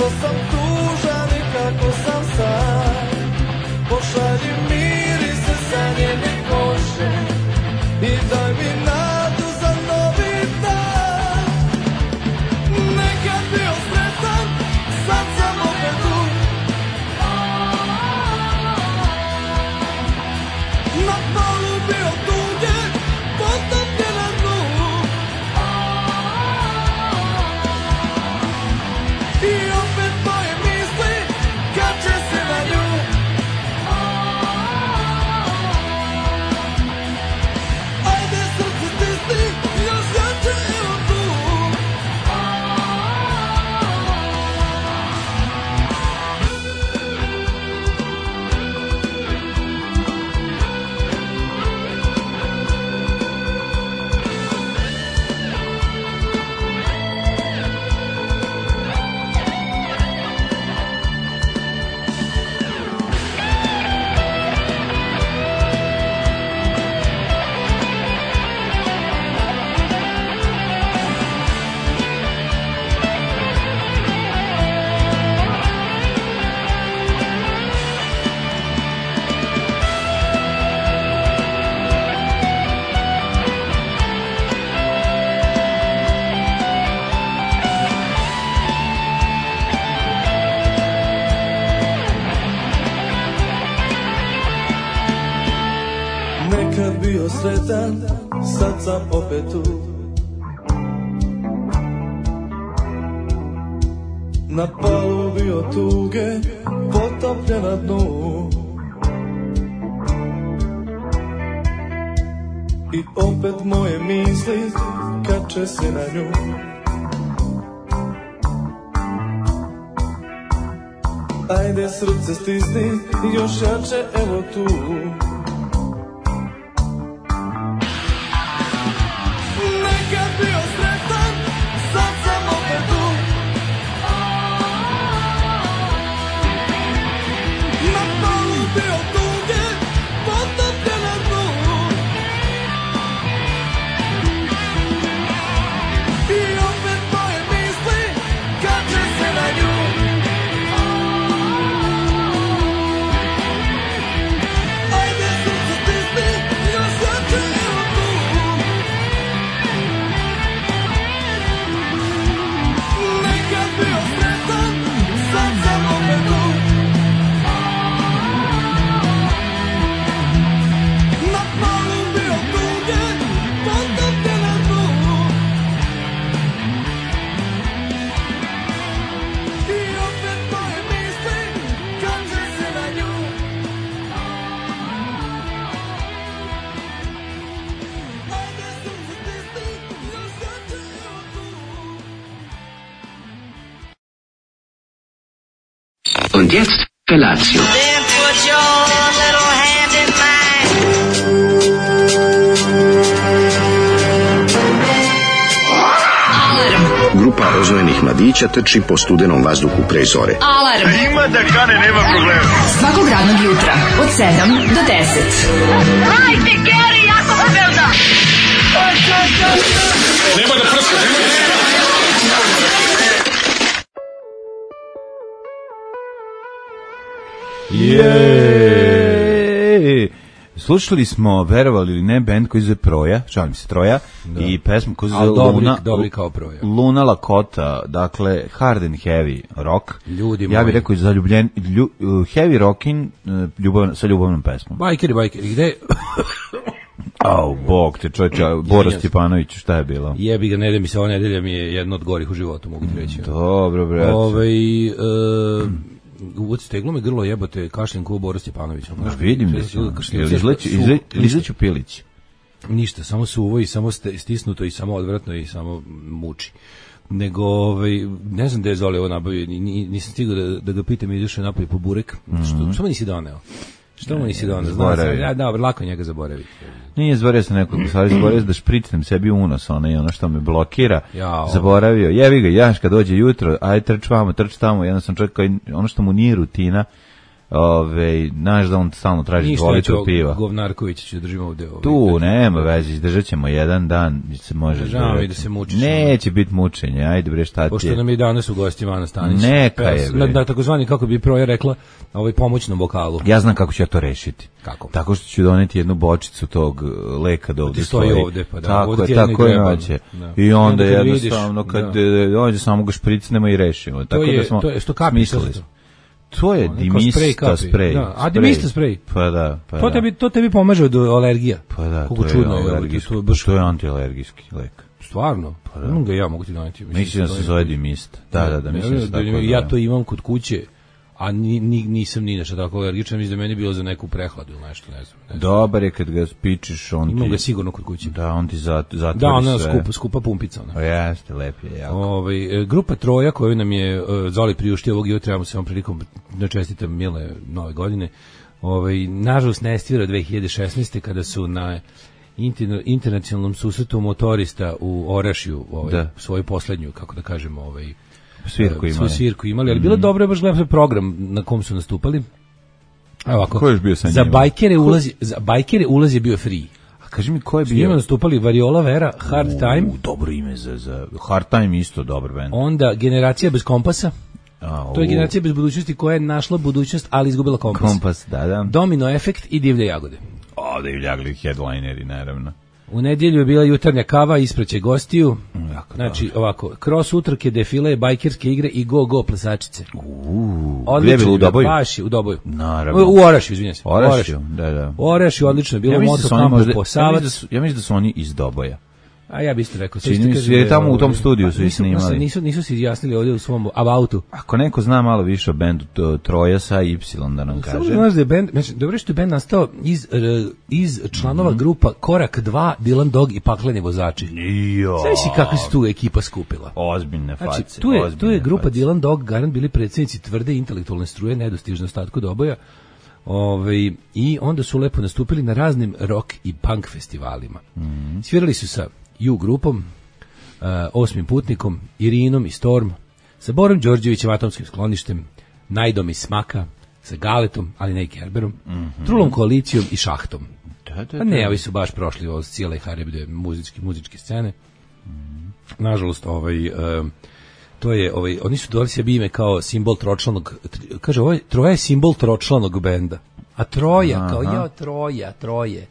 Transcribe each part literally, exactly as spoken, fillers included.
kako sam tužan i kako sam sam. Pošalji mirise sa njene kože i daj mi nadu za novi dan. Nekad bio sretan, sad sam opet tu. Na polu bio tuge, potopljen na dnu. I opet moje misli kače se na nju. Ajde srce stisni, još jače evo tu. Nekad bio sretan, sad sam opet tu. Na polu bio tuge, potopljen na dnu. I opet moje misli kače se na nju. Ajde srce stisni, još jače evo tu. Nekad bio sretan, sad sam opet tu. Na polu bio tuge, potopljen na dnu. I opet moje misli kače se na nju. Ajde srce stisni, još jače evo tu. Nekad bio sretan, sad sam opet tu. Na polu bio tuge, potopljen na dnu. I opet moje misli kače se na nju. Ajde srce stisni, još jače evo tu. Und jetzt Felatio. Then put your little hand in mine. Grupa rozvojenih mladića trči po studenom vazduhu pre zore. Alarm. Ima da kane, nema problema. Svakog radnog jutra od sedam do deset. Hajde, Geri, jako se velda. Je. Slušali smo, verovali ili ne, band koji zove Proja, šalim se Troja, da. I pesmu koja zove Luna, dobri kao Proja. Luna Lakota, dakle hard and heavy rock. Ljudi ja moji. bih rekao zaljubljen, lju, heavy rockin ljubav, sa ljubavnom pesmom. Bajkeri, bajkeri, gde? Au, bog te čovječe, Bora Stjepanović, šta je bilo? Jebi ga, nedelja mi se, ova nedelja mi je jedna od gorih u životu, mogu ti reći. Dobro, brate. Ovaj e, uvod steglo me grlo, jebote, kašljem ko Bora Stjepanović. Znaš, vidim da si, izleću pilić. Ništa, samo suvo i samo stisnuto i samo odvratno i samo muči. Nego, ovaj, ne znam gde je Zoli ovo nabavio, nisam stigao da, da ga pitam, izašao napolje po burek, mm-hmm. što, što me nisi doneo? Što mu nisi doneo? Znam sam, ja, da, lako njega zaboravi. Nije, zaboravio sam nekoliko stvari, zaboravio da špricnem sebi unos, ono, i ono što me blokira, Jao. zaboravio, jevi ga, jaš kad dođe jutro, aj trč vamo, trč tamo, jedan sam čovjek koji, ono što mu nije rutina, Ove, znaš da on stalno traži Ništa, dva litra piva. Govnarkovića ću držimo ovde. Ovaj, Tu nema veze, izdržat ćemo jedan dan, se može Žao mi izdržati. da se mučiš. Neće biti mučenje, ajde bre, šta ti Pošto je? nam je danas u gosti Ivana Stanić. Neka Peva je, s- bre. Na, na takozvani, kako bi Proja rekla, ovaj pomoćnom vokalu. Ja znam kako ću ja to rešiti. Kako? Tako što ću doneti jednu bočicu tog uh, leka da ovdje Ti stoji ovde, pa da, Tako ovde ti je, jedno tako je greba. naće. Da. I onda I onda kad jednostavno, vidiš, kad da. e, ovdje samo ga špricnemo i rešimo. Tako je- da smo to je što kapi, smislili to- smo. To je Ono, kao dimista sprej kapi. sprej. Da, a sprej. dimista sprej. Pa da, pa To da. tebi, to tebi pomaže od alergija. Pa da, Koliko to je čudno je, alergijski. to je baš To je antialergijski lek. stvarno. Pa da. ga ja mogu ti doneti. Mislim da se zove dimista. Da, da, da, mislim da se tako zove. Ja to imam kod kuće, a ni, ni, nisam ni nešto tako alergičan, mislim da je meni bilo za neku prehladu ili nešto, ne znam. Ne znam. Dobar je kad ga spičiš, on Imam ti... ga sigurno kod kuće. Da, on ti zat, zatvori Da, ona sve. skupa, skupa pumpica. Ona. O, jeste, lep je, jako. Ovaj, e, grupa Troja koju nam je uh, Zoli priuštio ovog jutra, trebamo se vam prilikom da čestitam mile nove godine. Ovaj, nažalost ne svira dve hiljade šesnaeste kada su na interna- internacionalnom susretu motorista u Orašju ovaj, Da. svoju poslednju, kako da kažemo, ovaj, Svirku e, imali. svoju svirku imali, ali bilo je dobro, je baš gledam program na kom su nastupali. Evo ovako, Ko je još bio sa za njima? bajkere ulaz, za bajkere ulaz je bio free. A kaži mi ko je S njima bio? nastupali Variola Vera, Hard Time, U, dobro ime za, za... Hard Time isto dobar band. onda Generacija bez kompasa. A, To je u, generacija bez budućnosti koja je našla budućnost, ali izgubila kompas. Kompas, da, da. Domino efekt i divlje jagode. Ovde je ljagli headlineri, naravno. U nedjelju je bila jutarnja kava, ispraće gostiju. Jako Znači, ovako, cross utrke, defile, bajkerske igre i go-go plesačice. Uuu, Odlično gdje je bilo u je bilo, Doboju? baš je u Doboju. Naravno. U, u Orašju, izvinjam se. Orašju, da, da. U Orašju, odlično je bilo, Ja ja mislim da moto su oni kampu možda, po ja Savac. mislim da su, ja mislim da su oni iz Doboja. A ja bih isto rekao. Čini sad ću ti mi se, kažem jer da je tamo u ovaj- tom studiju su Pa ih nisu- snimali. Nisu, nisu se izjasnili ovdje u svom abautu. Ako neko zna malo više o bendu to, Troja sa Y da nam Samo kaže. da znaš da je band, znači, dobro je što je band nastao iz, r- iz članova grupa Korak dva, Dylan Dog i Pakleni vozači. Jo. Znaš si kakva se tu ekipa skupila? Ozbiljne face. Znači, tu je, tu ozbiljne je grupa face. Dylan Dog, garant bili predsjednici tvrde intelektualne struje, nedostižno ostatku Doboja. Ove, i onda su lepo nastupili na raznim rock i punk festivalima. Mhm. Svirali su sa U grupom, uh, Osmim putnikom, Irinom i Storm, sa Borom Đorđevićem, Atomskim skloništem, Najdom i Smaka, sa Galetom, ali ne i Kerberom, Trulom koalicijom i Šahtom. Da, da, Pa da. ne, ovi su baš prošli od cijele Harebide muzičke, muzičke scene. Nažalost, ovaj... em, to je, ovaj, oni su dali sebi ime kao simbol tročlanog, tr- kaže, ovaj, Troja je simbol tročlanog benda. A Troja, kao, Aha. ja, Troja, Troje.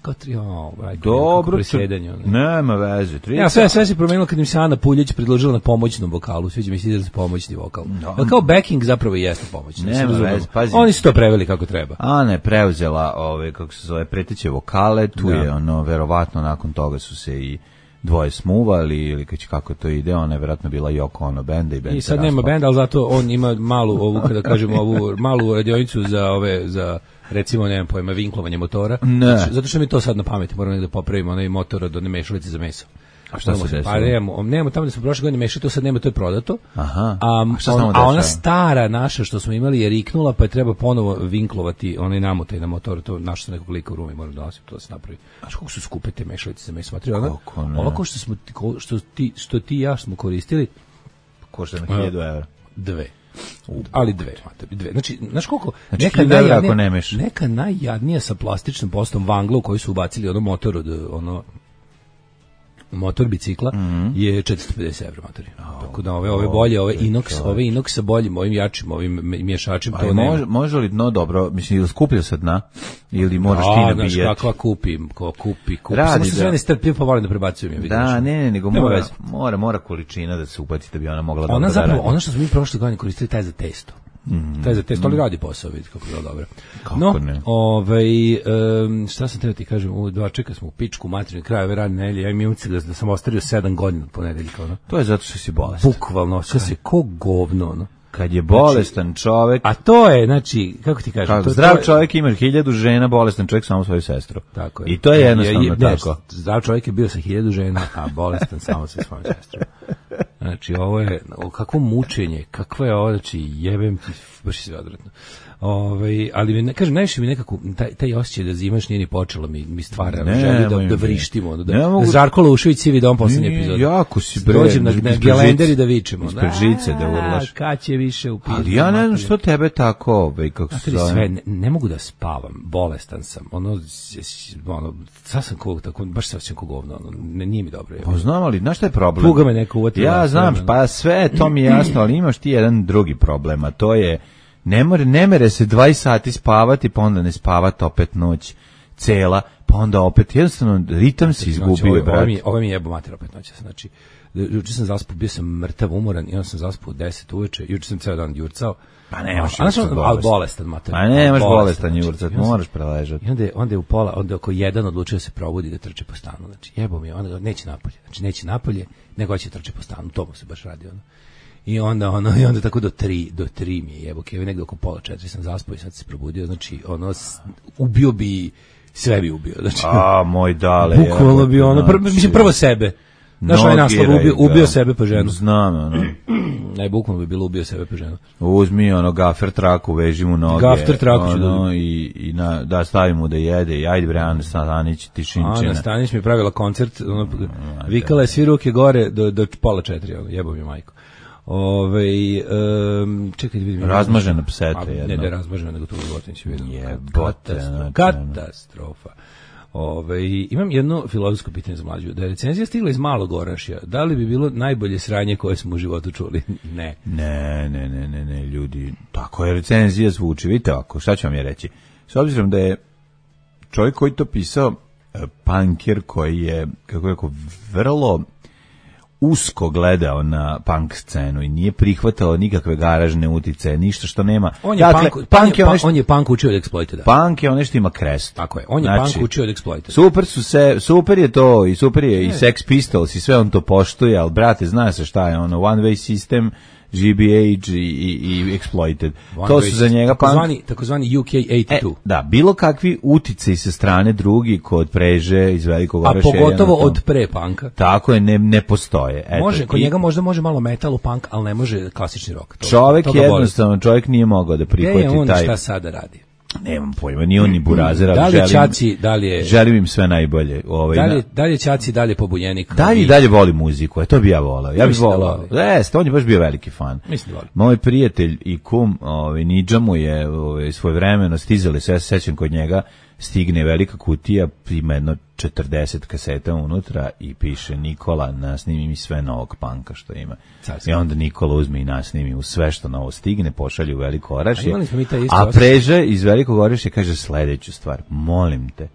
Kao tri, o, braj, Dobro, presjedanje. tr- nema veze. Ja, sve, sve se promenilo kad im se Ana Puljić predložila na pomoćnom vokalu, sviđa mi se izraz pomoćni vokal. Ali kao backing zapravo i jeste pomoćni. da se Nema razumemo. veze, pazi. Oni su to preveli kako treba. Ana je preuzela ove, kako se zove, preteće vokale, tu Da. je ono, verovatno nakon toga su se i dvoje smuvali, ili kać- kako to ide, ona je verovatno bila Yoko Ono benda i band I se sad nema raspao. benda, ali zato on ima malu ovu, kada kažemo, ovu malu radionicu za ove, za recimo, nemam pojma, vinklovanje motora. Ne. Zato, zato što mi to sad na pameti, moramo negde popravimo onaj motor od one mešalice za meso. A šta se Moramo desilo? Pa nemamo, nemamo tamo da smo prošle godine mešali, to sad nema, to je prodato. Aha. A, A šta se on- tamo a ona dešava? stara naša što smo imali je riknula, pa je treba ponovo vinklovati onaj namotaj na motor, to našao sam nekog lika u Rumi, moram da nosim, to da se napravi. Znaš koliko su skupe te mešalice za meso? Matri, ona, Kako ne? ovako što, smo, ti- ko- što, ti, što ti i ja smo koristili, Košta na hiljadu evra. dve. Ali dve, mater, dve. Znači, znaš koliko, Znači, neka, hiljadu evra najjadnija, ako nemaš. neka najjadnija sa plastičnom postom vangla u koju su ubacili ono motor od, ono, motor bicikla je četiristo pedeset evra matori. Tako da ove ove bolje, ove inox, ove inox sa boljim, ovim jačim, ovim mješačem, to Ali nema. može, može li dno dobro, mislim, ili skuplja se dna, ili moraš ti A, znaš nabijati? kakva kupim, ko kupi, kupi. Radi, Samo se da. sve ne strpljivo pa volim da prebacujem. Ja vidim, Da, znaš. ne, ne, nego Nema mora, veze. mora, mora količina da se upati da bi ona mogla Ona dobro da zapravo, radi. ono što smo mi prošle godine koristili, taj za testo. Taj za testo, ali radi posao, vidi kako je bilo dobro. Kako no, ne? ovaj, em, šta sam teo ti kažem, u dva čeka smo u pičku materinu, kraj ove radne nedelje, ja imam utisak da, da sam ostario sedam godina od ponedeljka, ono. To je zato što si bolestan. Bukvalno, sve se ko govno, ono. Kad je bolestan čovek, A to je, znači, kako ti kažem, kako, to, zdrav to je, čovjek ima hiljadu žena, bolestan čovjek samo svoju sestru. Tako je. I to je jednostavno Je- je- ne, tako. Zdrav čovjek je bio sa hiljadu žena, a bolestan samo sa svojom sestrom. Znači, ovo je, o, kakvo mučenje, kakvo je ovo, znači, jebem ti, baš je sve odvratno. Ovaj, ali mi ne kažem, najviše mi nekako taj taj osjećaj da zimaš nije ni počelo mi mi stvara Ne, želju da moj da mi. vrištimo, da, Ne mogu- da Žarko Laušević sivi dom poslednje Nije, epizode. jako si, bre, Dođem na, ispred na žice. gelender i da vičemo. Ispred žice da urlaš. Kad će više u pizdu. Ali ja ne znam materinu. što tebe tako, ovaj, kako se Znate li zove. sve, ne, ne mogu da spavam, bolestan sam, ono, s- s- ono sad sam kog, tako, baš se osjećam kog govno, ono, ne, nije mi dobro. Pa znam, ali znaš šta je problem? Tuga me neka uvatila, Ja sve znam, me- pa sve, to mi je jasno, ali imaš ti jedan drugi problem, a to je, ne, more, ne mere se dvadeset sati spavati, pa onda ne spavati opet noć cela, pa onda opet, jednostavno, ritam si Znači, ovo, izgubio, ovo, brat. mi, ovo mi je jebo mater opet noća, znači, juče sam zaspao, bio sam mrtav, umoran, i onda sam zaspao u deset uveče, juče sam ceo dan jurcao. Pa nemaš A, a, jurcat ali bolestan. bolestan, mater. Pa nemaš Bolestan, bolestan znači. jurcat, I onda sam- moraš preležati. I onda je, onda je u pola, onda je oko jedan odlučio da se probudi da trče po stanu. Znači, jebo mi je, onda ga- neće napolje. Znači, neće napolje, nego će trče po stanu. To mu se baš radi, ono. I onda, ono, i onda tako do tri, do tri mi je jebo, kevi, negde oko pola četiri sam zaspao i sad se probudio. Znači, ono, s- ubio bi, sve bi ubio. Znači, A, moj dale. bukvalno bi ono, pr, znači, mislim, prvo sebe. Znaš, ovaj naslov, nogiraj ubio, ga. ubio sebe po ženu. Znam, ono. Ne, bukvalno bi bilo ubio sebe po ženu. Uzmi ono gafer traku, veži mu noge. Gafer traku ću ono, da- i, i na, da stavim mu da jede. I ajde bre, Ana Stanić, tišinčina. Ana Stanić mi je pravila koncert, ono, vikala je svi ruke gore do, do pola četiri, ono, jebo mi majko. Ove, um, čekaj da vidim. Razmažena pseta A, Ne jedna. da je razmažena, nego tu životinj si vidio. Jebote, Katastrofa. znači, Katastrofa. Ove, imam jedno filozofsko pitanje za mlađu. Da je recenzija stigla iz Malog Orašja, da li bi bilo najbolje sranje koje smo u životu čuli? Ne. Ne, ne, ne, ne, ne, ljudi. Tako je recenzija zvuči. Vidite ovako, šta ću vam je reći? S obzirom da je čovjek koji to pisao, e, punkir koji je, kako je rekao, vrlo usko gledao na punk scenu i nije prihvatao nikakve garažne utice, ništa što nema. On je dakle, punk, punk je on, ono je, što, on je punk učio od Exploited. punk je ono što ima krest. Tako je, on je Znači, punk učio od Exploited. Super su se, super je to i super je i Sex Pistols i sve on to poštuje, ali brate, zna se šta je ono, One Way System, G B H i, i, i Exploited. One to Way su za njega punk. takozvani, takozvani U K E, osamdeset dva. da, bilo kakvi utice sa strane drugi kod Preže iz Velikog A Orašja. pogotovo jedno to- od pre punka. Tako je, ne, ne postoje. Eto, Može, kod i njega možda može malo metal, punk, ali ne može klasični rock. To, čovek to ga boli. jednostavno, čovjek nije mogao da Gde prihvati je on taj... šta sada radi? Nemam pojma, ni on ni Burazer, ali Da li je želim, Ćaci, da li je, želim im sve najbolje. Ovaj, da li, na- je- da li je Ćaci, da li je pobunjenik? Dalje i dalje voli muziku, e, to bi ja volao. Ja bih Mislim da volao. voli. Jeste, on je baš bio veliki fan. Mislim da voli. Moj prijatelj i kum, ovaj Nidža mu je ovaj svojevremeno stizali, se ja se sećam kod njega, stigne velika kutija, ima jedno četrdeset kaseta unutra i piše Nikola, nasnimi mi sve novog panka što ima. Carski. I onda Nikola uzme i nasnimi u sve što novo stigne, pošalju u Veliko A Orašje. imali smo mi taj isti A osjećaj. Preže iz Velikog Orašja kaže sledeću stvar, molim te,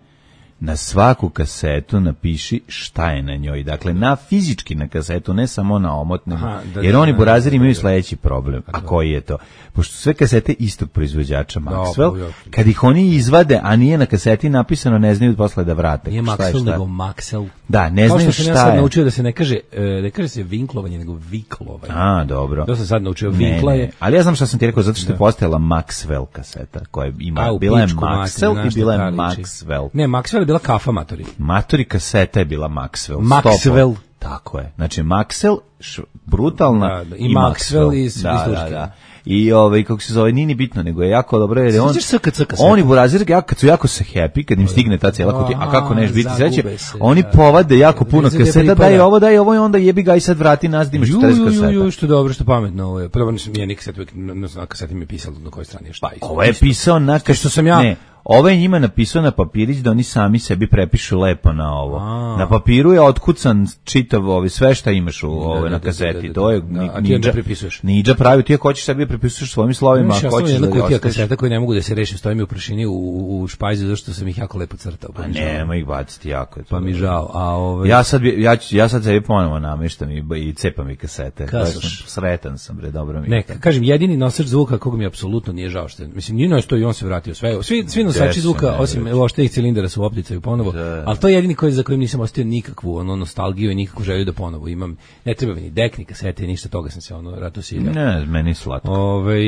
na svaku kasetu napiši šta je na njoj. Dakle, na fizički na kasetu, ne samo na omotnu. Aha, da, Jer da, oni da, burazeri da, imaju da. sledeći problem. A koji je to? Pošto su sve kasete istog proizvođača pa Maxwell, uvijek. kad ih oni izvade, a nije na kaseti napisano, ne znaju posle da vrate. Nije Šta je Maxwell, šta? nego Maxwell. Da, ne Kao znaju što sam ja šta sad je. naučio da se ne kaže, e, ne kaže se vinklovanje, nego viklovanje. A, dobro. To sam sad naučio, Ne, vinkla ne. je. Ali ja znam šta sam ti rekao, zato što je postojala Maxwell kaseta, koja ima, A, u bila je pičku materinu, Maxwell znaš i šta bila je ta liči. Maxwell. Ne, Maxwell je bila kafa matori. Matori kaseta je bila Maxwell. Maxwell. Sto po- Tako je. Znači Maxwell, š, brutalna Da, da, i Maxwell iz- iz da, da, Turske. da. I ovaj kako se zove, nije ni bitno, nego je jako dobro jer je on. Sjećaš se kad se kaseta? Oni burazir ja kad su jako se happy kad im stigne ta cijela kutija, a kako neš biti zagube sreće? se, Oni da. povade jako puno Gde se kaseta, pripada. daj ovo, daj ovo i onda jebi ga i sad vrati nas da imaš Ju, četrdeset ju, ju, kaseta. ju, što dobro, što pametno ovo je. Prvo nisam ja nikad kaseti, uvijek na, na, na kaseti mi je pisalo na kojoj strani je šta. isto. Ovo je pisao na Što- što sam ja- Ne, ovo je njima napisao na papirić da oni sami sebi prepišu lepo na ovo. A. Na papiru je otkucan čitav ovaj sve šta imaš u ove da, na da, kaseti. da, da, da. To je Da, ni- a ti onda Nidža- prepisuješ. Nidža pravi, ti ako hoćeš sebi prepisuješ svojim slovima, Imaš, ja ako sam hoćeš jedna da kutija ostaviš. kaseta koje ne mogu da se rešim, stoji mi u prašini u, u, u špajzi zato što sam ih jako lepo crtao. Pa nema ih baciti jako. je to Pa mi dobro. žao. A ovaj Ja sad bi- ja ću- ja sad sebi ponovo nameštam i, i cepam i kasete. Kasaš. Baš sam sretan sam, bre, dobro mi. je Ne, to. kažem, jedini nosač zvuka kog mi apsolutno nije žao što je, mislim, nije što i on se vratio sve, svi, svi nosači Desu, zvuka, ne, osim već. oštenih cilindara su u opticaju ponovo, Da. ali to je jedini koji, za kojim nisam ostio nikakvu ono, nostalgiju i nikakvu želju da ponovo imam, ne treba mi ni dek, ni kasete, ništa toga sam se ono ratu siljao. Ne, meni je slatko. Ove,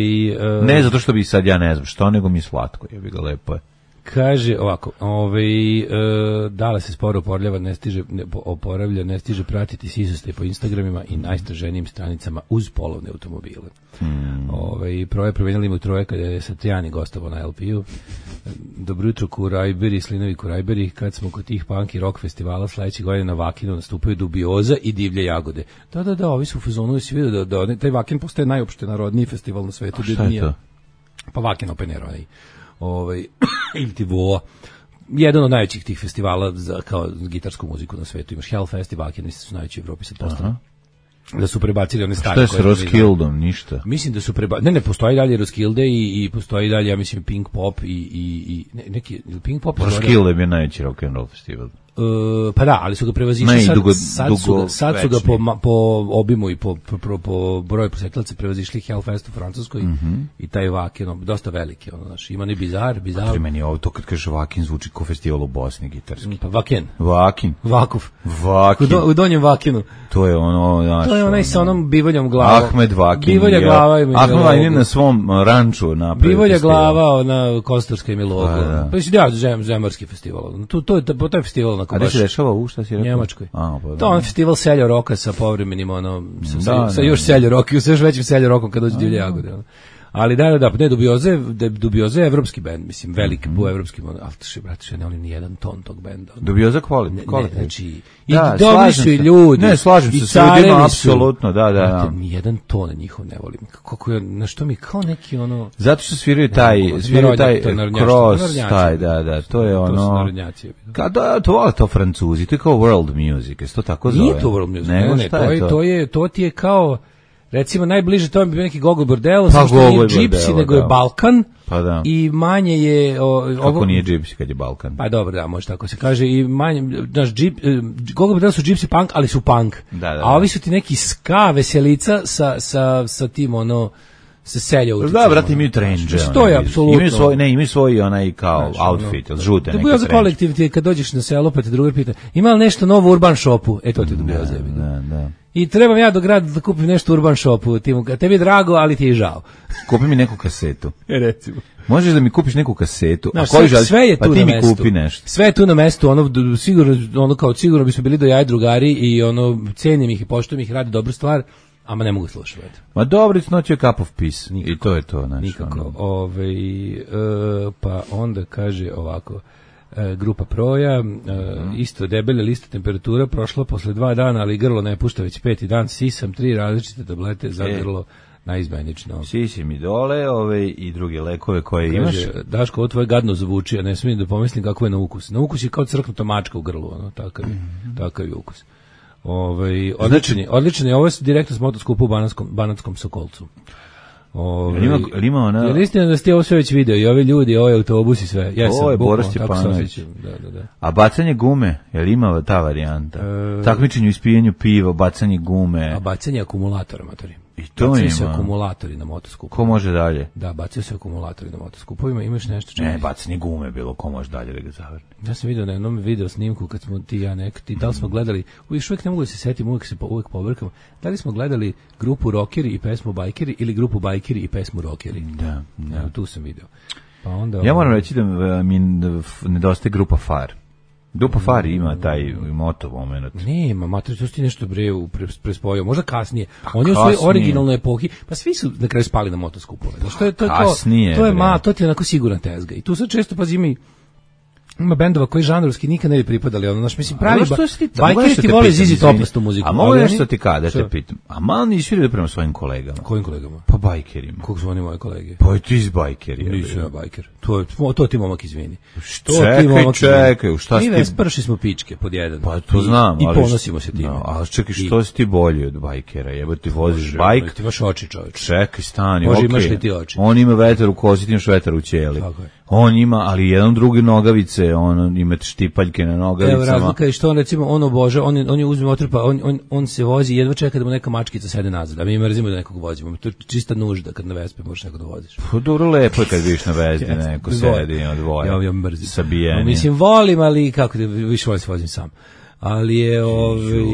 Ne zato što bi sad ja ne znam što, nego mi je slatko, jebi ga, lepo je. Kaže ovako, ovaj, e, dala se sporo oporavlja, ne stiže, ne, oporavlja, ne stiže pratiti sisastej po Instagramima i najstraženijim stranicama uz polovne automobile. Hmm. Ovaj, proje promenjali mu troje kada je Satrijani gostovao na el pe-u. Dobro jutro Kurajberi, Slinovi Kurajberi, kad smo kod tih punk i rock festivala sledeće godine na Vakinu nastupaju Dubioza i Divlje jagode. Da, da, da, ovi su u fazonu, si vidio da, da taj Vakin postaje najopšte narodniji festival na svetu. A šta je to? Pa Vakin Open Air, onaj. Ovaj ili ti voa jedan od najvećih tih festivala za kao gitarsku muziku na svetu. Imaš Hellfest i Wacken, mislim su najveći u Evropi sad postali. Da su prebacili one stare. Šta je s Roskildom? Ništa. Mislim da su prebacili. Ne, ne, postoji dalje Roskilde i, i postoji dalje, ja mislim, Pink Pop i, i, i ne, neki Pink Pop. Roskilde je bio najveći rock and roll festival. Uh, pa da, ali su ga prevazišli sad, dugo, sad, su ga, sad su ga po, po obimu i po, po, po broju posetilaca prevazišli Hellfest u Francuskoj mm-hmm. i taj Wacken, dosta veliki, ono, znaš, ima ni bizar, bizar. Pa meni ovo, to kad kaže Wacken zvuči kao festival u Bosni gitarski. Pa Wacken. Wacken. Vakuf. Wacken. U, do, u donjem Vakinu. To je ono, znaš. To je onaj sa onom bivoljom glava. Ahmed Wacken. Bivolja glava ima. Ahmed Wacken na svom ranču napravio. Bivolja glava, ona Kostarska ima logo. Pa da. Pa je ja, zem, zemorski festival. To, to je, to je festival na A gde se dešava u šta si rekao? Njemačkoj. A, pa, to je on festival seljo roka sa povremenim ono sa, da, sa, sa da, još da. seljo roka, sa još većim seljo rokom kad dođe Divlje jagode. Ono. Ali da, da, da, ne, Dubioza je, Dubioza je evropski bend, mislim, veliki, mm-hmm. bu evropski, ali še, brate, še ne oni ni jedan ton tog benda. Dubioza kvali, ne, kvali. Ne, znači, i da, dobri su i ljudi. Ne, slažem se, sve ljudima, apsolutno, da, da. Brate, ni jedan ton njihov ne volim. Kako je, na što mi, kao neki ono... Zato što sviraju taj, ne, sviraju taj cross, narodnjaci, taj, da, da, to je ono... To su narodnjaci. Kada, to vole to Francuzi, to je kao world music, je to tako zove? Nije to world music, ne, ne, ne, to je, to je, to ti je kao... Recimo, najbliže to je bio neki Gogol Bordello, pa što nije Gypsy, nego je Balkan, pa da. I manje je... O, Kako ovo, nije Gypsy kad je Balkan? Pa dobro, da, može tako se kaže, i manje, znaš, Gogol Bordello su Gypsy punk, ali su punk, da, da, da. A ovi su ti neki ska veselica sa, sa, sa tim, ono, sa selja uticama. Da, brate, imaju trendže. Što je, apsolutno. Imaju svoj, ne, imaju svoj onaj kao znači, outfit, ono, žute neke trendže. Kolektiv ti kad dođeš na selo, pa te drugar pita, ima li nešto novo u Urban Shopu? E, to ti dobio zebi. Da, da. I trebam ja do grada da kupim nešto u Urban Shopu, tebi je drago, ali ti je žao. Kupi mi neku kasetu. E, recimo. Možeš da mi kupiš neku kasetu, Znaš, a koji sve, sve je tu pa ti na mi mestu. kupi nešto. Sve je tu na mestu, ono sigurno, ono kao sigurno bismo bili do jaja drugari i ono cenim ih i poštujem ih, radi dobru stvar, ama ne mogu slušati. Ma dobro, it's not your cup of peace. Nikako. I to je to, znači. Nikako. Ono. Ove, e, pa onda kaže ovako, e, grupa Proja, e, mm. isto debele lista temperatura, prošla posle dva dana, ali grlo ne pušta već peti dan, sisam tri različite tablete za e. grlo. Najizmenično. Sisi mi dole, ove i druge lekove koje imaš. Kaže, Daško, ovo tvoje gadno zvuči, a ne smijem da pomislim kako je na ukus. Na ukus je kao crknuta mačka u grlu, ono, takav je, mm-hmm. takav je ukus. Ove, odličan je, odličan je, ovo je direktno s motoskupu u Banatskom, Banatskom Sokolcu. Ove, ima, ima ona... Je li istina da ste ovo sve već video i ovi ljudi, ovaj autobus i sve? Jesam, ovo je bukvalno, Boris Stjepanović. Da, da, da. A bacanje gume, je li ima ta varijanta? E... Takmičenju ispijenju piva, bacanje gume. A bacanje akumulatora, matori. I to bacaju ima. se akumulatori na motoskupu. Ko može dalje? Da, bacaju se akumulatori na motoskupovima. Imaš nešto čemu? Ne, bacanje gume bilo, ko može dalje da ga zavrne. Ja sam vidio na jednom video snimku kad smo ti ja nek, ti, da li smo gledali, još uvijek ne mogu da se setim, uvijek se po, uvijek pobrkam, da li smo gledali grupu Rockeri i pesmu Bajkeri ili grupu Bajkeri i pesmu Rockeri? Da, da. Evo, tu sam video. Pa onda, ja moram reći da mi nedostaje grupa Far. Grupa Far ima taj moto moment. Nema, mater, to ti nešto bre prespojio, možda kasnije. On je u svojoj originalnoj epohi, pa svi su na kraju spali na motoskupove. Znači to je to je kasnije, to je ma, to ti je onako siguran tezga. I tu sad često pa zimi ima bendova koji žanrovski nikad ne bi pripadali, ono, znaš, mislim, pravi bajkeri ti vole Zizi Toplastu muziku. A mogu nešto ti kada, da te pitam, a malo nisi vidio prema svojim kolegama? Kojim kolegama? Pa bajkerima. Kog su oni moji kolege? Pa ti iz bajkeri. Nisam ja bajker. To, to ti momak izvini. Što čekaj, čekaj, šta si ti? Mi vesprši smo pičke pod jedan. Pa to znam, i, ali... I ponosimo se time. No, ali čekaj, što si ti bolji od bajkera? Jebo ti voziš bajk? Ti imaš oči, čovječ. Čekaj, stani, Bože, okej. imaš li ti oči? On ima vetar u kozi, ti imaš vetar u ćeli. Tako je. On ima, ali jedan drugi nogavice, on ima štipaljke na nogavicama. Evo razlika je što on recimo on obože, on on je uzme otrpa, on on on se vozi jedva čeka da mu neka mačkica sede nazad. A mi mrzimo da nekog vozimo. To je čista nužda kad na Vespi možeš nekog da voziš. Pa dobro, lepo je kad vidiš na Vespi neko sedi od dvoje. Ja ja mrzim. Sabijeni. No, mislim volim, ali kako da više volim se vozim sam. ali je ovaj Ju,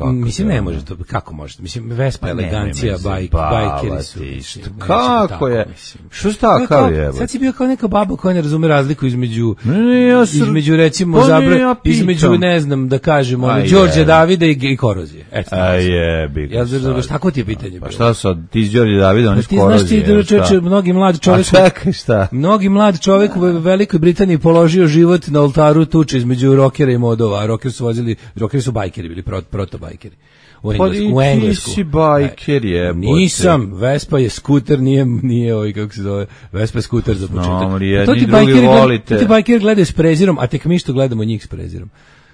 mislim to ne je? može to, kako može, mislim Vespa Pa elegancija, nemoj me bajk, zabavati, bajkeri su, mislim, što- neće kako tako, je? mislim. Što To je takav kao- je? Sad si bio kao neka baba koja ne razume razliku između Ne, ja sam- između recimo Pa ne, zabra, ja pitam. između ne znam da kažemo A ono, je. Đorđe Davida i, i korozije. Eto. A jebi ga Ja sad. znam tako ti je pitanje. Pa bilo. šta sad, ti iz Đorđe Davida, oni Pa ti znaš ti da čoveče, mnogi mlad čovjek A čekaj, šta? Mnogi mlad čovjek u Velikoj Britaniji položio život na oltaru tuče između rokera i modova, a rokeri su vozili, rokeri su bajkeri bili, prot, proto-bajkeri. U Pa Englesku, i u ti Englesku. si bajker, jebote. Nisam, Vespa je skuter, nije, nije ovaj, kako se zove, Vespa je skuter za početak. ali A jedni to ti drugi bajkeri gled- volite. To ti bajkeri gledaju s prezirom, a tek mi što gledamo njih s prezirom.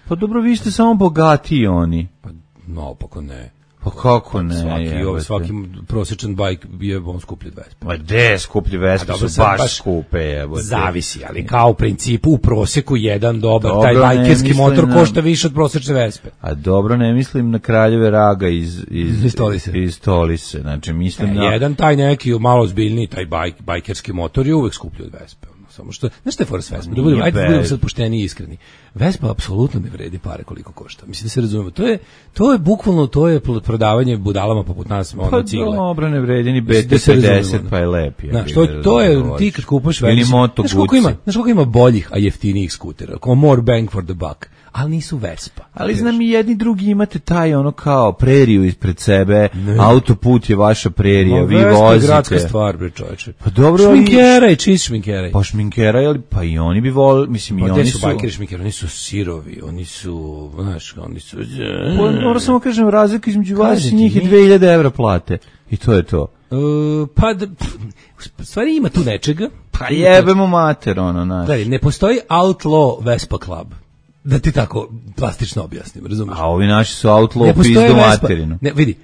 Pa dobro, vi ste samo bogatiji oni. Pa, no, opako ne. Pa kako ne, Svaki, jebote. ovaj, svaki prosječan bajk je on skuplji od Vespa. Ma de, skuplji Vespe A dobro, su sad baš, baš skupe, jebote. Zavisi, ali kao u principu u proseku jedan dobar, Dobro, taj ne bajkerski mislim motor na- košta više od prosečne Vespe. A dobro, ne mislim na kraljeve raga iz, iz, Iz Tolise. iz Tolise. Znači, mislim na... Jedan taj neki malo zbiljniji, taj bajk, bajkerski motor je uvek skuplji od Vespe. ono, Samo što, znaš što je fora s Vespa? Da budemo, Nije ajde da budemo bad. sad pošteni i iskreni. Vespa apsolutno ne vredi pare koliko košta. Mislim da se razumemo. To je, to je bukvalno, to je prodavanje budalama poput nas, ono, Pa cigle. dobro, ne vredi ni Mislim B da T se razumemo, pedeset, ono. pa je lep. je, Znaš, bi to, ga to je, razumeo. ti kad kupaš Ili Vespa, Moto znaš koliko Guzzi. ima, znaš koliko ima boljih, a jeftinijih skutera, kao more bang for the buck, ali nisu Vespa. Ali znam i jedni drugi imate taj ono kao preriju ispred sebe, autoput je vaša prerija, Ma, vi Vespa je vozite. gradska stvar, bre čoveče. Pa dobro, ali- Šminkeraj, čist šminkeraj. Pa šminkera, ali pa i oni bi volili, mislim, i Pa oni gde su... su bajkeri šminkeri? Oni su sirovi, oni su, znaš, oni su... Pa, moram samo kažem, razlika između vas Kažem i ti, njih je mi- dve hiljade evra plate. I to je to. E, pa, da, pff, u stvari ima tu nečega. Pa jebemo mater, ono, znaš. Gledaj, ne postoji outlaw Vespa Club. Da ti tako plastično objasnim, razumiješ? A ovi naši su outlaw Ne pizdu postoji Vespa. materinu. Ne, vidi,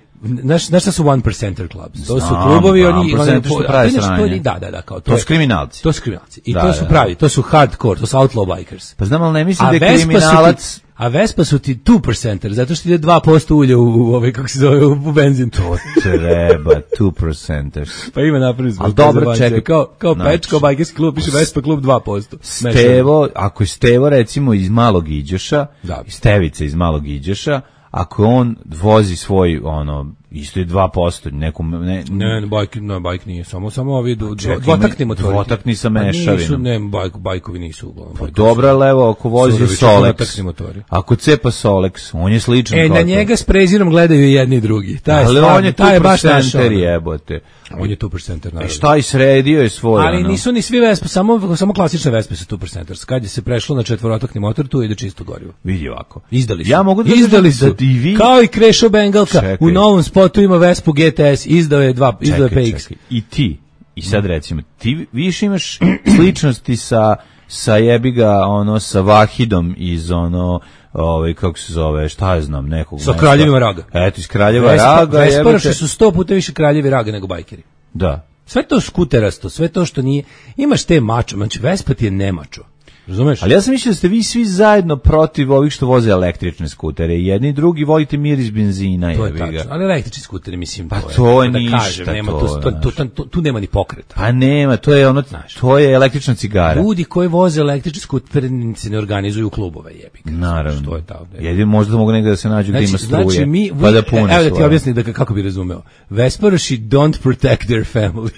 znaš, znaš šta su one percenter clubs? To su Znam, klubovi, pa, oni... one percenter što oni- prave a to je nešto- to je- sranje. Da, da, da, kao to. To je- su kriminalci. To su kriminalci. I Da, to da, su da. pravi, to su hardcore, to su outlaw bikers. Pa znam, ali ne mislim A da je Vespa su kriminalac... ti, a Vespa su ti two percenter, zato što ide dva posto ulja u, u ovaj, kako se zove, u, u benzin. To treba, two percenters. Pa ima napravili smo. Ali dobro, prezabancije. čekaj. Kao, kao Znači- Pečko, bajkerski klub, piše Vespa klub dva posto. Stevo, ako je Stevo recimo iz Malog Iđoša, Da. Stevica iz Malog Iđoša, ako on vozi svoj, ono, isto je dva posto, nekom, ne, Ne, ne, bajk, ne, bajk nije, samo, samo ovi do, čekaj, dvotakni ima motori. dvotakni sa Pa mešavinom. Nisu, ne, bajk, bajkovi nisu uglavnom. Pa bajkovi dobro, ali evo, ako vozi Surovi, Solex, četvrtakni motori. ako cepa Solex, on je sličan E, kao na to. njega s prezirom gledaju i jedni i drugi. Taj je Ali stvarno, on je taj je tu baš naš. percenter ono. jebote. On je two percenter, E naravno. šta i sredio je svoj, Ali ono. nisu ni svi Vespa, samo, samo klasične Vespe su two percenter. Kad je se prešlo na četvorotakni motor, tu ide čisto gorivo. Vidi ovako. Izdali su. Ja mogu da Izdali kažem su. da i vi... Kao i Krešo Bengalka. Čekaj. U novom spotu ima Vespu G T S, izdao je dva, izdao je Čekaj, P X. čekaj. I ti, i sad recimo, ti više imaš sličnosti sa, sa jebiga, ono, sa Vahidom iz ono, ovaj, kako se zove, šta je znam, nekog Sa mesta. Kraljevima Raga. Eto, iz Kraljeva Vespa, Raga, Vesparoši jebote. su sto puta više kraljevi Raga nego bajkeri. Da. Sve to skuterasto, sve to što nije, imaš te mačo, znači Vespa ti je nemačo. Razumeš? Ali ja sam mislio da ste vi svi zajedno protiv ovih što voze električne skutere. Jedni i drugi volite miris benzina, To je jebi ga. tačno, ali električni skuteri, mislim, Pa to je, to je da ništa, kažem, nema to tu, je, to, tu, znaš. tu, tu nema ni pokreta. Pa nema, to je ono, to je električna cigara. Ljudi koji voze električni skuter se ne organizuju u klubove, jebi ga. Naravno. Što je ta ovde? Jedino možda mogu negde da se nađu gde ima struje, znači mi, pa da vi- pune evo da ti svoje. objasnim da, kako bi razumeo. Vesparoši don't protect their family.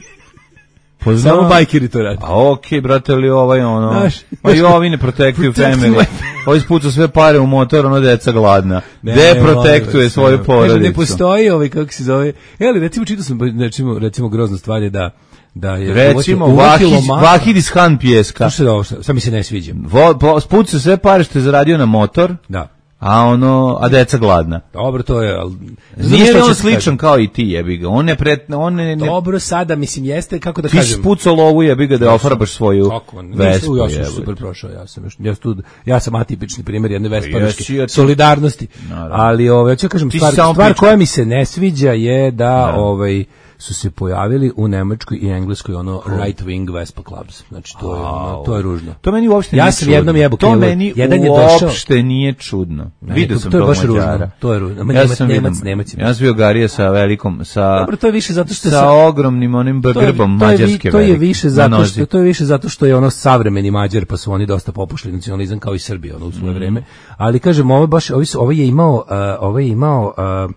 Pa znam. Samo bajkeri to radi. A okej, brate, ali ovaj ono... Znaš, pa i ovi ne protektuju Protect family. my- Ovi spucu sve pare u motor, ono deca gladna. Ne, Gde molim protektuje vas, svoju ne. porodicu? Kaže, ne postoji ovaj, kako se zove, e, ali recimo čitao sam, recimo, recimo grozna stvar je da, da je Recimo, uvatilo Vahid, maha- Vahid iz Han Pjeska. Slušaj ovo, šta, šta mi se ne sviđa. Vo, po, spucu sve pare što je zaradio na motor, Da. a ono, a deca gladna. Dobro, to je, ali... Nije Znaš li šta on ću ti sličan kažem? kao i ti, jebi ga? On ne pret, on ne, ne Dobro, sada, mislim, jeste, kako da ti si kažem... spucao lovu, jebi ga, da ofarbaš svoju Kako? Nisam, Vespu, ja sam jebote. super prošao, ja sam još, ja, tu, ja sam atipični primjer jedne Jesi, vesparoške ja ti- solidarnosti. Naravno. Ali ovaj hoću da kažem Ti si stvar, samo stvar pička. koja mi se ne sviđa je da Da. ovaj su se pojavili u Nemačkoj i Engleskoj ono right wing Vespa clubs. Znači to je ono, to je ružno. To meni uopšte ja nije sam čudno. jednom jebo To krivo. meni Jedan je uopšte došao, nije čudno. Ne, Vidio to, sam to je tog baš ružno. Mađara. To je ružno. Ma Ja Nemac, sam Nemac, vidio- Nemac ima. Ja sam bio Garija sa velikom, sa, Dobro, to je više zato što sa sa- ogromnim onim To je- grbom to je vi- mađarske to je velike više na zato nozi. što to je više zato što je ono savremeni Mađar, pa su oni dosta popušli nacionalizam kao i Srbija ono u svoje vreme. Ali kažem, ovo baš ovaj su- ovaj je imao uh, ovaj je imao uh,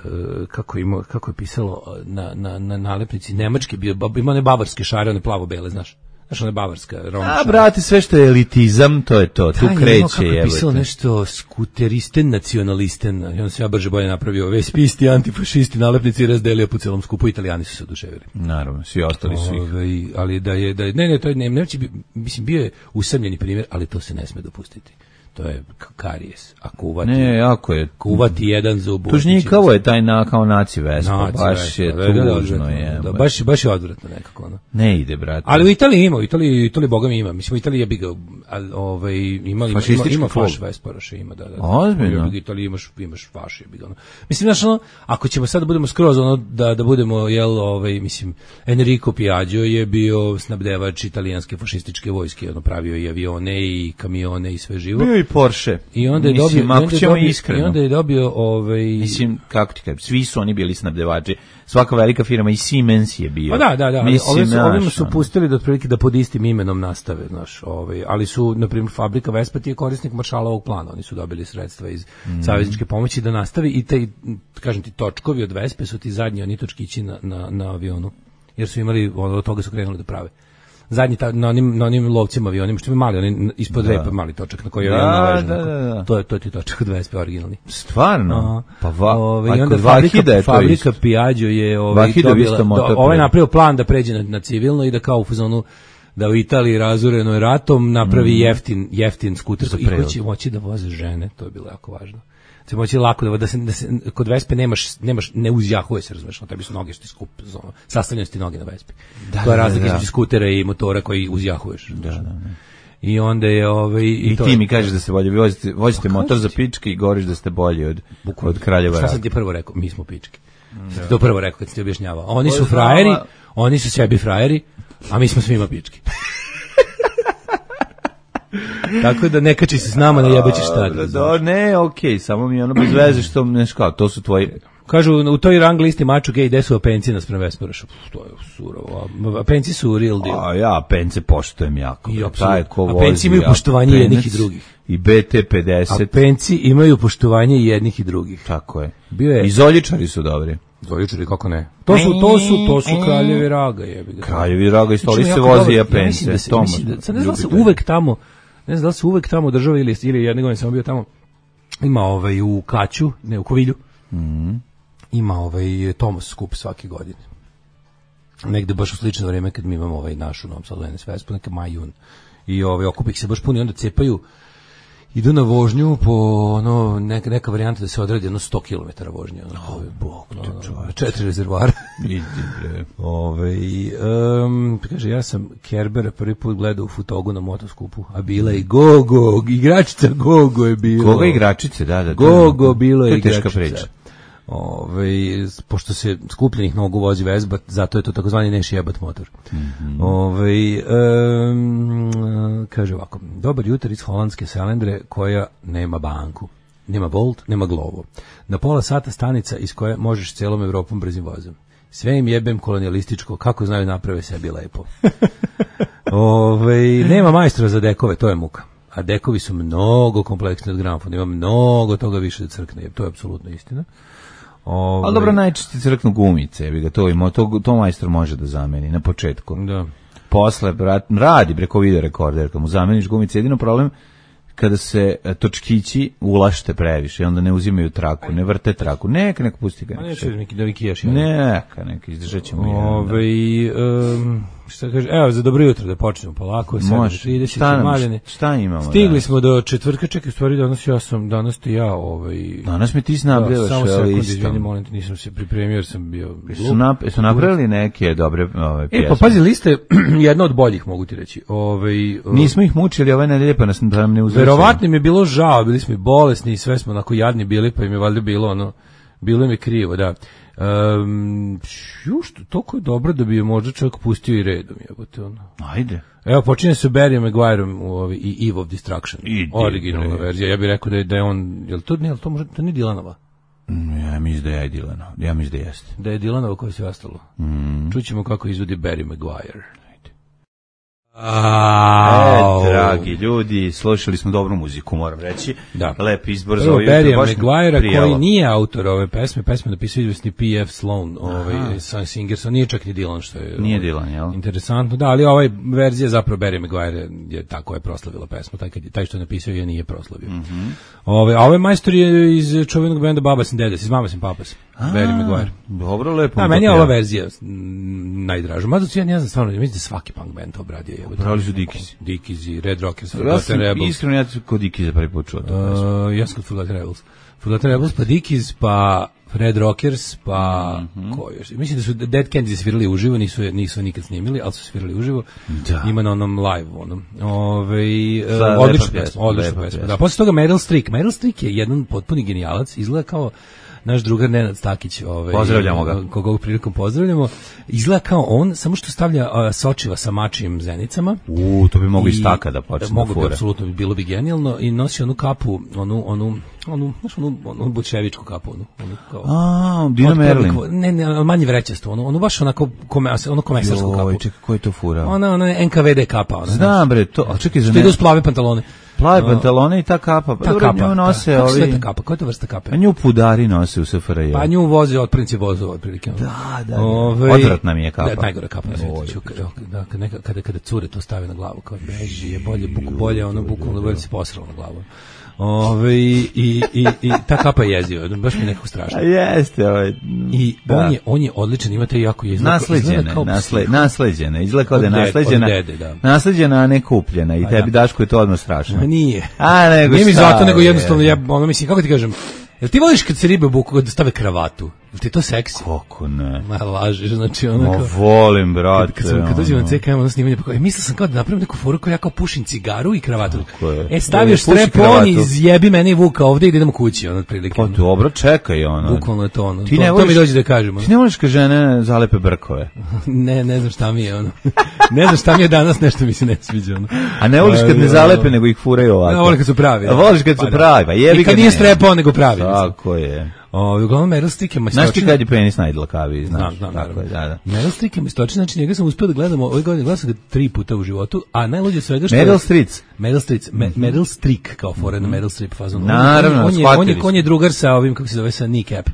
uh, kako je imao kako je pisalo uh, na na na nalepnici nemački bio bab- imao one bavarske šare, one plavo-bele, znaš. Znaš, one bavarska Roma A, šare. brate, sve što je elitizam, to je to. Tu Taj je imao, kreće, kako je pisalo jebote. nešto skuteristen, nacionalisten, i on se ja brže bolje napravio vespisti, antifašisti, nalepnici i razdelio po celom skupu, Italijani su se oduševili. Naravno, svi ostali su ih. Ovaj, ali da je da je, ne ne to je ne, neće bi- mislim bio je usamljeni primjer, ali to se ne sme dopustiti. To je k- karijes. A kuvati, Ne, jako je. kuvati jedan zub. Tužnjikavo je taj na, kao naci Vespa, Naci baš Vespa, je da, da, da, tužno odvratno, je. da, baš baš je odvratno nekako ono. Ne ide, brate. Ali u Italiji ima, u Italiji, u Italiji boga mi ima. Mislim u Italiji je bi ga al- ovaj ima ima ima, Fašistički ima klub. faš Vesparoše ima, da da. da. Ozbiljno? U Italiji imaš imaš faš je bi ga. Ono. Mislim znaš ono, ako ćemo sad da budemo skroz ono da da budemo jel ovaj mislim Enrico Piaggio je bio snabdevač italijanske fašističke vojske, ono pravio i avione i kamione i sve živo. Bio i Porsche. I onda je Mislim, dobio, i ako onda je ćemo dobio, iskreno. i onda je dobio ovaj Mislim, kako ti kažem, svi su oni bili snabdevači. Svaka velika firma i Siemens je bio. Pa da, da, da. Mislim, Ovim su, znaš, ovim su ono. pustili da otprilike da pod istim imenom nastave, znaš, ovaj, ali su na primjer fabrika Vespa ti je korisnik Maršalovog plana, oni su dobili sredstva iz Mm. savezničke pomoći da nastavi i taj kažem ti točkovi od Vespe su ti zadnji oni točkići na, na, na avionu. Jer su imali ono, od toga su krenuli da prave. Zadnji ta, na onim na onim lovcima avionima što ima mali, oni ispod Da. repa mali točak na koji je Da, avion naležan. da, onako. da, da. To je to ti točak od Vespe originalni. Stvarno? Aha. Pa va, Ove, a i onda kod fabrika, Vahida je to fabrika isto. Piaggio je ovaj Vahidov dobila, isto motor do, ovaj pre- napravio plan da pređe na, na civilno i da kao u fazonu da u Italiji razorenoj ratom napravi jeftin jeftin skuter Za i koji prevoz. će moći da voze žene, to je bilo jako važno. Će moći lako da, da, se, da se kod Vespe nemaš nemaš ne uzjahuje se, razumeš, no tebi su noge što ti skup, ono, sastavljene su ti noge na Vespi. Da, to je da, razlika da. između skutera i motora koji uzjahuješ. Da, da, da. I onda je ovaj i, I to ti je- mi kažeš da se bolje vozite, vozite Pa motor kažem za ti. pičke i govoriš da ste bolji od, od Kraljeva Šta Raka. sam ti prvo rekao? Mi smo pičke. Sam ti to prvo rekao kad si ti objašnjavao. Oni To su je frajeri, znala- oni su sebi frajeri, a mi smo svima pičke. Tako da ne kači se s nama na jebeći štad. Da, da, ne, okej, samo mi je ono bez veze što, neš kao, to su tvoji... Kažu, u toj rang listi maču gej, gde su apenci naspram Vesparoša? Pff, to je surovo. Apenci su real deal. A ja pence poštujem jako. I bre. apsolutno. Taj ko A vozi, penci imaju ja, poštovanje penec jednih i drugih. I B T pedeset, Apenci imaju poštovanje i jednih i drugih. tako je. Bio je- I zoljičari su dobri. Dvojučari, kako ne? To su, to su, to su kraljevi raga, jebi ga. Kraljevi Raga i stoli Znači, se jako vozi i dobro. Ja mislim apence. da se, to mislim možda da, sad ne znam da se ljubitelji. uvek tamo, ne znam da li se uvek tamo država ili, ili jedne godine sam bio tamo, ima ovaj u Kaću, ne u Kovilju, Mhm. ima ovaj Tomos skup svake godine. Negde baš u slično vrijeme kad mi imamo ovaj našu Novom Sadu N S Vespu, neka maj, jun. I ovaj okupi ih se baš puni, onda cepaju, idu na vožnju po ono neka, neka varijanta da se odradi ono sto kilometara vožnje, ono, oh, bog te čoveče, četiri rezervoara. Idi, bre. Ove, um, kaže, ja sam Kerbera prvi put gledao u Futogu na motoskupu, a bila je Gogo, igračica Gogo je bilo. Koga igračice, da, da. da. Gogo bilo je To je teška igračica. priča. Ove, pošto se skupljenih nogu vozi Vespa, zato je to takozvani neš jebat motor. Mhm. Ove, um, kaže ovako, dobar jutar iz holandske Selendre koja nema banku. Nema Bolt, nema Glovo. Na pola sata stanica iz koje možeš celom Evropom brzim vozom. Sve im jebem kolonijalističko, kako znaju naprave sebi lepo. Ove, nema majstora za dekove, to je muka. A dekovi su mnogo kompleksni od gramofona, ima mnogo toga više da crkne, to je apsolutno istina. Ove, Ali dobro, najčešće crknu gumice, jebi ga, to, ima, to, to majstor može da zameni na početku. Da. Posle, brat, radi preko video rekorder, kad mu zameniš gumice, jedino problem kada se e, točkići ulašte previše i onda ne uzimaju traku, ne vrte traku, neka, neka pusti ga. Ma neću neki da neki ješ. Neka, neka, izdržat ćemo jedan. Ove, um, šta kaže, evo za dobro jutro da počnemo polako, Može. sedam trideset Šta nam- maljene. šta imamo Stigli danas? smo do četvrtka, čekaj, u stvari danas ja sam, danas ti ja, ovaj... Danas mi ti Da, snabdevaš samo ovaj sekund, listom. izvini, molim te, nisam se pripremio jer sam bio Su, glup. nap, su napravili neke dobre ove, E, pjesme? pa pazi, liste jedna od boljih, mogu ti reći. Ovaj, uh, Nismo ih mučili ove nedelje, pa nas da nam ne uzeli. verovatno im je bilo žao, bili smo i bolesni i sve smo onako jadni bili, pa im je valjda bilo ono, bilo im je krivo, da. Um, juš, toliko je dobro da bi je možda čovjek pustio i redom, jebote, ono. Ajde. Evo, počinje se Barryom Maguireom u ovi, i Eve of Destruction. Idi, originalna bre. verzija. Ja bih rekao da je, da je on, je li to, ne, je li to možda, to nije Dylanova? Ja mislim da je Dylanova. Ja mislim da jeste. Da je Dylanova koja se ostalo. Mm. Čućemo kako izvodi Barry Maguire. E, dragi ljudi, slušali smo dobru muziku, moram reći. Da. Lep izbor za Prvo, ovo jutro. Barry baš Maguire, prijalo. koji nije autor ove pesme, pesme napisao izvesni P F Sloan, ovaj, Sun Singerson, nije čak ni Dylan, što je Nije ovaj, Dylan, jel? interesantno, da, ali ovaj verzija zapravo Barry Maguire je tako je proslavila pesmu, taj, kad je, taj što je napisao je nije proslavio. Mm -hmm. Ove, a ovaj majstor je iz čuvenog benda Babas and Dedes, iz Mamas and Papas, Barry Maguire. Dobro, lepo. Da, meni je ova verzija m, najdraža. Mada ja ne znam stvarno, mislim da svaki punk band to obradio. Pravili su Dickies. Dickies i Red Rockers, Ja Forgotten sam Rebels. iskreno, ja sam kod Dickies za prvi put čuo to. Uh, ja sam kod Forgotten Rebels. Forgotten Rebels, pa Dickies, pa Red Rockers, pa mm -hmm. ko još? Mislim da su Dead Kennedys svirali uživo, nisu nisu nikad snimili, ali su svirali uživo. Da. Ima na onom live, onom. Ovaj uh, odlična pesma, odlična pesma. Da, posle toga Meryl Streep. Meryl Streep je jedan potpuni genijalac, izgleda kao naš drugar Nenad Stakić, ovaj, pozdravljamo ga. Koga ovog prilikom pozdravljamo. Izgleda kao on, samo što stavlja uh, sočiva sa mačijim zenicama. U, to bi moglo iz taka da počne. Mogu bi, apsolutno bi bilo bi genijalno. I nosi onu kapu, onu, onu, onu, znaš, onu, onu bučevičku kapu, onu, onu kao... A, Dina Merlin. Ne, ne, manje vrećasto, onu, onu baš onako, kome, ono komesarsku kapu. Joj, čekaj, ko je to fura? Ona, ona N K V D kapa. Ona, znam, bre, to, ali čekaj, za ne... Što ide uz plave pantalone. Plave pantalone i ta kapa. Ta dobro, kapa, nju nose da. Kako ovi... sve ta kapa? Koja je to vrsta kape? A nju pudari nose u S F R J. Pa nju voze otprinci vozova, otprilike. Da, da, da. Ove, odvratna mi je kapa. Da, najgora kapa na svijetu. Da, kada, kada, kada cure to stave na glavu, kao beži je bolje, buku bolje, ono bukvalno bolje se posralo na glavu. Ove, i, i, i ta kapa je jeziva, baš mi je nekako strašno. A jeste, ovaj. I da. on, je, on je odličan, imate jako je izgleda. Nasleđene, kao nasle, nasleđene, izgleda kao da je ded, nasleđena, dede, da. nasleđena, a ne kupljena i tebi da. Daško je to odmah strašno. A nije. A nego nije mi šta, zato, nego jednostavno, je. ja, ono mislim, kako ti kažem, jel ti voliš kad se ribe buku, kad stave kravatu? Jel ti to seksi? Kako ne? Ma lažeš, znači ono Ma kao... volim, brate. Kad, kad, sam, kad dođem na C K M, ono snimanje, pa kao, mislio sam kao da napravim neku foru koja ja kao pušim cigaru i kravatu. E, stavioš strep-on i zjebi mene i Vuka ovde i idemo kući, ono, otprilike. Pa dobro, čekaj, ono. Bukvalno je to, ono. Ti to, ne voliš, to mi dođe da kažem. Ono. Ti ne voliš kad žene zalepe brkove? ne, ne znam šta mi je, ono. ne znam šta mi je danas, nešto mi se ne sviđa, ono. A ne voliš kad ne zalepe, nego ih furaju ovako? Ne, volim kad su pravi. A voliš kad su pravi, pa jebi ga. I kad nije strep-on, nego pravi. Tako je. O, uglavnom Meryl Streep je majstočina. Znaš ti kad je penis najdlakaviji, znaš? Znam, znam, tako je, da, da. Meryl Streep je majstočina, znači njega sam uspio da gledam, ove godine gledam sam ga tri puta u životu, a najluđe svega što... Meryl Streep. Meryl Streep, Me, mm -hmm. Meryl Streep, kao foreign mm -hmm. Meryl Streep fazon. Naravno, on, on, je, on, je, on je drugar sa ovim, kako se zove, sa Kneecap,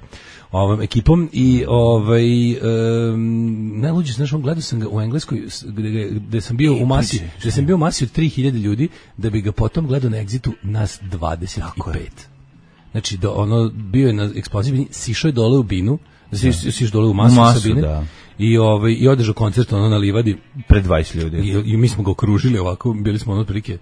ovom ekipom i ovaj um, najluđe, znaš, on gledao sam ga u Engleskoj gde, gde sam bio u masi, gde sam bio u masi od tri hiljade ljudi, da bi ga potom gledao na Exitu nas dvadeset pet. Znači, do, ono, bio je na eksploziji, sišao je dole u binu, si, siš dole u masu, u masu Sabine, da. I, ovaj, i održao koncert ono na livadi. Pred dvadeset ljudi. I, i mi smo ga okružili ovako, bili smo ono otprilike,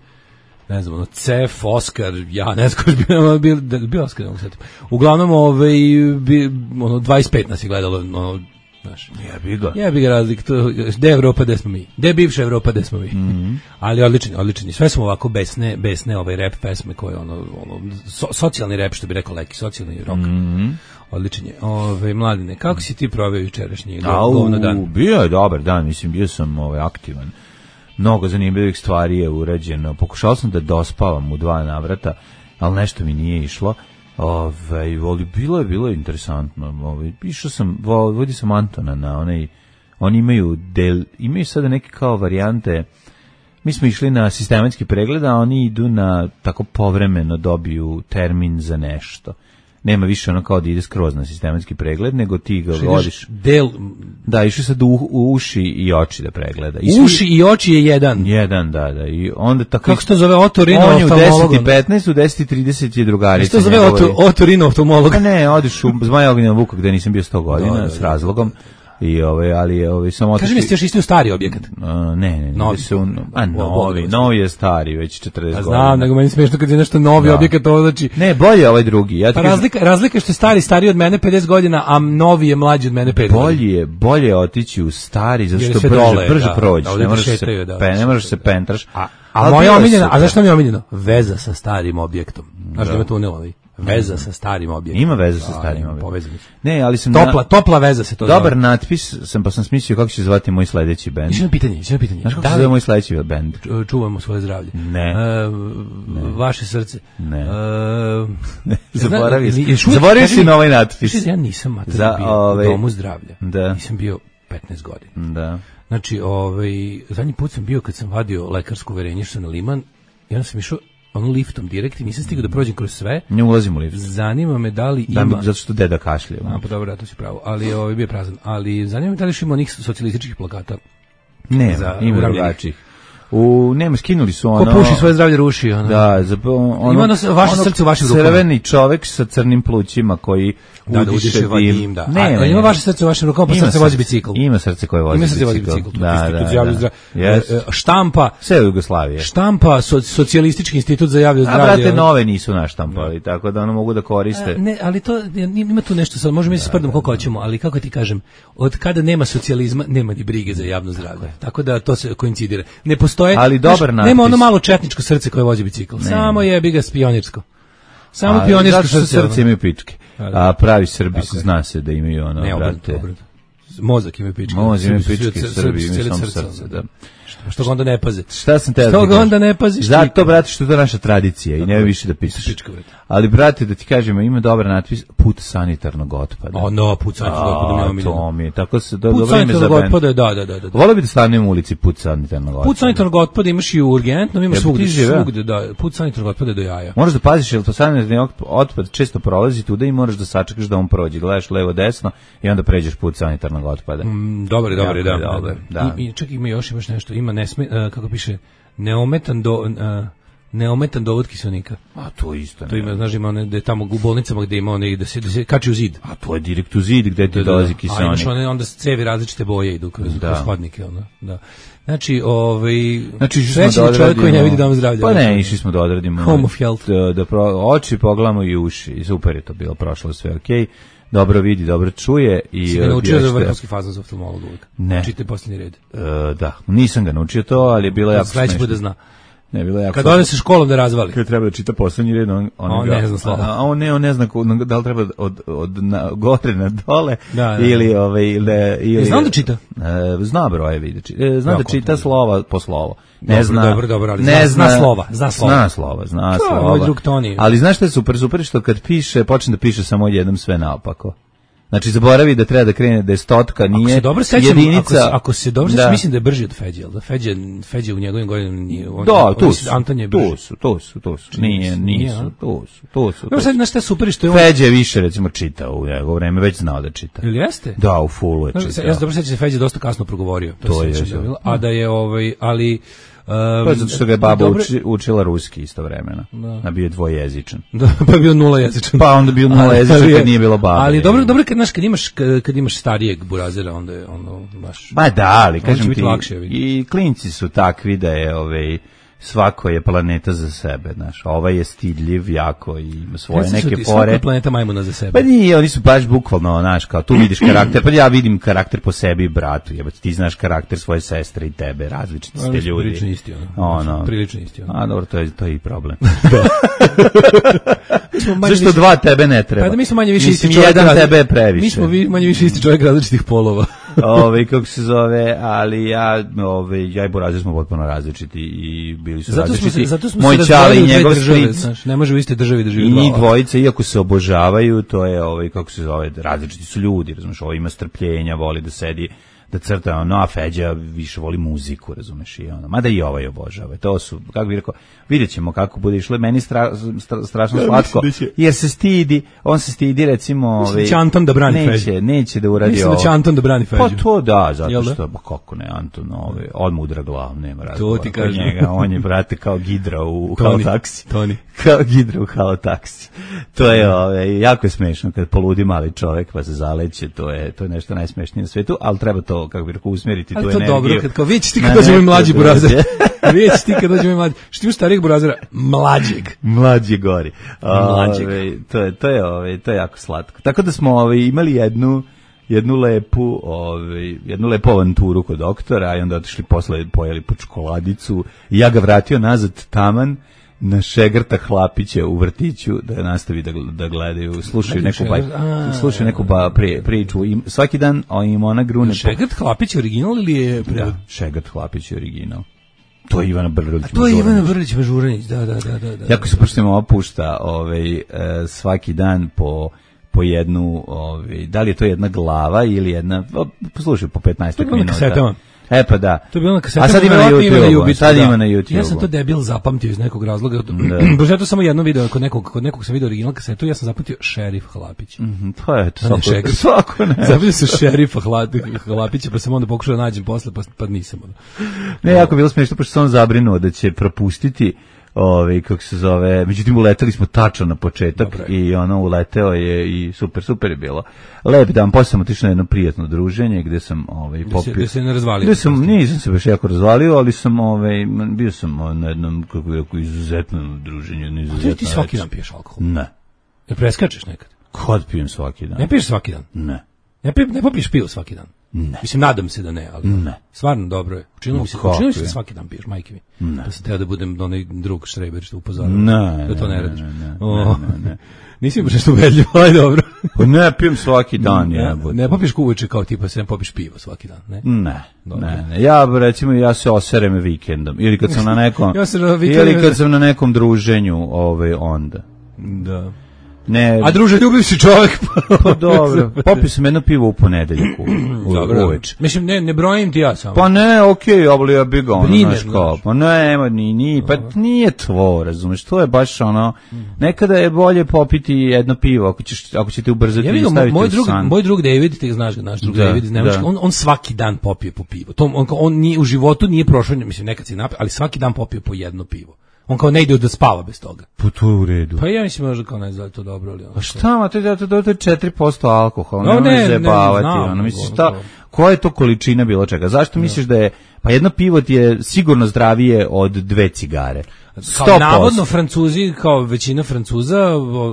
ne znam, ono, Cef, Oskar, ja, ne znam ko je bio, bio, bio Oskar, ne mogu setiti. Uglavnom, ovaj, bi, ono, dvadeset pet nas je gledalo, ono, znaš. Jebi ga. Jebi ga razlik, to, gde je Evropa, gde smo mi? Gde je bivša Evropa, gde smo mi? Mm -hmm. Ali odlični, odlični. Sve smo ovako besne, besne ovaj rap pesme koje, ono, ono so, socijalni rap, što bi rekao Leki, socijalni rock. Mm -hmm. Odličan je. Ove, Mladine, kako si ti proveo jučerašnji govno dan? Bio je dobar dan, mislim, bio sam ovaj, aktivan. Mnogo zanimljivih stvari je urađeno. Pokušao sam da dospavam u dva navrata, ali nešto mi nije išlo. Ove, ali bilo je, bilo je interesantno. Ove, išao sam, vodio sam Antona na onaj, oni imaju del, imaju sada neke kao varijante. Mi smo išli na sistematski pregled, a oni idu na tako povremeno dobiju termin za nešto. Nema više ono kao da ide skroz na sistematski pregled, nego ti ga vodiš. Del... Da, išli sad u, u uši i oči da pregleda. I svi... Uši i oči je jedan. Jedan, da, da. I onda tako... Kako se to zove otorinooftalmolog? On je u deset i petnaest, u deset i trideset je drugarica. Što zove otorinooftalmolog? Pa ne, odiš u Zmaja Ognjena Vuka gde nisam bio sto godina, da, da, s razlogom. I ovaj, ali ovaj samo Kaži mi, ste još isti u stari objekat? Uh, ne, ne, novi su, a novi, novi je stari, već četrdeset godina. Znam, nego meni smiješno kad je nešto novi da. Objekat, to znači... Ne, bolje je ovaj drugi. Ja pa razlika, razlika je što je stari stariji od mene pedeset godina, a novi je mlađi od mene pet godina. Bolje je, bolje je otići u stari, zato što brže, dole, brže da, prođe. Da, ne možeš se, da, pe, ne možeš se pentraš. A, a moja omiljena, a zašto mi je omiljeno? Veza sa starim objektom. Znaš da me tunelo ovaj. Veza sa starim objektom. Ima veza sa starim objektom. Povezani. Ne, ali sam Topla, na... topla veza se to Dobar zove. natpis sam, pa sam smislio kako će zvati moj sledeći bend. Još jedno pitanje, još jedno pitanje. Znaš kako Da se li- zove moj sledeći bend? Ču- Čuvamo svoje zdravlje. Ne. E, vaše srce. Ne. E, Zaboravio zna- si. još uvijek- Zaboravio kaži si mi- na ovaj natpis. kaži, Ja nisam mater Za, bio ovaj- u domu zdravlja. Da. Nisam bio petnaest godina. Da. Znači, ovaj, zadnji put sam bio kad sam vadio lekarsko uverenje što sam na Liman i onda sam išao ono liftom direkt i nisam stigao da prođem kroz sve. Ne ulazim u lift. Zanima me da li Da, ima... zato što deda kašlje. A, pa dobro, ja to si pravo. Ali ovaj bio je prazan. Ali zanima me da li još ima onih socijalističkih plakata. Ne, za ima uravljenih. drugačijih. U, nema, skinuli su Ko ono... puši svoje zdravlje ruši. Ono. Da, za, ono, Ima ono s- vaše srce u vašim rukama. Crveni čovek sa crnim plućima koji Da, da udiše udiše vadim, da. Ne, A, ne, ima ne. vaše srce u vašim rukama, pa Ima srce vozi srce. bicikl. Ima srce koje vozi Ima srce vozi bicikl. bicikl. Da, Institut da, za javno da. zdravlje. Yes. E, e, Štampa, Sve u Jugoslavije. štampa, so, socijalistički institut za javno A, zdravlje. brate, ono. nove nisu naštampali, tako da ono mogu da koriste. A, Ne, ali to ima tu nešto, sad možemo mi se sprdamo koliko hoćemo, ali kako ti kažem, od kada nema socijalizma, nema ni brige za javno zdravlje. Tako da to se koincidira. Ne postoje, Ali dobar znaš, natpis. nema ono malo četničko srce koje vozi bicikl. Samo je biga pionirsko. Samo A, pionirsko zato što srce. srce ono. imaju pičke. Da, da. A pravi Srbi Tako je. zna se da imaju ono, Ne, obrnuto, brate. obrnuto. Mozak ima pičke. Mozak ima Srbi su pičke, srce- Srbi imaju cijelo samo srce, srce, ono. da. Što ga onda ne paze? Šta sam te da Što ti ga kažem? onda ne paziš? Zato, ti? brate, što je to naša tradicija i nema više da pišeš. Pička, brate. Ali, brate, da ti kažemo, ima dobar natpis, put sanitarnog otpada. O, no, put sanitarnog otpada mi je A, omiljeno. to mi je, tako se, do, Put dobro ime za sanitarnog bend. otpada, da, da, da. da. Volio bi da stanem u ulici put sanitarnog otpada. Put sanitarnog otpada imaš i u urgentnom, ima Jel bi svugde, ti živeo? svugde, da. Put sanitarnog otpada je do jaja. Moraš da paziš, jer to sanitarni otpad često prolazi tuda i moraš da sačekaš da on prođe. Gledaš levo desno i onda pređeš put sanitarnog otpada. Mm, dobar je, dobar je, da. Jako je da, dobar, da. da. I, i čak ima još, imaš nešto, ima nesme, uh, kako piše, neometan do... Uh, neometan dovod kiselnika. A to isto. To ne. ima, znaš, ima one, da je tamo u bolnicama gde ima one, da se, da se kači u zid. A to je direkt u zid gde ti Da, da, dolazi da. A kiseonik. imaš one, onda cevi različite boje idu kroz, Da. kroz hodnike, ono, da. Znači, ovaj, Znači, išli srećan smo da je čovjek koji ne odradimo- vidi dom zdravlja. Pa ne, išli smo da odradimo. Home of health. Da, da pro, oči pogledamo i uši. I super je to bilo, prošlo sve okej. Dobro vidi, dobro čuje. I, Si ga naučio još za što- vrhunski fazan za oftalmologa uvijek. Ne. Čitaj posljednji red. E, da, nisam ga naučio to, ali je bilo jako Sledeći smešno. put da zna. Ne, bilo je jako Kad ode se školom da razvali. Kad treba da čita poslednji red, on, on, On ga- ne zna slovo. A, a on ne, on ne zna ko- da li treba od, od na, gore na dole Da, da. ili ovaj ili ili E, zna on da čita? E, zna brojevi da čita. E, zna Jako da čita dobro. slova po slovo. Ne Dobro, zna. dobro, dobro, ali ne zna- zna slova, zna slova. Zna slova, zna To je slova. moj drug Toni. Ali znaš šta je super, super je što kad piše, počne da piše samo jednom sve naopako. Znači zaboravi da treba da krene da je stotka, nije Ako se dobro sećam, jedinica. ako se, ako se dobro sećam, Da. mislim da je brži od Feđe, jel da Feđe, Feđe u njegovim godinama nije. On, Da, on, tu mislim, su, Anton je brži. tu su, tu su, tu su. Čini mi Nije, se, nije, nisu, a? tu su, tu su. Dobro, tu sad, su. znaš šta je super što je on... Feđa je više recimo čitao u njegovo vreme, već znao da čita. Ili jeste? Da, u fullu je Znaš, čitao. ja se dobro sećam da je Feđe dosta kasno progovorio. To, To se je, sećam da je. bilo. A da je, ovaj, ali... Um, To je zato što ga je baba dobro- uči, učila ruski istovremeno. Da. A bio je dvojezičan. Da, pa je bio nula jezičan. Pa onda bio nula Ali- jezičan ali je- kad nije bilo babe. Ali dobro, dobro kad, znaš, kad imaš, kad, kad imaš starijeg burazera, onda je ono, baš... Ma da, ali će kažem biti ti, lakše, vidi. i klinci su takvi da je ovaj, svako je planeta za sebe, znaš. Ovaj je stidljiv jako i ima svoje Reci su neke ti, svaka fore. je planeta majmuna za sebe. Pa nije, oni su baš bukvalno, znaš, kao tu vidiš karakter, pa ja vidim karakter po sebi i bratu, jebate, ti znaš karakter svoje sestre i tebe, različiti ste Oni su ljudi. prilično isti, ono. Ono. Prilično isti, ono. A dobro, to je, to je i problem. Mi smo manje Zašto više- dva tebe ne treba? Pa da mi smo manje više Mislim, isti čovjek. jedan razli- tebe je previše. Mi smo vi- manje više isti čovjek različitih polova. Ove, kako se zove, ali ja, ove, ja i Burazir smo potpuno različiti i bili su Zato smo različiti. se, zato smo Moj se čale razdvojili i u dve njegov države, stric. znaš, ne može u iste državi da živi I dva. njih dvojica, iako se obožavaju, to je, ovaj, kako se zove, različiti su ljudi, razumeš, ovo ima strpljenja, voli da sedi, da crta, ono, a Feđa više voli muziku, razumeš, i ono, mada i ovaj obožava. To su, kako bih rekao, vidjet ćemo kako bude išlo, meni stra, stra, strašno slatko, jer se stidi, on se stidi, recimo, Mislim da ovaj, će Anton da brani neće, Feđu. neće da uradi Mislim ovo. da će Anton da brani Feđu. Pa to da, zato Jel da? što, ba kako ne, Anton, ovaj, od mudra glav, nema razgovora. ti kod kažem. njega, on je, brate, kao gidra u Toni, halotaksi. Toni. Kao gidra u halotaksi. To je, ovaj, jako je smešno kad poludi mali čovek pa se zaleće, to je, to je nešto najsmešnije na svetu, ali treba to, kako bi rekao, usmjeriti tu Ali to energiju. dobro, kad kao vidite ti na kad dođe moj nešto mlađi drugo. burazer. Vidite ti kad dođe moj mlađi. Što imaš starijeg burazera? Mlađeg. Mlađi gori. Mlađeg. Ove, to je to je ove, to je jako slatko. Tako da smo ove, imali jednu jednu lepu, ovaj jednu lepu avanturu kod doktora i onda otišli posle pojeli po čokoladicu i ja ga vratio nazad taman na Šegrta Hlapića u vrtiću da nastavi da, da gledaju, slušaju neku, baj, slušaju neku ba, pri, priču. I svaki dan im ona grune... Šegrt Hlapić je original ili je... Da, Šegrt Hlapić je original. To je Ivana Brlić. To je Ivana Brlić Mažuranić, da, da, da, da. Jako se poštimo opušta, ovaj e, svaki dan po po jednu, ovaj da li je to jedna glava ili jedna, poslušaj, po petnaest minuta. E pa da. To je bilo na kasetama. A sad ima na YouTube. Sad ima na YouTube. Ja sam to debil zapamtio iz nekog razloga. Baš ja to samo jedno video kod nekog, kod nekog sam video original kasetu, ja sam zapamtio Šerif Hlapić. Mhm, to je to. Svako, svako ne. Zapamtio sam Šerifa Hlapića, pa sam onda pokušao da nađem posle, pa, pa nisam. Ne, jako bilo smiješno, pošto sam on zabrinuo da će propustiti ovaj kako se zove, međutim uleteli smo tačno na početak. Dobre. I ono uleteo je i super super je bilo. Lep dan, posle sam otišao na jedno prijatno druženje gde sam ovaj popio. Gde se ne razvalio. Gde sam nisam se baš jako razvalio, ali sam ovaj bio sam na jednom kako bih rekao izuzetnom druženju, izuzetno. A ti svaki dan piješ alkohol? Ne. Ne preskačeš nekad? Kad pijem svaki dan? Ne piješ svaki dan? Ne. Ne, pi, ne popiješ pivo svaki dan? Ne. Mislim, nadam se da ne, ali ne. Stvarno dobro je. Učinilo mi se, učinilo mi se svaki dan piješ, majke mi. Ne. Da sam teo da budem onaj drug Štreber što upozorio. Ne, da to ne, ne radiš. Ne, ne, o, ne, ne, ne. Nisi mi baš nešto ubedljivo, ali dobro. Pa ne, pijem svaki dan. Ne, ja, ne popiješ kuveče kao tipa se ne popiješ pivo svaki dan, ne? Ne, ne, ne. Ja, recimo, ja se oserem vikendom. Ili kad sam na nekom, ja se ili kad sam na nekom druženju, ovaj, onda. Da. Ne. A druže, ljubiv si čovjek. Pa dobro. Popio sam jedno pivo u ponedeljak uveče. Mislim, ne, ne brojim ti ja samo. Pa ne, okej, okay, ali ja bih ga ono, znaš kao, pa ne, ni, ni, pa nije tvo, razumeš, to je baš ono, nekada je bolje popiti jedno pivo, ako, ćeš, ako ćete ubrzati ja i staviti moj u drug, san. Moj drug David, ti znaš ga, naš drug da, David iz Nemačke, on, on svaki dan popije po pivo. To, on, on nije, u životu nije prošao, mislim, nekad si napio, ali svaki dan popije po jedno pivo. On kao ne ide da spava bez toga. Pa to je u redu. Pa ja mislim možda kao ne znam to dobro ali ono. A šta, ma to je to je četiri posto alkohola, no, ne zajebavati, ono misliš šta, koja je to količina bilo čega? Zašto misliš da je, pa jedno pivo ti je sigurno zdravije od dve cigare? Kao navodno Francuzi, kao većina Francuza,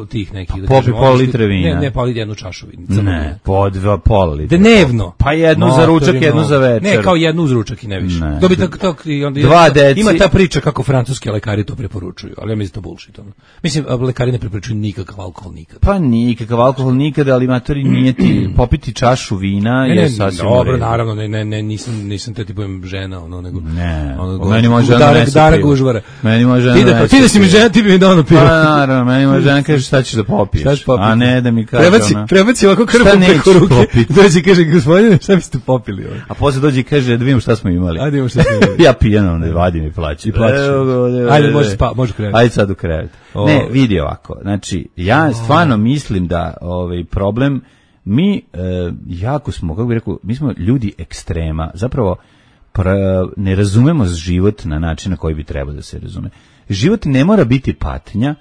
tih nekih... Pa popi pol litre vina. Ne, ne, poli jednu čašu vina. Ne, po dva pol litre. Dnevno. Pa jednu no, za ručak, jednu za večer. Ne, kao jednu uz ručak i ne više. Ne. Dobi tak, tak, i onda Dva deci. Ima ta priča kako francuski lekari to preporučuju, ali ja mislim to bullshit. Ono. Mislim, lekari ne preporučuju nikakav alkohol nikad. Pa nikakav alkohol nikad, ali matori nije ti popiti čašu vina ne, ne, je sasvim dobro, u redu. Naravno, ne, ne, ne, nisam, nisam te tipujem žena, ono, nego... Ne, ono, meni može žena Dara, nese Dara pivo. Gužvara. Meni može žena ti da, ti da si mi žena, ti bi mi dao na pivo. Pa naravno, meni može žena kaže šta ćeš da popiješ, a ne da mi kaže prebaci, ona. Prebaci ovako krpom preko ruke, dođe i kaže, gospodine, šta biste popili? Ovo? A posle dođe i kaže, da vidimo šta smo imali. Ajde, vidimo šta smo imali. Ja pijenom ne vadim i plaćam. I plaćaš. Ajde, može spa, može krevet. Ajde sad u krevet. Ne, vidi ovako, znači, ja stvarno mislim da ovaj problem, mi e, jako smo, kako bih rekao, mi smo ljudi ekstrema, zapravo pra, ne razumemo život na način na koji bi trebao da se razume. Život ne mora biti patnja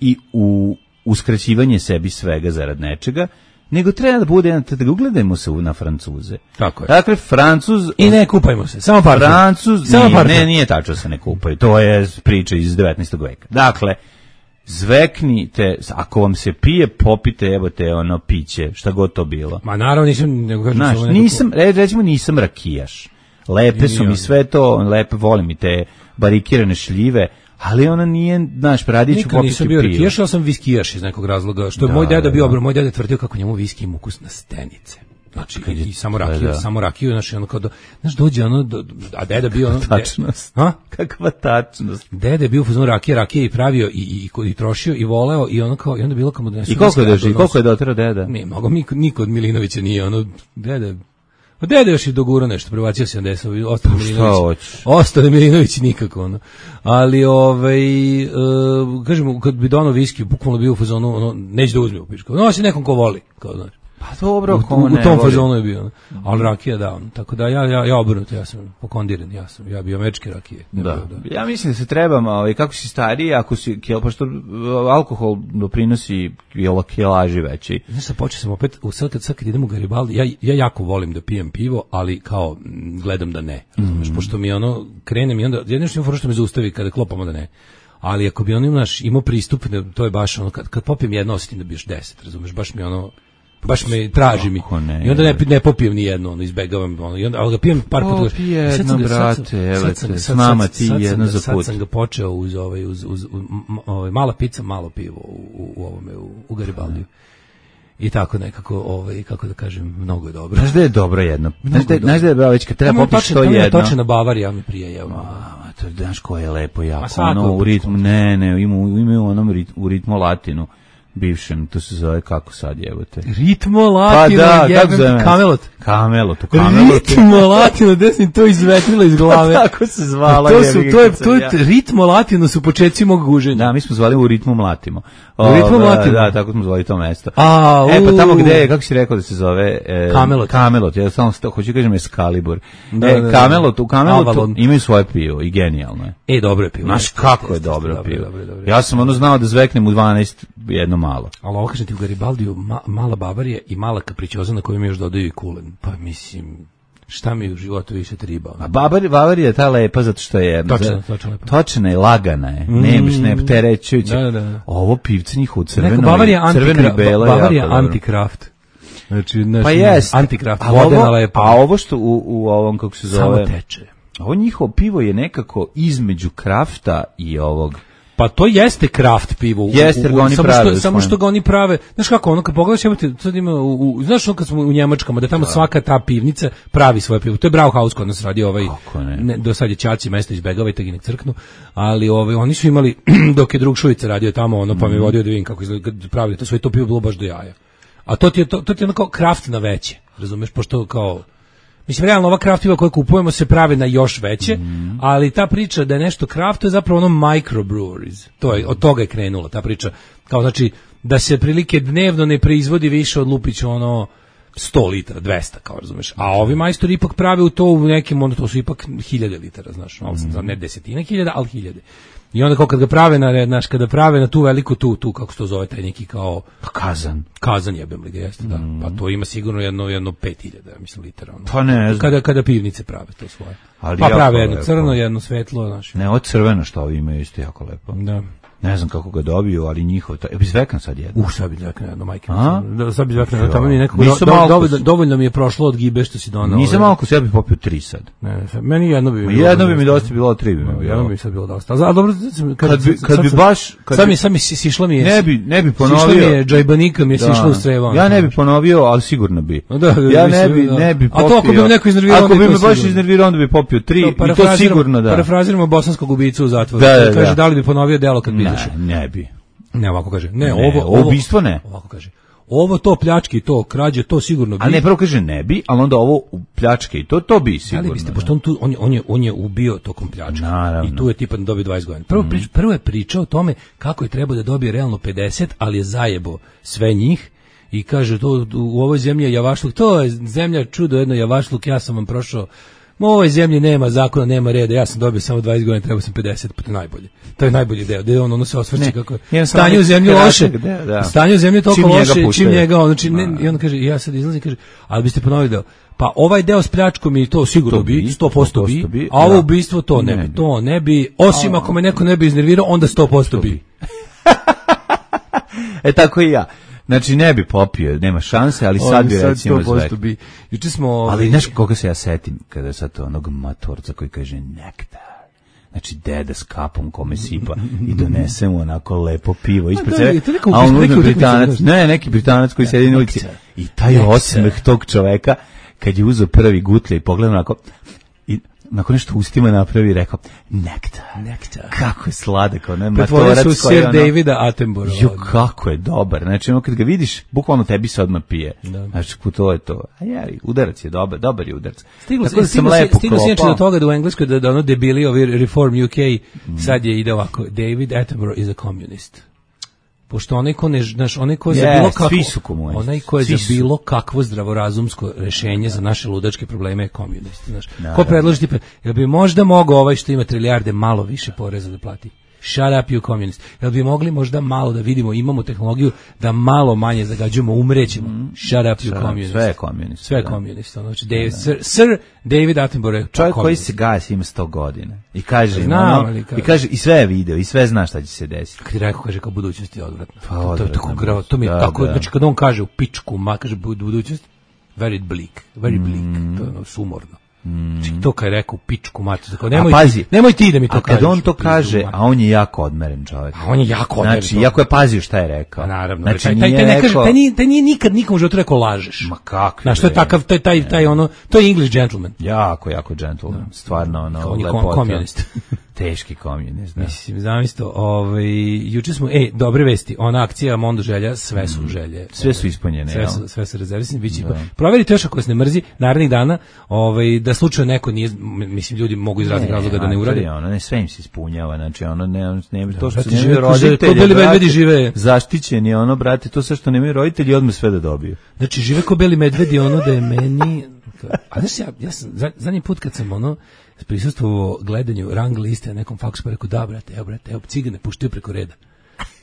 i u uskraćivanje sebi svega zarad nečega, nego treba da bude, da ugledajmo se na Francuze. Tako je. Dakle, Francuz... I ne kupajmo se, samo partner. Francuz, samo nije, partner. Ne, nije tačno se ne kupaju, to je priča iz devetnaestog veka. Dakle, zveknite, ako vam se pije, popite, evo te ono piće, šta god to bilo. Ma naravno nisam, nego kažem Znaš, nisam, recimo nisam rakijaš. Lepe su mi sve to, lepe, volim i te barikirane šljive, ali ona nije, znaš, radiću popiti pivo. Nikad nisam bio rakijaš, ali sam viskijaš iz nekog razloga, što je da, moj deda bio, da. Moj deda tvrdio kako njemu viski ima ukus na stenice. Znači, i, i samo rakiju, da. samo rakiju, znači, ono kao, do, znaš, dođe ono, do, a deda bio ono... Tačnost. Ha? Kakva tačnost. Deda je bio u fazonu rakije, rakije i pravio, i, i, i, i trošio, i voleo, i ono kao, i onda bilo kao mu da... I koliko je došli, koliko je doterao deda? Ne, mnogo, niko, niko od Milinovića nije, ono, deda... Pa dede još i dogurao nešto, prebacio sedamdeset, ostane Milinović. Ostane Milinović nikako, ono. Ali, ovaj, uh, kažemo, kad bi donao viski, bukvalno bio u fazonu, ono, neće da uzme u pičku. No, si nekom ko voli, kao znači. Pa dobro, ko u, ne u tom voli. fazonu je bio, ali rakija da, on. Tako da ja, ja, ja obrnuto, ja sam pokondiran, ja sam, ja bio američke rakije. Da. Bio, da. Ja mislim da se trebamo, ovaj, kako si stariji, ako si, pošto alkohol doprinosi kilaži veći. Znaš, sad počeo sam opet, sad kad, sad kad idem u Garibaldi, ja, ja jako volim da pijem pivo, ali kao, gledam da ne. Razumeš, mm. pošto mi ono, krene mi onda, jedno što ima što me zaustavi kada klopamo da ne. Ali ako bi on naš imao pristup, to je baš ono, kad, kad popijem jedno, osjetim da bi još deset, razumeš, baš mi ono, baš me traži mi. Ne, I onda ne, ne popijem ni jedno, ono, izbegavam, ono, i onda, ali ga pijem par puta. Popi jedno, brate, evo te, s nama ti jedno za put. Sad sam ga počeo uz, ovaj, uz, uz, uz ovaj, mala pizza, malo pivo u, u, u ovome, u, u Garibaldiju. I tako nekako, ovaj, kako da kažem, mnogo je dobro. Znaš da je dobro jedno? Znaš da, znaš da je već kad treba popiš to jedno? Tamo je točena Bavarija, mi prije, evo. A, to znaš ko je lepo jako, ono u ritmu, ne, ne, ima, ima u onom ritmu, u ritmu latinu. Bivšem, to se zove kako sad jebote. Ritmo latino, pa da, kako zove? Kamelot. Kamelot, to Kamelot. Ritmo latino, gde sam to izvetilo iz glave. Tako se zvala. To su, to je, to je, ja. Ritmo latino su početci mog guženja. Da, mi smo zvali u ritmu mlatimo. U ritmu mlatimo? Da, tako smo zvali to mesto. A, e, pa tamo gde je, kako si rekao da se zove? E, Kamelot. Kamelot, ja samo hoću kažem Excalibur. Da, e, da, Kamelot, u Kamelotu imaju svoje pivo i genijalno je. E, dobro je pivo. Znaš kako je dobro pivo. Ja sam ono znao da zveknem u dvanaest jedno malo. Ali ovo kažem ti u Garibaldiju, ma, mala Bavarija i mala kapričoza na koju mi još dodaju i kulen. Pa mislim, šta mi u životu više triba? A Bavarija, Bavarija je ta lepa zato što je točna, točna, lepa. Točna je, lagana je. Mm. Nemaš, ne terećujuće. Da, da, da. Ovo pivce njihovo crveno, Bavarija crveno i belo. Bavarija anti-kraft. Znači, pa jest. Anti-kraft, vodena lepa. A ovo što u, u ovom, kako se zove? Samo teče. Ovo njihovo pivo je nekako između krafta i ovog... Pa to jeste kraft pivo. Jeste, jer ga oni samo prave. Što, samo što ga oni prave. Znaš kako, ono kad pogledaš, imate, sad ima, u, u, znaš ono kad smo u Njemačkama, da tamo da. Svaka ta pivnica pravi svoje pivo. To je Brauhaus kod nas radi ovaj, ne? Ne, do sad je Ćaci mesto izbegavajte ga nek crknu, ali ovaj, oni su imali, dok je drug Šujica radio tamo, ono, pa mm. me vodio da vidim kako izgleda, pravili to sve, to pivo bilo baš do jaja. A to ti je, to, to ti je ono kao kraft na veće, razumeš, pošto kao... Mislim, realno, ova kraft piva koje kupujemo se prave na još veće, mm. ali ta priča da je nešto kraft, to je zapravo ono microbreweries. To je, od toga je krenula ta priča. Kao, znači, da se prilike dnevno ne proizvodi više od lupića ono sto litara, dvesta, kao razumeš. A ovi majstori ipak prave u to u nekim, onda to su ipak hiljade litara, znaš, mm. ne desetine hiljada, ali hiljade. I onda kao kad ga prave na, znaš, kada prave na tu veliku, tu, tu, kako se to zove, taj neki kao... Kazan. Kazan jebem li ga, jeste, da. Mm. Pa to ima sigurno jedno, jedno pet hiljada, mislim, litara. Ono. Pa ne znam. Kada, kada pivnice prave to svoje. Ali pa prave jedno lepo. Crno, jedno svetlo, znaš. Ne, ovo crveno što ovi imaju isto jako lepo. Da. Ne znam kako ga dobiju, ali njihov... Ja bi zvekam sad jedno. Uh, sad bi zvekam jedno, majke. Da, sad bi zvekam jedno, tamo mi nekako... Do, do, dovoljno, dovoljno mi je prošlo od gibe što si donao. Nisam malo ko se ja bih popio tri sad. Ne, ne, meni jedno bi... Bilo jedno bi mi dosta bilo, tri bi mi bilo. Jedno bi sad bilo dosta. A dobro, kad, kad bi, kad bi baš... Kad sad mi, sad mi sišla mi je... Ne bi, ne bi ponovio... Sišla mi je džajbanika, mi je sišla u strevo. Ja ne bi ponovio, ali sigurno bi. Da, da, ja ne bi, ne bi popio... A to ako bi me neko iznervirao... Ako bi me baš iznervirao, onda bi popio tri i to sigurno da. Parafraziramo bosanskog ubicu u zatvoru. Kaže, da li bi ponovio delo kad bi izašao? Ne bi. Ne, ovako kaže. Ne, ne ovo, ovo ubistvo ne. Ovako kaže. Ovo to pljački, to krađe, to sigurno bi. A ne, prvo kaže ne bi, ali onda ovo pljačke i to to bi sigurno. Ali biste, pošto on tu on je on je on je ubio tokom pljačke. Naravno. I tu je tipa dobio dvadeset godina. Prvo prič, prvo je pričao o tome kako je trebao da dobije realno pedeset, ali je zajebo sve njih. I kaže to u ovoj zemlji je javašluk, to je zemlja čudo jedno javašluk, ja sam vam prošao. U ovoj zemlji nema zakona, nema reda, ja sam dobio samo dvadeset godina, trebao sam pedeset, pa to je najbolje. To je najbolji deo, gde on ono se osvrće kako je. Stanje u zemlji loše, da, da. Stanje u zemlji je toliko loše, čim njega on, znači, ne, i on kaže, ja sad izlazim, kaže, ali biste ponovili deo, pa ovaj deo s pljačkom i to sigurno to bi, sto posto bi, bi, a ovo ubistvo to ne, ne bi, to ne bi, osim a, ako me neko ne bi iznervirao, onda sto posto bi. E tako i ja. Znači ne bi popio, nema šanse, ali sad bi recimo zvek. Bi. Juče smo... Ali znaš koga se ja setim kada sad to onog matorca koji kaže nektar. Znači deda s kapom kome sipa i donese mu onako lepo pivo ispred sebe. A on uzme Britanac, ne, neki Britanac koji sedi na ulici. I taj osmeh tog čoveka kad je uzeo prvi gutlje i pogledao onako i nakon nešto ustima napravi i rekao nektar, nektar. Kako je sladak, ono je matorac koji su Sir ono, Davida Attenborough. Jo, kako je dobar. Znači, ono kad ga vidiš, bukvalno tebi se odmah pije. Da. Znači, to je to. A jeri, udarac je dobar, dobar je udarac. Stiglo se, da stiglo se, stiglo se do toga da u Engleskoj da, da ono debili ovi Reform U K mm. sad je ide ovako, David Attenborough is a communist. Pošto onaj ko ne, znaš, onaj ko je yes, za bilo kakvo, onaj ko je za bilo kakvo zdravorazumsko rješenje za naše ludačke probleme je komunist, znaš. Ko predloži tipa, jel bi možda mogao ovaj što ima trilijarde malo više poreza da plati? Shut up you communist. Jel bi mogli možda malo da vidimo, imamo tehnologiju da malo manje zagađujemo, umrećemo. Shut up you communist. Sve je komunist. Sve je komunist. Znači, David, Sir, Sir David Attenborough. Čovjek koji se gasi ima sto godina. I kaže, Znam, ono, ali kaže- i kaže, i sve je video, i sve zna šta će se desiti. Kad je rekao, kaže, kao budućnost je odvratna. Pa, to, to je odvratna tako gravo, to mi je da, tako, da. znači kad on kaže u pičku, ma kaže bud- budućnost, very bleak, very bleak, to je ono sumorno. Znači to kad je rekao u pičku mater, tako, nemoj, A pazi, ti, nemoj ti da mi to A kad kažeš, on to u pizdu kaže, mater. a on je jako odmeren čovjek. A on je jako odmeren Znači, čovjek. jako je pazio šta je rekao. Pa naravno, Znači, taj, taj, nije taj, ne kaže, rekao- taj, nije, taj nije nikad nikom u životu rekao lažeš. Ma kako? Znaš, to je takav, taj, taj, taj ono, to je English gentleman. Jako, jako gentleman. Stvarno, ono, On je kom- lepota. komunist. Teški komunist, da. Mislim, zamisto, ovaj, juče smo, e, dobre vesti, ona akcija Mondo želja, sve su želje. Sve su ispunjene, Sve jel? su, sve su rezervisani, bit će. Proverite još ako vas ne mrzi, narednih dana, ovaj, da slučajno neko nije, m- mislim, ljudi mogu iz raznih razloga da ne urade. mater, Ono, ne, sve im se ispunjava, znači ono, ne, ne, to što brate, nemaju žive ko- roditelji, ko beli brate, medvedi žive. zaštićeni, ono, brate, to sve što nemaju roditelji, odmah sve da dobiju. Znači, žive ko beli medvedi, ono da je meni... A znaš, ja, ja sam, za- zadnji put kad sam, ono, prisustvovao gledanju rang liste na nekom faksu, pa rekao, da, brate, evo, brate, evo, cigane puštaju preko reda.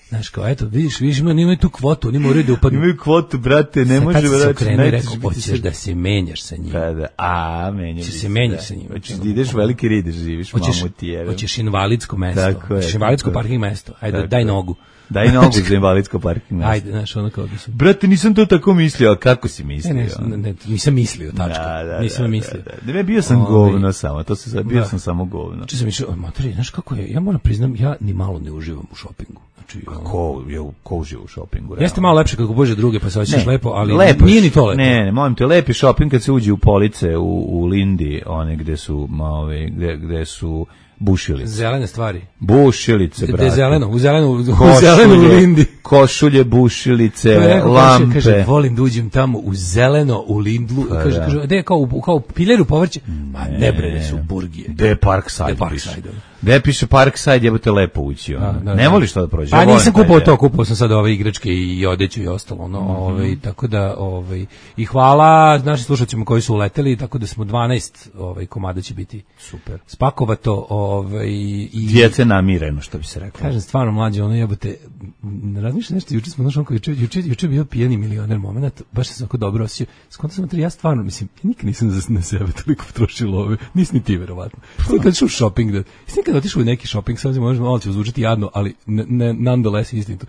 Znaš, kao, eto, vidiš, vidiš, ima, imaju tu kvotu, oni moraju da upadnu. Imaju kvotu, brate, ne Sad može, tad sam se brate, okrenuo i nećeš rekao, biti hoćeš sad- da se menjaš sa njim. Da, da, a, menja Će bi se menjaš da. sa njim. Hoćeš da ideš veliki rid, živiš, Hoćeš, mamu ti jebe. hoćeš invalidsko mesto. Tako je, Hoćeš invalidsko tako je. parking mesto. Ajde, Tako daj je. nogu. Daj nogu za invalidsko parking mesto. Ajde, znaš, ono kao da su... Brate, nisam to tako mislio, a kako si Ne, mislio? ne, ne, ne, nisam mislio, tačka. Da, da, nisam da, mislio. Da, da. Ne, bio sam Ovaj, govno samo, to se sad, bio da. sam samo govno. Znači sam išao, materi, znaš kako je, ja moram priznam, ja ni malo ne uživam u šopingu. Znači, ono, Ko, je, ko uživa u šopingu? realno? jeste malo lepše kako bože druge, pa se osjećaš lepo, ali lepo nije je. ni to lepo. Ne, ne, molim te, lepi šoping kad se uđe u police u, u Lindi, one gde su, ma, ove, gde, gde su bušilice. Zelene stvari. Bušilice, Gde brate. je zeleno, u zelenu, u Košulje, zelenu u Lindi. košulje, bušilice, To je rekao, lampe. Kaže, kaže, volim da uđem tamo u zeleno, u Lindlu. Pa kaže, da. kaže, gde je kao, u- kao pileru povrće? Ma ne bre, ne su burgije. Gde je Parkside? Gde je piše? Parkside, ono. Gde piše Parkside, jebote lepo ući. ono. Da, da, ne da. voliš to da prođeš? Pa Ja volim nisam taj kupovao deo. to, kupovao sam sad ove igračke i odeću i ostalo, no, ovaj, tako da, ovaj, i hvala našim slušacima koji su uleteli, tako da smo dvanaest ovaj, komada će biti Super. spakovato, ovaj, i... Djece namireno, što bi se reklo. Kažem, stvarno mlađe, ono jebote, ne razmišljam nešto, juče smo, znaš, onko, juče, juče, juče je bio pijeni milioner moment, baš sam se oko dobro osjećao. Skonto sam, ja stvarno, mislim, ja nikad nisam za, na sebe toliko potrošio love, nisi ni ti, verovatno. Što nikad otišao u shopping, da, jesi nikad otišao u neki shopping, sad možda malo će zvučati jadno, ali ne, ne, nonetheless istinito.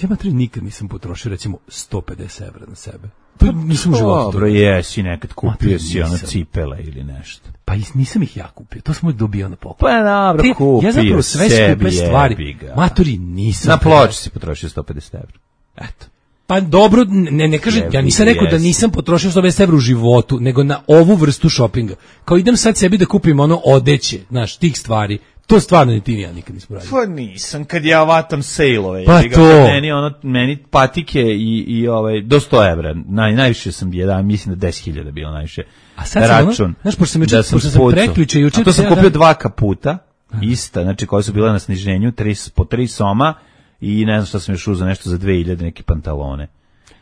Ja matri nikad nisam potrošio, recimo, sto pedeset evra na sebe. To nisam u životu. Dobro, jesi nekad kupio Mater, si ono nisam. cipele ili nešto. Pa is- nisam ih ja kupio, to sam uvijek dobio na poklon. Pa dobro, Te- kupio ja zapravo sve sebi, skupe stvari, jebi ga. matori, nisam. Na ploči si potrošio sto pedeset evra. Eto. Pa dobro, ne, ne kažem, ja nisam rekao da Jesi. nisam potrošio sto pedeset evra u životu, nego na ovu vrstu šopinga. Kao idem sad sebi da kupim ono odeće, znaš, tih stvari. To stvarno ni ti ni ja nikad nismo radili. Pa nisam, kad ja vatam sejlove. Pa jebi ga, to. kad Meni, ono, meni patike i, i ovaj, do sto evra. Naj, najviše sam jedan, mislim da deset hiljada bilo najviše. A sad sam ono, račun. znaš, pošto sam juče- da pošto sam spucao. prekjuče, juče A to sam cijeli kupio dan- dva kaputa, ista, znači koja su bila na sniženju, tri, po tri soma i ne znam šta sam još uzeo, nešto za dve hiljade, neke pantalone.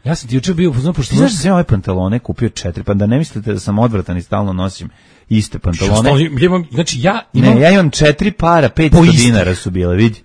Ja sam ti juče bio, pošto Ti znaš da sam ja ove pantalone kupio četiri, pa da ne mislite da sam odvratan i stalno nosim iste pantalone. Što, ja imam, znači ja imam, Ne, ja imam četiri para, petsto Po istih. dinara su bile, vidi.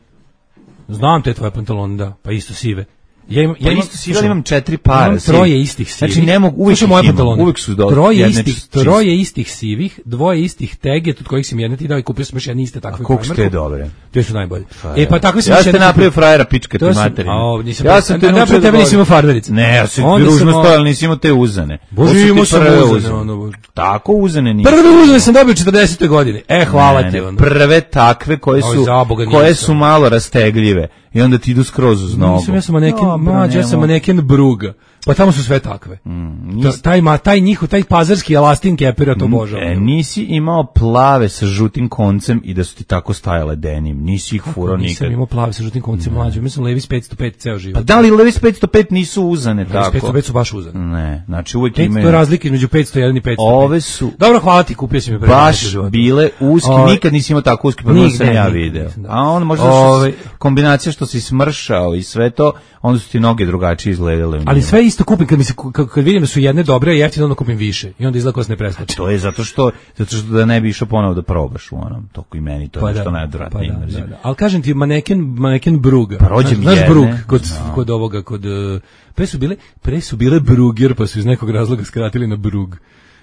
znam te tvoje pantalone, da, pa isto sive. Ja imam, Ja ja imam, isto si imam četiri para. Imam sivih. troje istih sivih. Znači ne mogu, uvijek Slušaj ih moje imam, pantalone. uvijek su do troje jedne istih, čiste. troje istih sivih, dvoje istih teget, od kojih sam jedna ti dao i kupio sam još jedne iste takve. A koliko ste Primarku. dobre? Te su najbolje. Pa E pa tako sam ja još ste jednu napravio kupio. frajera pička ti To sam- materina. a, ovo nisam ja pre- sam a, te a, naučio napred da tebe nisam imao volim. farberice. Ne, ja sam Onda ružno sam, stojao, ali nisi imao te uzane. Bože, To su ti imao sam prve uzane, ono, Tako uzane nije. Prve uzane sam dobio u četrdesetoj godini. E, hvala Ne, ti. ne, ono. prve takve koje Oj, su za Boga, koje nisam. su malo rastegljive i onda ti idu skroz uz nogu. Nisam, ja sam maneken, Dobro, mlađe, ja sam nemo. maneken Bruga. Pa tamo su sve takve. Mm, Ta- taj, ma, taj njihov, taj pazarski elastin kepira, to božavam. E, nisi imao plave sa žutim koncem i da su ti tako stajale denim. Nisi ih furao nikad. Nisam imao plavi sa žutim koncem mlađe. Mislim, Levi's petsto pet ceo život. Pa da li Levi's petsto pet nisu uzane Levi's tako? petsto pet su baš uzane. Ne, znači uvijek petsto imaju. je razlike između petsto jedan i petsto pet. Ove su Dobro, hvala ti, kupio si mi pre baš u životu. bile uski, Ove- nikad nisi imao tako uski, pa možda Nigde, sam ja nigde video. nisam, da. A on možda Ove- što si- kombinacija što si smršao i sve to, onda su ti noge drugačije izgledale. u Ali njima. sve isto isto kupim kad mi se kad, kad vidim da su jedne dobre, a jeftino onda kupim više i onda izgleda kao da se ne preskače. To je zato što zato što da ne bi išao ponovo da probaš u onom toku i meni to Pa je da, nešto najodvratnije pa da, mrzim. da, da. Ali kažem ti maneken maneken Bruga. Pa rođe mi Znaš jedne. Brug kod No. kod ovoga kod uh, pre su bile pre su bile Bruger pa su iz nekog razloga skratili na Brug.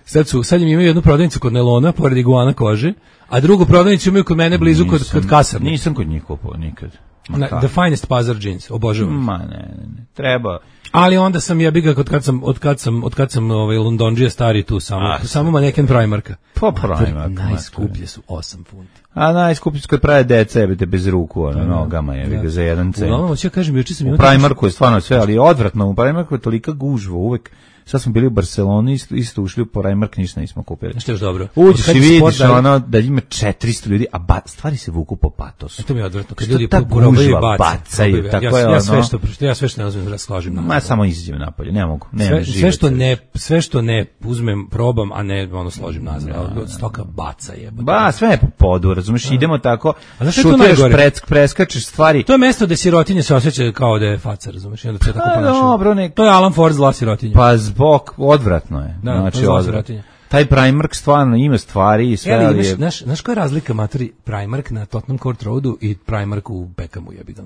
Sad su sad im imaju jednu prodavnicu kod Nelona pored iguana kože, a drugu prodavnicu imaju kod mene blizu kod kod kasarne. Nisam kod njih kupovao nikad. Ma Na, kako? the finest pazar jeans, obožavam. Ma ne, ne, ne. Treba. Ali onda sam ja biga od kad sam od kad sam od kad sam ovaj Londondžija stari tu samo A, samo maneken Primarka. Pa Primark. Najskuplje su osam funti. A najskuplji su kad prave deca, jebite bez ruku, ono, nogama je, ga za jedan cent. Uglavnom, ja kažem, juče sam U imao Primarku je stvarno sve, ali je odvratno. U Primarku je tolika gužva uvek. Sad smo bili u Barceloni, isto, isto ušli u Primark, ništa nismo kupili. Što je još dobro. Uđeš Od i kad je vidiš sport, ono da ima četiristo ljudi, a ba, stvari se vuku po patosu. E, to mi je odvratno. Kad Što ljudi ta probaju i gužva bace, bacaju, probaju. tako ja, je ja sve ono. što ja sve što ne uzmem da slažem na. Ma samo izađem napolje, ne mogu. Ne, Sve, sve što ne sve što ne uzmem probam, a ne ono složim nazad. Ali od stoka baca je. Ba, sve je po podu, razumeš, idemo tako, A znaš šta je to šutiraš, najgore? presk, preskačeš stvari. To je mesto gde sirotinje se osjeća kao da je faca, razumeš? I onda se tako Pa ponašaju. dobro, nek- To je Alan Ford zla sirotinja. Pa zbog, odvratno je. Da, znači, to je zla odvratno. sirotinja. Taj Primark stvarno ima stvari i sve, Ja, ali ali imaš, je... znaš, znaš koja je razlika materi Primark na Tottenham Court Roadu i Primark u Beckhamu, jebi ga. A,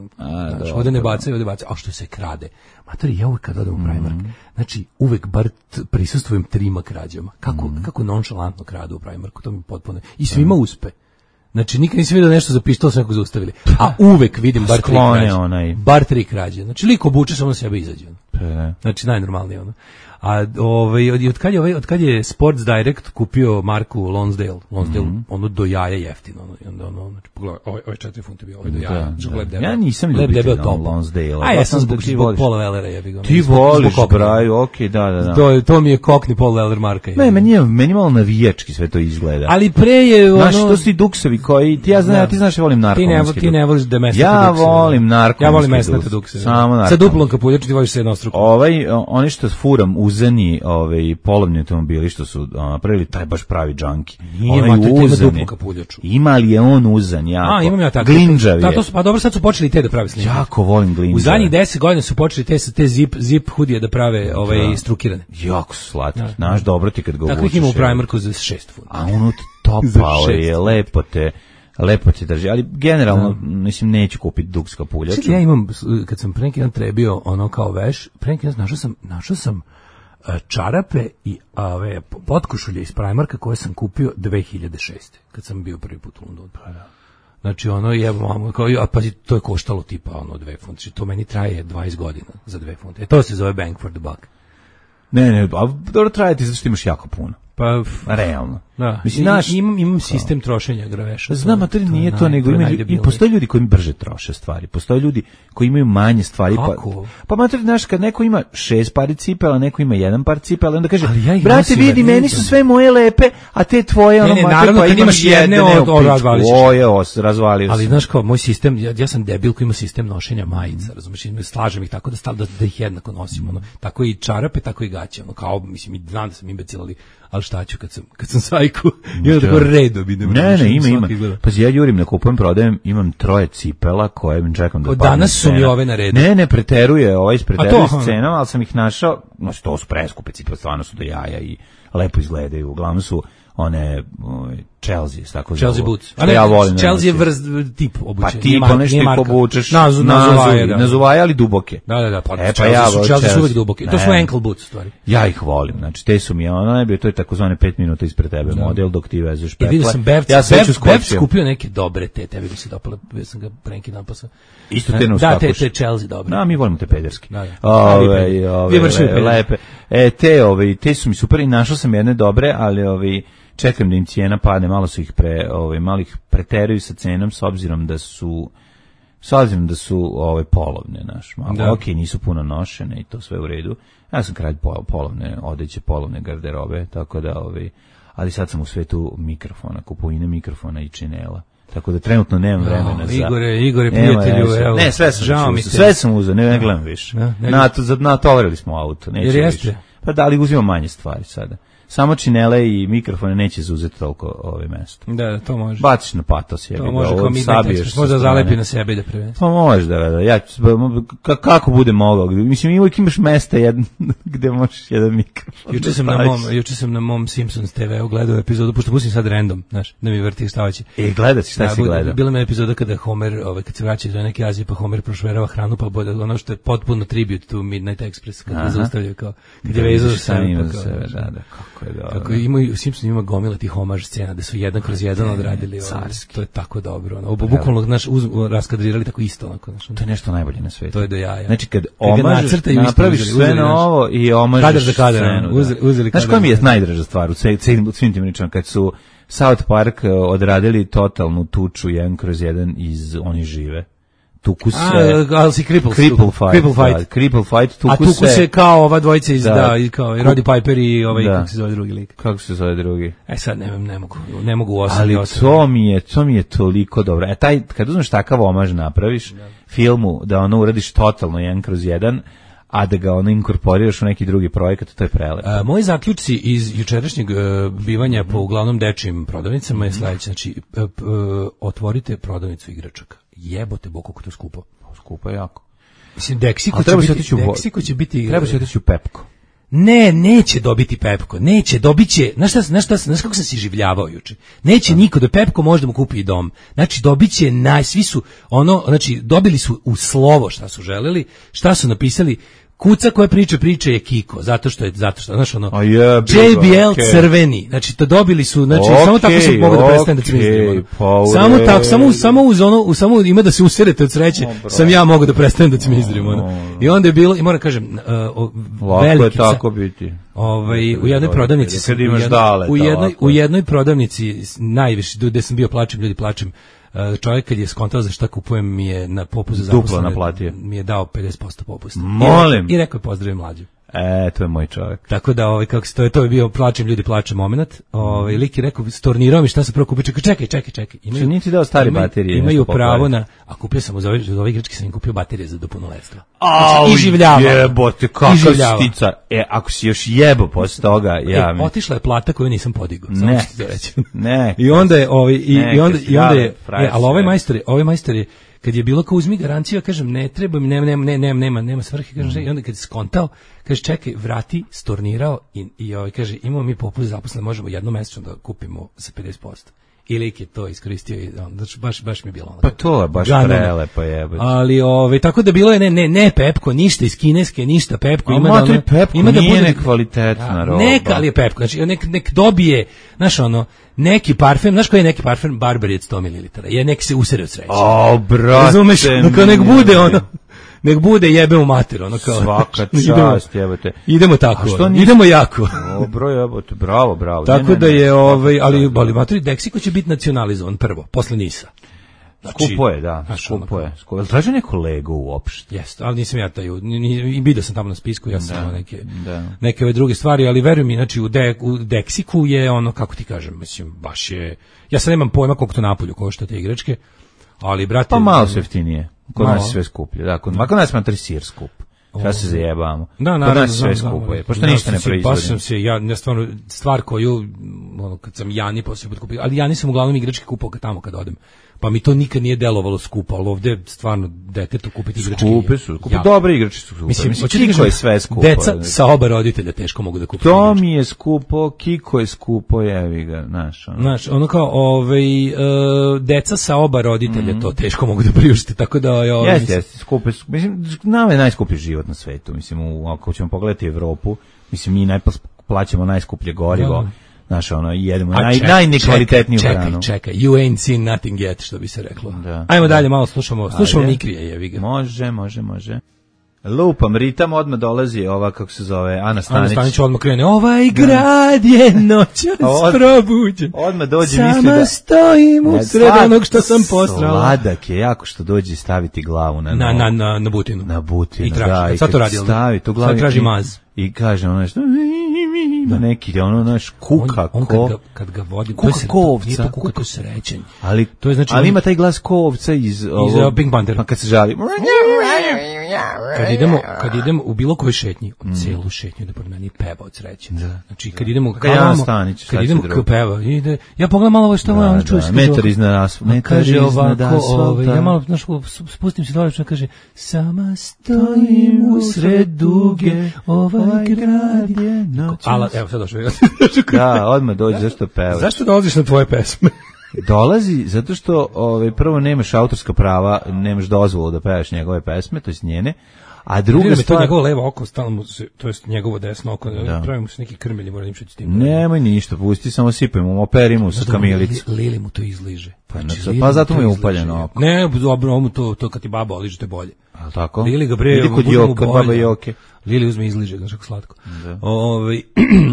Znaš, dobro. ovde ne bacaju, ovde bacaju, a što se krade. Materi, ja uvek kad odem u Primark, znači uvek bar t- prisustvujem trima krađama. Kako, kako nonšalantno kradu u Primarku, to mi potpuno... I svima uspe. Znači, nikad nisam vidio nešto za pištol, sve nekog zaustavili. A uvek vidim bar tri Sklone krađe. onaj. Bar tri krađe. Znači, liko obuče, samo na sebe izađe. ono. Pre. Znači najnormalnije ono. A ovaj od, od kad je ovaj od kad je Sports Direct kupio marku Lonsdale, Lonsdale Mhm. ono do jaja jeftino, ono, i onda ono znači pogledaj, ovaj ovaj četiri funte bio, ovaj do jaja. Da, znači, da. lep debel. Ja nisam Lep ljubitelj debel ono, top. Lonsdale, A ja baš sam sam zbog, da ti zbog voliš. Paula Wellera jebi ga. ono, Ti zbog- voliš zbog Cockney. Braju, okej, da, da, da. To to mi je Cockney Paul Weller marka. Ne, jebi ga. meni je, meni malo navijački sve to izgleda. Ali pre je ono Znaš, to su i duksevi koji, ti ja znam, Da. ja ti znaš, ja volim ti ne, narkomanski ti ne voliš da mesnate Ja dukse, volim narkomanski Ja volim mesnate dukse. dukse. Samo Sa narkomanski. duplom kapuljaču ti voliš se jednostruko. Ovaj, o- oni što furam uzani, ovaj, polovni automobili što su a, napravili, taj baš pravi džanki. Nije, Onaj mater, to ima uzani. duplu kapuljaču. Ima li je on uzan, jako. A, imam ja tako. Glinđav Da, je. to su, pa dobro, sad su počeli i te da prave snimke. Jako volim glinđave. U zadnjih deset godina su počeli te te zip zip hudije da prave ovaj strukirane. Jako su slatki. Znaš, dobro ti kad ga Takvih obučeš. ima u je. Primarku za šest funta. A unut Za topao šest. je, lepo te, lepo te drži. Ali generalno, mislim, neću kupiti duks kapuljaču. Čekaj, ja imam, kad sam pre neki dan trebio ono kao veš, pre neki dan našao sam, našao sam e, čarape i ove potkošulje iz Primarka koje sam kupio dve hiljade šeste. Kad sam bio prvi put u Londonu. Znači ono je mamo kao a pa to je koštalo tipa ono dve funte. Znači, to meni traje dvadeset godina za dve funte. E to se zove bang for the buck. Ne, ne, a dobro traje ti zato što imaš jako puno. Pa Realno. da, Mislim, I- znaš, imam imam sistem trošenja graveša. znam, a to nije to, naj- nego je ima, i najdebilnije. postoje ljudi koji brže troše stvari. Postoje ljudi koji imaju manje stvari. Kako? Pa, pa mater, znaš, kad neko ima šest pari cipela, neko ima jedan par cipela, onda kaže, Ali ja ih brate, nosim, vidi, ja meni vidim. su sve moje lepe, a te tvoje, ono, ne, mater, naravno, pa kad imam imaš jedne, jedne, od- u od- pičku. razvališ ćeš. O, je, os, razvalio Ali sam. znaš kao, moj sistem, ja, ja sam debil koji ima sistem nošenja majica, razumiješ, i slažem ih tako da, stal, da, da ih jednako nosim, ono, tako i čarape, tako i gaće, ono, kao, mislim, i znam da sam imbecil, ali, ali šta ću kad sam, kad sam sajku, i onda tako redom idem. Ne, razumiješ, ne, ima, svaki ima. gleda. Pa ja jurim, ne kupujem, prodajem, imam troje cipela koje mi čekam da Od padne danas su mi cena. ove na redu. Ne, ne, preteruje, ovaj ispreteruje A to, s aha. cenom, ali sam ih našao, znači to su preskupe cipele, stvarno su do jaja i lepo izgledaju, uglavnom su one ovaj, Chelsea, tako Chelsea zovu. boots. Što ja volim. da Chelsea je nosim. vrst tip obućenja. Pa ti po nešto ih obučeš, Nazu, nazuvaje, da. nazuvaje, ali duboke. Da, da, da, pa, E, pa Chelsea ja su, volim Chelsea su Chelsea. uvek duboki. To su Ne. ankle boots, u stvari. Ja ih volim, znači te su mi ono najbolje, to je takozvane pet minuta ispred tebe model dok ti vezeš I petle. vidio sam Bevc, ja sve ću Bev, Bev skočio. skupio neke dobre te, tebi bi se dopale, ja sam ga pre neki dan posao. Isto te ne Da, te, uskakuš. te Chelsea dobre. Da, mi volimo te pederski. Da, da. Ove, Vi ove, vršili le- pederski. lepe. E, te, ove, te su mi super i našao sam jedne dobre, ali ove, čekam da im cijena padne, malo su ih pre, ove, malo ih preteruju sa cenom s obzirom da su s obzirom da su ove polovne, naš, malo, Da. ok, nisu puno nošene i to sve u redu. Ja sam kralj pol- polovne odeće, polovne garderobe, tako da, ove, ali sad sam u svetu mikrofona, kupovine mikrofona i činela. Tako da trenutno nemam vremena za... Igore, Igore, Nema prijatelju, veze. evo. Ne, sve sam žao mi uzeo, te. sve sam uzeo, ne, ne gledam više. Da, ne Na to za natovarili smo auto, neću Jer jeste? više. Pa da li uzimam manje stvari sada. samo činele i mikrofone neće zauzeti toliko ove mesto. Da, da, to može. Baciš na patos, jebi ga. To može kao Midnight Express, možda zalepi na sebe da prevesi. Pa može da, da, ja ću, ka, kako bude mogao, mislim uvijek imaš mesta jedan, gde možeš jedan mikrofon. Juče sam, na mom, juče sam na mom Simpsons te ve gledao epizodu, pošto pustim sad random, znaš, da mi vrti šta hoće. E, gledaj šta da, si gledao. Bila mi epizoda kada Homer, ovaj, kad se vraća iz neke Azije, pa Homer prošverava hranu, pa bude ono što je potpuno tribute to Midnight Express, kad ga zaustavljaju kao, kad je vezao za sebe, pa kao, sebe, da, da, kako je dobro. Kako imaju, Simpson ima gomila tih homaž scena, da su jedan kroz jedan odradili, carski. To je tako dobro, ono, bukvalno, znaš, raskadrirali tako isto, onako, znaš. To je nešto najbolje na svetu. To je do jaja. Znači, kad omažeš, napraviš sve na ovo i omažeš kadar za kadar, scenu. uzeli, uzeli znaš koja mi je najdraža stvar u svim tim pričama, kad su South Park odradili totalnu tuču jedan kroz jedan iz Oni žive. Tuku se... A, ali si cripple, cripple fight. Cripple fight. Da, cripple fight, tuku A tuku se, se kao ova dvojica iz, da, da i kao i Roddy Piper i ovaj, da. Kako se zove drugi lik. Kako se zove drugi? E sad ne, ne mogu, ne mogu osam. Ali to mi je, to mi je toliko dobro. E taj, kad uzmeš takav omaž napraviš, da. Filmu, da ono uradiš totalno jedan kroz jedan, a da ga ono inkorporiraš u neki drugi projekat, to je prelepo. A, moji zaključci iz jučerašnjeg uh, bivanja po uglavnom dečijim prodavnicama je sledeće, znači uh, uh, otvorite prodavnicu igračaka. Jebote bog kako to skupo. Skupo je jako. Mislim Deksiko će, biti, Deksiko će biti treba se otići u Pepko. Ne, neće dobiti Pepko. Neće, dobiće. Znaš šta, znaš šta, znaš kako sam se življavao juče. Neće niko da Pepko može da mu kupi i dom. Znači dobiće naj svi su ono, znači dobili su u slovo šta su želeli, šta su napisali. Kuca koja priča priče je Kiko, zato što je zato što znaš ono yeah, J B L okay. crveni. Znači to dobili su, znači okay, samo tako se mogu da prestane da cmizdrim. Samo tako, samo samo uz ono, samo ima da se userete od sreće. Oh, sam ja mogu da prestanem da cmizdrim ono. Oh, I onda je bilo i moram kažem uh, veliki je tako biti. Ovaj u jednoj prodavnici kad imaš dale u jednoj u jednoj prodavnici najviše gde sam bio plačem ljudi plačem. Čovjek kad je skontao za šta kupujem mi je na popustu za duplo naplatio. Mi je dao pedeset posto popusta. Molim. I rekao je pozdravim mlađu. E, to je moj čovjek. Tako da ovaj kako se to je to je bio plačem ljudi plače momenat. Ovaj lik je rekao stornirao mi šta se prvo kupio. Čekaj, čekaj, čekaj, čekaj. Imaju niti dao stare imaju, baterije. Imaju pravo na a kupio sam za ove, za ove igračke sam im kupio baterije za do punoletstva. Znači, i življava. Jebote, kakav stica. E, ako si još jebo posle toga, ja e, mi. Otišla je plata koju nisam podigao. Ne, ne. I onda je ovaj i, ne, i onda i onda je, e, al ovaj majstor, ovaj majstor je kad je bilo kao uzmi garanciju, kažem ne treba mi, nema nema nema nema nema svrhe, kažem, mm. i onda kad je skontao, kaže čekaj, vrati, stornirao i i ovaj kaže imamo mi popust zaposlene, možemo jednomesečno da kupimo za pedeset posto. I lik je to iskoristio i onda baš baš mi je bilo ono. Pa to je baš prelepo jebote. Ali ovaj tako da bilo je ne ne ne Pepko, ništa iz kineske, ništa Pepko, ima da ono, Pepko, ima da bude nekvalitetna roba. Neka ali je Pepko, znači nek nek dobije, znaš ono, neki parfem, znaš koji je neki parfem Barbary od sto mililitara. Je nek se usere od sreće. O, brate. Razumeš, nek nek bude ono. Nek bude jebe u mater, ono kao. Svaka čast, jebote. Idemo tako, idemo jako. Dobro, jebote, bravo, bravo. Tako ne, ne, da je, ovaj, ali, ali mater, Deksiko će biti nacionalizovan prvo, posle Nisa. Znači, skupo je, da, skupo je. Skupo je. Traži neko Lego uopšte? Jeste, ali nisam ja taj, i vidio sam tamo na spisku, ja sam da, neke, da. neke ove druge stvari, ali veruj mi, znači, u, de, u Deksiku je ono, kako ti kažem, mislim, baš je, ja sad nemam pojma koliko to napolju košta te igračke, ali, brate... Pa malo su jeftinije, kod malo. Nas je sve skuplje, da, kod, kod nas je matri sir skup. Šta se zajebamo? Da, naravno, kod nas sve skupo je, pošto ništa ne proizvodi. Baš sam se, ja, ja stvarno, stvar koju, ono, kad sam Jani poslije put kupio, ali Jani sam uglavnom igračke kupao tamo kad odem. Pa mi to nikad nije delovalo skupo, ali ovde stvarno detetu kupiti igračke. Skupe su, kupi ja. Dobre igračke su skupe. Mislim, Mislim Kiko je sve skupo. Deca sa oba roditelja teško mogu da kupe. To igračke. Mi je skupo, Kiko je skupo, jevi ga, znaš. Ono. Znaš, ono kao, ovaj, uh, deca sa oba roditelja mm-hmm. to teško mogu da priušte, tako da... Ovaj, jeste, jeste, skupe su, mislim, nama je najskuplji život na svetu, mislim, u, ako ćemo pogledati Evropu, mislim, mi najplaćamo najskuplje gorivo. Da. Znaš, ono, jedemo naj, ček, najnekvalitetniju čekaj, hranu. Čekaj, čekaj, you ain't seen nothing yet, što bi se reklo. Da. Ajmo dalje, malo slušamo, slušamo Mikrije, jevi ga. Može, može, može. Lupam, ritam, odmah dolazi ova, kako se zove, Ana Stanić. Ana Stanić odmah krene, ovaj grad je noćas od, probuđen. Odmah dođe, sama misli da... Sama stojim u sred onog što sam postrala. Sladak je jako što dođe staviti glavu na... Na, na, na, na butinu. Na butinu, I traži, da. I sad to radi, stavi tu glavu. Sad traži maz. I kaže ono nešto... ima neki, ono, naš, kuka, on, on ko... kad ga, kad ga vodi, kuka to je, ko ovca. Nije to kuka, to je srećenj. Ali, to je, znači, ali on, ima taj glas ko ovca iz... Iz uh, Pink Panther. Pa kad se žali... Kad idemo, kad idemo u bilo kojoj šetnji, on mm. celu šetnju da pored mene i peva od sreće. Da. Znači, kad idemo... Kad ja Stanić, kad idemo k peva, ide, ja pogledam malo ovo što da, on čuje. Da, metar iznad asfalta. Metar iznad asfalta. Ja malo, znaš, spustim se dole, kaže, sama stojim usred duge, ovaj grad je noć. Ala, evo sad došao. Da, odmah dođe, zašto peva? Zašto dolaziš na tvoje pesme? Dolazi zato što ovaj prvo nemaš autorska prava, nemaš dozvolu da pevaš njegove pesme, to jest njene. A druga stvar, to njegovo levo oko stalno mu se, to jest njegovo desno oko, da. Pravi mu se neki krmelji, mora imati s tim. Nemoj ništa, pusti, samo sipaj mu, operi mu sa kamilicu. Lili, Lili mu to izliže. Pa, znači, pa zato mu je upaljeno oko. Ne, dobro, mu to, to kad ti baba oliže, to je bolje. A tako? Lili ga bre, vidi kod Joka, baba Joke. Lili uzme izliže, znaš kako slatko. Ove,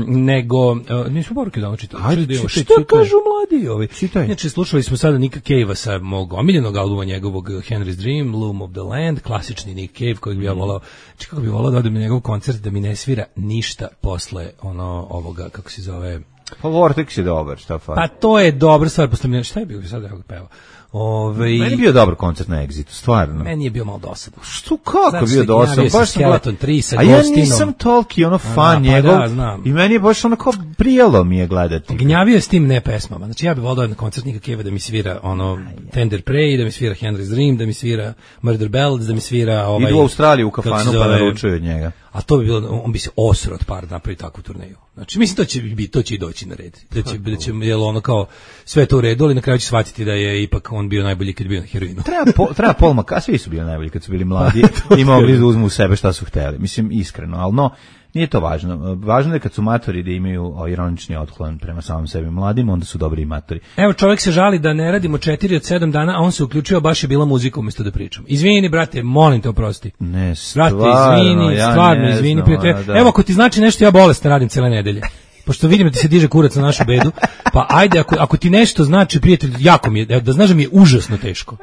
nego, nismo poruke da čitali. Ajde, čitaj, šta kažu mladi ovi? Čitaj. Znači, slušali smo sada Nicka Cave-a sa mog omiljenog albuma njegovog Henry's Dream, Loom of the Land, klasični Nick Cave kojeg bi ja volao, či kako bi volao da odem na njegov koncert da mi ne svira ništa posle ono ovoga, kako se zove... Pa Vortex je dobar, šta fa? Pa to je dobra stvar, posle mi šta je bio sad da peva. Ove... Meni je bio dobar koncert na Exitu, stvarno. Meni je bio malo dosadan. Što, kako znači, bio dosadan? Baš sam Skeleton tri sa a Gostinom. Ja nisam toliki ono fan da, njegov. Pa da, I meni je baš onako prijelo mi je gledati. Gnjavio s tim ne pesmama. Znači ja bih volio na koncert Nicka Cave-a da mi svira ono Tender Prey, da mi svira Henry's Dream, da mi svira Murder Ballads, da mi svira ovaj... Idu u Australiju u kafanu pa naručuju od njega. A to bi bilo, on bi se osro od par napravi takvu turneju. Znači, mislim, to će biti, to će i doći na red. Da će, da će, jel ono kao, sve to u redu, ali na kraju će shvatiti da je ipak on bio najbolji kad je bio na heroinu. Treba, po, treba Paul McCartney, svi su bili najbolji kad su bili mladi i mogli da uzmu u sebe šta su hteli. Mislim, iskreno, ali no, nije to važno. Važno je kad su matori da imaju ironični otklon prema samom sebi mladim, onda su dobri i matori. Evo, čovjek se žali da ne radimo četiri od sedam dana, a on se uključio, baš je bila muzika umjesto da pričam. Izvini, brate, molim te oprosti. Ne, stvarno. Brate, izvini, ja stvarno, izvini. Znam, da. Evo, ako ti znači nešto, ja bolestan radim cele nedelje. Pošto vidim da ti se diže kurac na našu bedu, pa ajde, ako, ako ti nešto znači, prijatelj, jako mi je, da znaš da mi je užasno teško.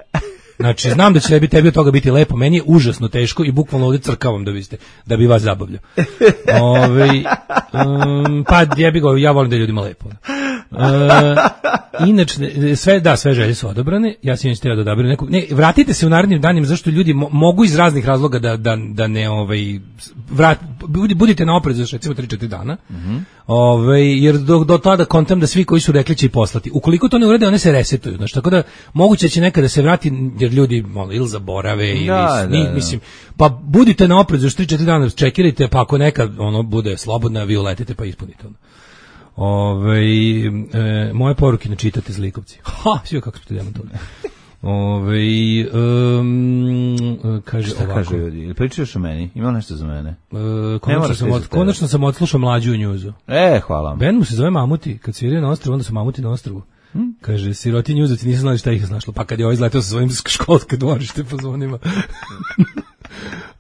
Znači, znam da će tebi, tebi od toga biti lepo, meni je užasno teško i bukvalno ovdje crkavam da biste, da bi vas zabavljao. Ove, um, pa jebi go, ja volim da je ljudima lepo. Uh, inače, sve, da, sve želje su odobrane, ja sam htio da odabiram neku, ne, vratite se u narednim danima, zašto ljudi mo, mogu iz raznih razloga da, da, da ne, ovaj, vrat, budite na oprezu, recimo tri četiri dana, mm-hmm. Ove, jer do, do tada kontam da svi koji su rekli će i poslati. Ukoliko to ne urede, one se resetuju, znači, tako da moguće će nekada se vrati, jer ljudi malo, ili zaborave, ili, da, ni, da, da. mislim, pa budite na oprezu, još tri četiri dana čekirajte, pa ako nekad ono bude slobodna, vi uletite pa ispunite ono. Ove, e, moje poruke ne čitate zlikovci. Ha, sve kako ste demantovali. Ove, um, kaže šta ovako. Kaže ljudi, pričaš o meni? Ima nešto za mene? E, konačno, sam od, konačno sam odslušao mlađu u njuzu. E, hvala vam. Ben mu se zove Mamuti, kad sviraju na ostrvu, onda su Mamuti na ostrvu. Hmm? Kaže, siroti njuzovci nisu znali šta ih je snašlo, pa kad je ovaj izletao sa svojim školske dvorište po zvonima.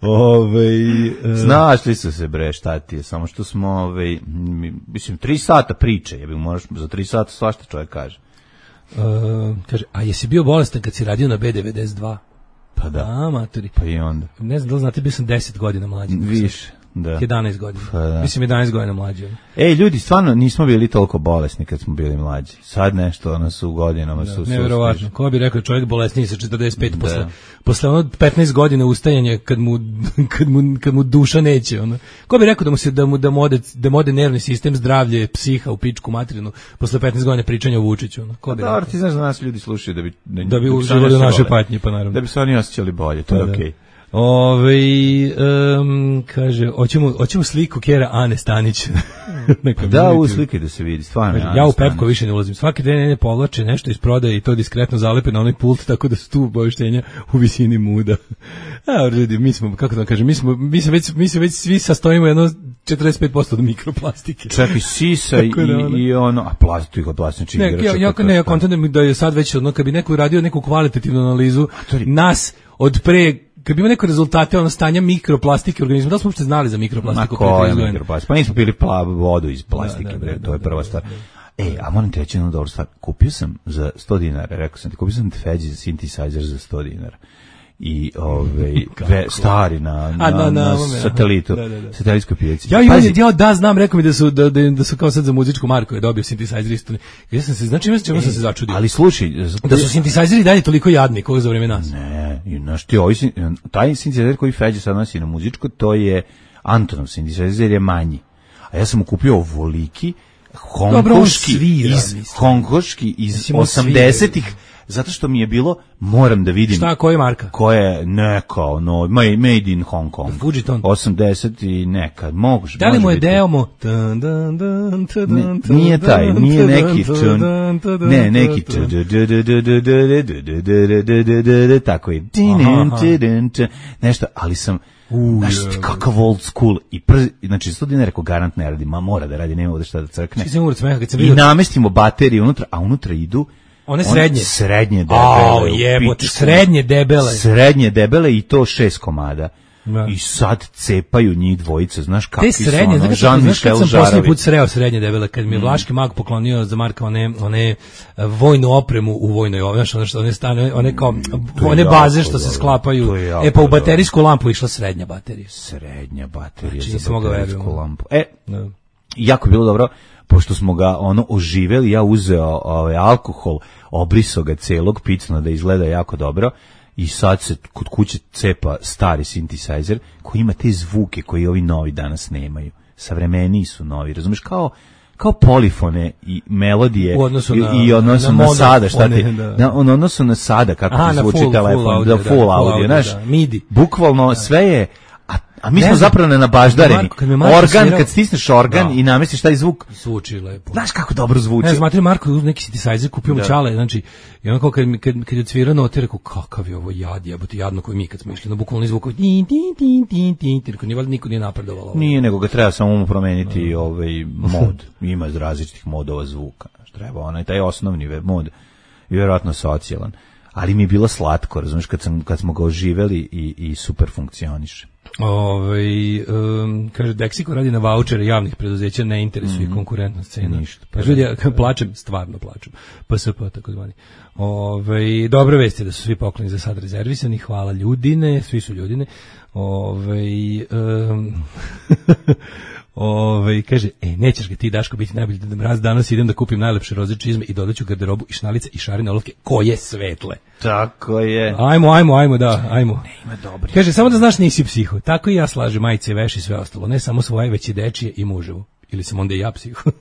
Ove, uh, znaš li su se bre šta ti je, samo što smo ove, mislim tri sata priče, ja bih moraš za tri sata svašta čovjek kaže. Uh, kaže, a jesi bio bolestan kad si radio na B devedeset dva? Pa da. A, maturi. Pa i onda. Ne znam da li znate, bio sam deset godina mlađi. Više. Da. jedanaest godina. Pa da. Mislim jedanaest godina mlađi. Ej, ljudi, stvarno nismo bili toliko bolesni kad smo bili mlađi. Sad nešto, ono su u godinama da, su... Neverovatno. Ko bi rekao čovjek bolesniji sa četrdeset pet da. posle, posle ono petnaest godina ustajanja kad mu, kad mu, kad mu duša neće. Ono. Ko bi rekao da mu se da mu, da mu, ode, da mu ode nervni sistem, zdravlje, psiha u pičku materinu posle petnaest godina pričanja o Vučiću. Ono. Ko bi pa dobro, ti znaš da nas ljudi slušaju da bi... Da, da bi uživali u našoj patnji, pa naravno. Da bi se oni osjećali bolje, to je okej. Okay. Ove, um, kaže, hoćemo, hoćemo sliku Kjera Ane Stanić. Da, u slike da se vidi, stvarno. Kaže, ja u Pepko više ne ulazim. Svaki dan ne povlače nešto iz prodaje i to diskretno zalepe na onaj pult, tako da su tu obavještenja u visini muda. A, ljudi, mi smo, kako da kažem, mi smo, mi se već, mi se već svi sastojimo jedno četrdeset pet posto od mikroplastike. Čak i sisa i, ono, i ono, a plastika, plastični ne, igrača. Ja, ja, ne, ja kontentujem da je sad već, ono, kad bi neko radio neku kvalitativnu analizu, nas od pre kad bi imao neke rezultate ono stanja mikroplastike u organizmu, da smo uopšte znali za mikroplastiku? Ma ko je mikroplastika? Pa nismo pili plavu vodu iz plastike, da, da, bre, da, to je prva da, stvar. Da, da. E, a moram ti reći jednu dobru stvar. Kupio sam za sto dinara, rekao sam ti, kupio sam Feđi za synthesizer za sto dinara. i ovaj ve, stari na na, A, na, na, na ovome, satelitu, da, da, da. satelitskoj pijaci. Ja, ja, ja, da, znam, rekao mi da su, da, da, da su kao sad za muzičku marku je dobio synthesizer isto. Ja sam se, znači, čemu sam se začudio. Ali slušaj, Da su synthesizeri dalje toliko jadni, koga za vreme nas. ne, i znaš ti, ovaj, sin- taj synthesizer koji Feđa sad nosi na muzičko, to je Antonov synthesizer, je manji. A ja sam mu kupio ovoliki, Dobro, on hongkoški, svira, iz, mislim. hongkoški iz Mislim, on osamdesetih, zato što mi je bilo, moram da vidim. Šta, koja je marka? Koja je neka, ono, made in Hong Kong. Fujiton. osamdeset i neka, moguće. Da li mu je biti. deo mu? Ne, nije taj, nije neki tun, ne, neki tun, tako je, nešto, ali sam, znaš ti kakav old school, i prvi, znači sto dinara rekao garant ne radi, ma mora da radi, nema ovde šta da crkne. Svi sam umrat smeha kad sam I vidio. namestimo baterije unutra, a unutra idu One srednje. srednje debele. Ao, u jebote, pičku. srednje debele. Srednje debele i to šest komada. Da. I sad cepaju njih dvojice, znaš kakvi Te su, srednje, ono, znaš kad, znaš kad Jean-Michel sam posljednji Žarovi. put sreo srednje debele, kad mi je Vlaški mag poklonio za Marka one, one eh, vojnu opremu u vojnoj, znaš, one, što one stane, one kao, to je one jako baze što se dobro. sklapaju. To je jako E pa u dobro. baterijsku lampu išla srednja baterija. Srednja baterija Znači, za nisam mogao baterijsku verujem. lampu. E, Da. jako je bilo dobro, pošto smo ga ono oživeli, ja uzeo ovaj alkohol, obrisao ga celog, picno da izgleda jako dobro, i sad se kod kuće cepa stari synthesizer koji ima te zvuke koji ovi novi danas nemaju. Savremeniji su novi, razumeš, kao kao polifone i melodije U odnosu i, na- i odnosu na na, mono, sada, šta ti, one, da. na, on odnosu na sada, kako Aha, ti na zvuči full- telefon, full audio, da, da, full full audio, audio, znaš, da, midi. bukvalno sve je, a, a mi Ne smo znam. zapravo nenabaždareni. Marko, kad mi je Marko Organ, svirao- kad stisneš organ Da. i namestiš taj zvuk, Zvuči lepo. znaš kako dobro zvuči. Ne znam, matri Marko uz neki synthesizer kupio mu Da. čale, znači, i on kao kad, mi- kad, kad je odsvirao note, rekao, kakav je ovo jad, jebote, jadno koji mi kad smo išli, na bukvalno zvuk, tin, tin, tin, tin, tin, tin, rekao, nije valjda niko nije napredovalo. ovo. Nije, nego ga treba samo mu promeniti ovaj mod. Ima različitih modova zvuka. Znaš, treba onaj taj osnovni ve- mod i vjerojatno socijalan. Ali mi je bilo slatko, razumiješ, kad, sam, kad smo ga oživeli i, i super funkcioniše. Ovaj um, kaže Deksiko radi na vaučere javnih preduzeća, ne interesuje mm-hmm. konkurentna scena. Ništa. Kaže ljudi, ja plačem, stvarno plačem. P S P tako zvani. Ovaj dobre vesti da su svi pokloni za sad rezervisani, hvala ljudine, svi su ljudine. Ovaj um, Ove, kaže, e, nećeš ga ti, Daško, biti najbolji Deda Mraz, danas idem da kupim najlepše roze čizme i dodaću garderobu i šnalice i šarene olovke, koje svetle. Tako je. Ajmo, ajmo, ajmo, da, ajmo. Ne, ima dobri. Kaže, samo da znaš nisi psiho. Tako i ja slažem majice, veš i sve ostalo. Ne samo svoje, već i dečije i muževu. Ili sam onda i ja psiho.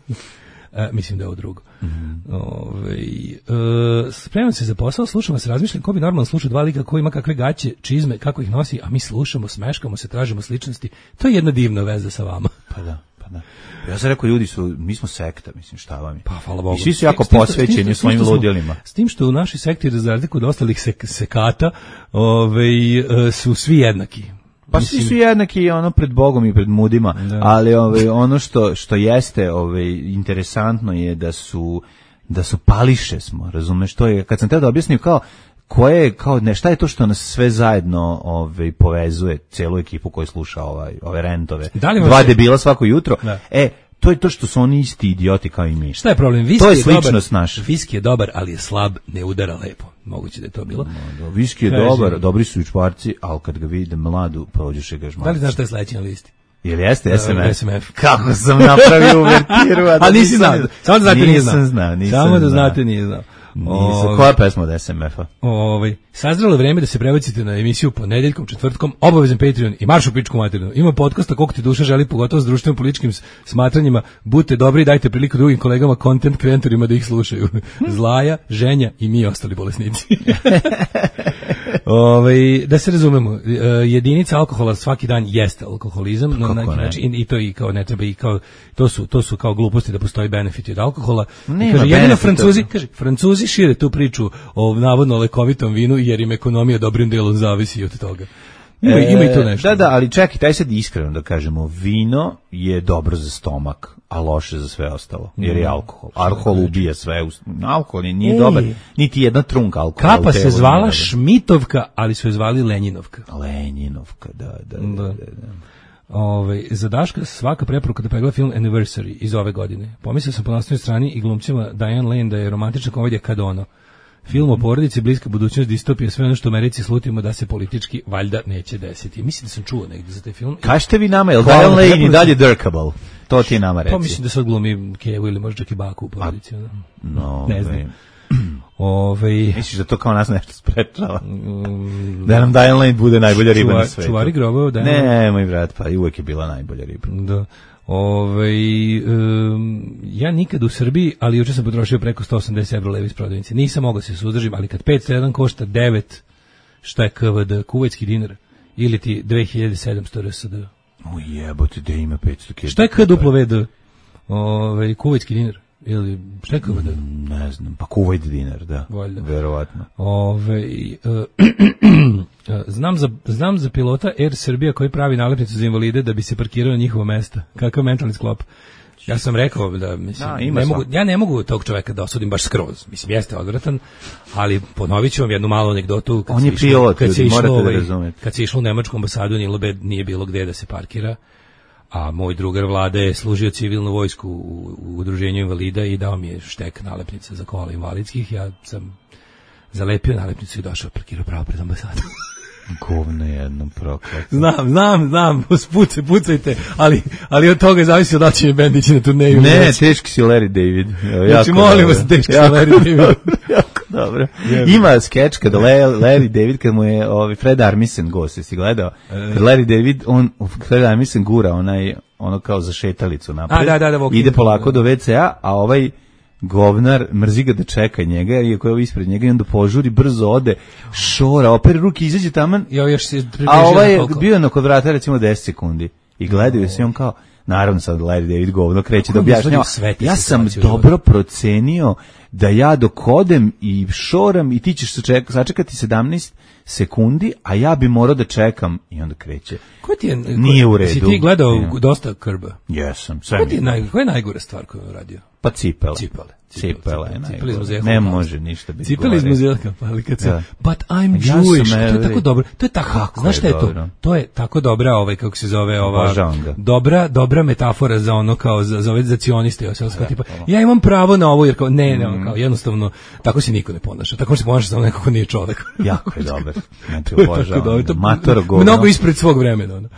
E, mislim da je ovo drugo. Mm-hmm. Ove, e, spremam se za posao, slušam vas, razmišljam ko bi normalno slušao dva lika, ko ima kakve gaće, čizme, kako ih nosi, a mi slušamo, smeškamo se, tražimo sličnosti. To je jedna divna veza sa vama. Pa da, pa da. Ja sam rekao, ljudi su, mi smo sekta, mislim, šta vam je? Pa, hvala Bogu. I svi su jako S tim što- s tim posvećeni što- u s tim svojim što smo- ludilima. S tim što u našoj sekti, za razliku od ostalih sek, sekata, ovaj, e, su svi jednaki. Pa svi su jednaki ono pred Bogom i pred mudima, Da. ali ovaj ono što što jeste ovaj interesantno je da su da su pališe smo, razumeš, to je kad sam te da objasnim kao koje je kao ne šta je to što nas sve zajedno ovaj povezuje celu ekipu koja sluša ovaj ove rentove. Da li vam Dva se- debila svako jutro. Da. E, to je to što su oni isti idioti kao i mi. Šta je problem? Viski To je dobar, sličnost naša. Viski je dobar, ali je slab, ne udara lepo. Moguće da je to bilo. Da, viski je Kaže- dobar, dobri su i čvarci, ali kad ga vide mladu, prođeš i ga žmarci. Da li znaš šta je sledeći na listi? Jel jeste S M F? S M F. Kako sam napravio uvertiru, a da A nisi nisam- znao. Samo da znate nije znao. Nisam znao, nisam Samo da znao. znate nije znao. Nisam. Ovaj, Koja pesma od S M F-a? Ovaj, sazrelo je vreme da se prebacite na emisiju ponedeljkom, četvrtkom, obavezan Patreon i marš u pičku materinu. Ima podcasta koliko ti duša želi, pogotovo s društvenim političkim s- smatranjima. Budite dobri i dajte priliku drugim kolegama, content kreatorima da ih slušaju. Zlaja, Ženja i mi ostali bolesnici. Ovaj, da se razumemo, e, jedinica alkohola svaki dan jeste alkoholizam, na kako neki ne? način, i, i to i kao ne treba i kao to su to su kao gluposti da postoji benefiti od alkohola. Nema Kaže jedino benefita. Francuzi, kaže Francuzi šire tu priču o navodno lekovitom vinu jer im ekonomija dobrim delom zavisi od toga. Ima, E, ima i to nešto. Da, da, ali čekaj, taj sad iskreno da kažemo, vino je dobro za stomak, a loše za sve ostalo, jer je alkohol. Alkohol ubija sve, us- alkohol je- nije Ej. dobar, niti jedna trunka alkohola. Kapa u se telu nije zvala dobra. Šmitovka, ali su je zvali Lenjinovka. Lenjinovka, da, da, da. Da. da, da. Ovaj za Daška svaka preporuka da pregleda film Anniversary iz ove godine. Pomislio sam po naslovnoj strani i glumcima Diane Lane da je romantična komedija kad ono. Film o porodici, bliska budućnost, distopija, sve ono što u Americi slutimo da se politički valjda neće desiti. Mislim da sam čuo negdje za taj film. Kažete vi nama, je li Hvala, Diane Lane i preporučujem. dalje Dirkable? To ti nama reci. Pa mislim da se odglumi Kevu ili možda čak i baku u porodici. ono. No, Ne znam. ovaj, Ovaj Misliš da to kao nas nešto sprečava? Da nam Diane Lane bude najbolja riba na čuvar, svetu. čuvari grobova, da. Ne, moj brat, pa i uvek je bila najbolja riba. Da. Ovaj um, ja nikad u Srbiji, ali juče sam potrošio preko sto osamdeset evra levi iz prodavnice. Nisam mogao se suzdržim, ali kad petsto jedan košta devet, šta je K V D, kuvajtski dinar, ili ti dve hiljade sedamsto R S D. O jebote, da ima petsto kila. Šta je K W V D? Ovaj kuvajtski dinar ili šta je K V D? Ne znam, pa Kuvajt dinar, da. Valjda. Verovatno. Ove, znam, za, znam za pilota Air Srbija koji pravi nalepnicu za invalide da bi se parkirao na njihovo mesto. Kakav mentalni sklop. Ja sam rekao da, mislim, Da, ima ne mogu, svak- ja ne mogu tog čoveka da osudim baš skroz. Mislim, jeste odvratan, ali ponovit ću vam jednu malu anegdotu. Kad On se je išlo- pilot, kad se ljudi, išlo, morate da ovaj, razumete. Kad se išlo u nemačku ambasadu, nije, be- nije bilo gde da se parkira. A moj drugar Vlade je služio civilnu vojsku u, u udruženju invalida i dao mi je štek nalepnica za kola invalidskih. Ja sam zalepio nalepnicu i došao, parkirao pravo pred ambasadom. Govno jedno proklet. Znam, znam, znam, pucaj, pucajte, ali, ali od toga zavisi da će mi bend ići na turneju. Ne, teški si Larry David. Evo, Znači, jako molim dobro. vas, teški si Jako Larry David. dobro, Jako dobro. Ima skeč kada Le- Larry David, kad mu je ovaj Fred Armisen gost, jesi gledao? Kad Larry David, on, Fred Armisen gura onaj, ono kao za šetalicu napred. A, da, da, da, walking, ide polako da. do ve ce a, a ovaj govnar mrzi ga da čeka njega, iako je ovo ispred njega i onda požuri, brzo ode, šora, opere ruke, izađe taman, Ja još se a ovaj je bio na kod vrata recimo deset sekundi i gledaju se i on kao, naravno sad Larry David govno kreće da Kako on objašnjava, izvodi sve te ja sam situacije u dobro procenio da ja dok odem i šoram i ti ćeš saček- sačekati sedamnaest sekundi, a ja bi morao da čekam i onda kreće. Ko ti je, Nije u redu. Si ti gledao Nije. dosta Krba? Jesam, sve Ko mi ti je, je. naj, koja je najgora stvar koju je uradio? Pa cipele. Cipele. Cipele je Cipele iz najgore. Muzeja Ne Holokausta. može ništa biti Cipele iz gore. muzeja, ali kad se, Da. but I'm Ja sam, Jewish, to je evo, tako dobro, to je tako, kako znaš je šta je to? dobro. To je tako dobra, ovaj, kako se zove, ova, Obožavam ga. dobra, dobra metafora za ono, kao, za, za ove, za cioniste, ja, kao, tipa, ja imam pravo na ovo, jer kao, ne, ne, Mm. kao, jednostavno, tako se niko ne ponaša, tako se ponaša samo neko ko nije čovek. Jako je dobar. Znači, To je tako obožavam dobro, ga. to- Mator govno. mnogo ispred svog vremena, ono.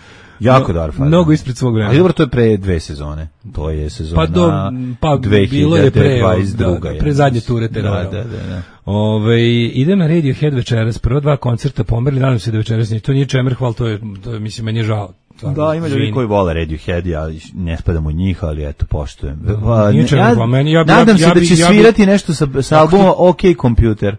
Jako No- dobar fazon. mnogo ispred svog vremena. Ali dobro, to je pre dve sezone. To je sezona Pa do, pa bilo je pre, dvadeset druga. da, pre zadnje ture terora. Da, da, da. da. Ove, idem na Radiohead večeras, prvo dva koncerta pomerili, nadam se da večeras nije, to nije čemer, hval, to je, to je, mislim, meni je žao. Stvarno, Da, ima ljudi izvini. koji vole Radiohead, ja ne spadam u njih, ali eto, poštujem. nije Ne, čemu, ja, pa meni- ja bi- nadam ja bi- se ja da bi- će ja bi- svirati nešto sa, sa albuma OK Computer,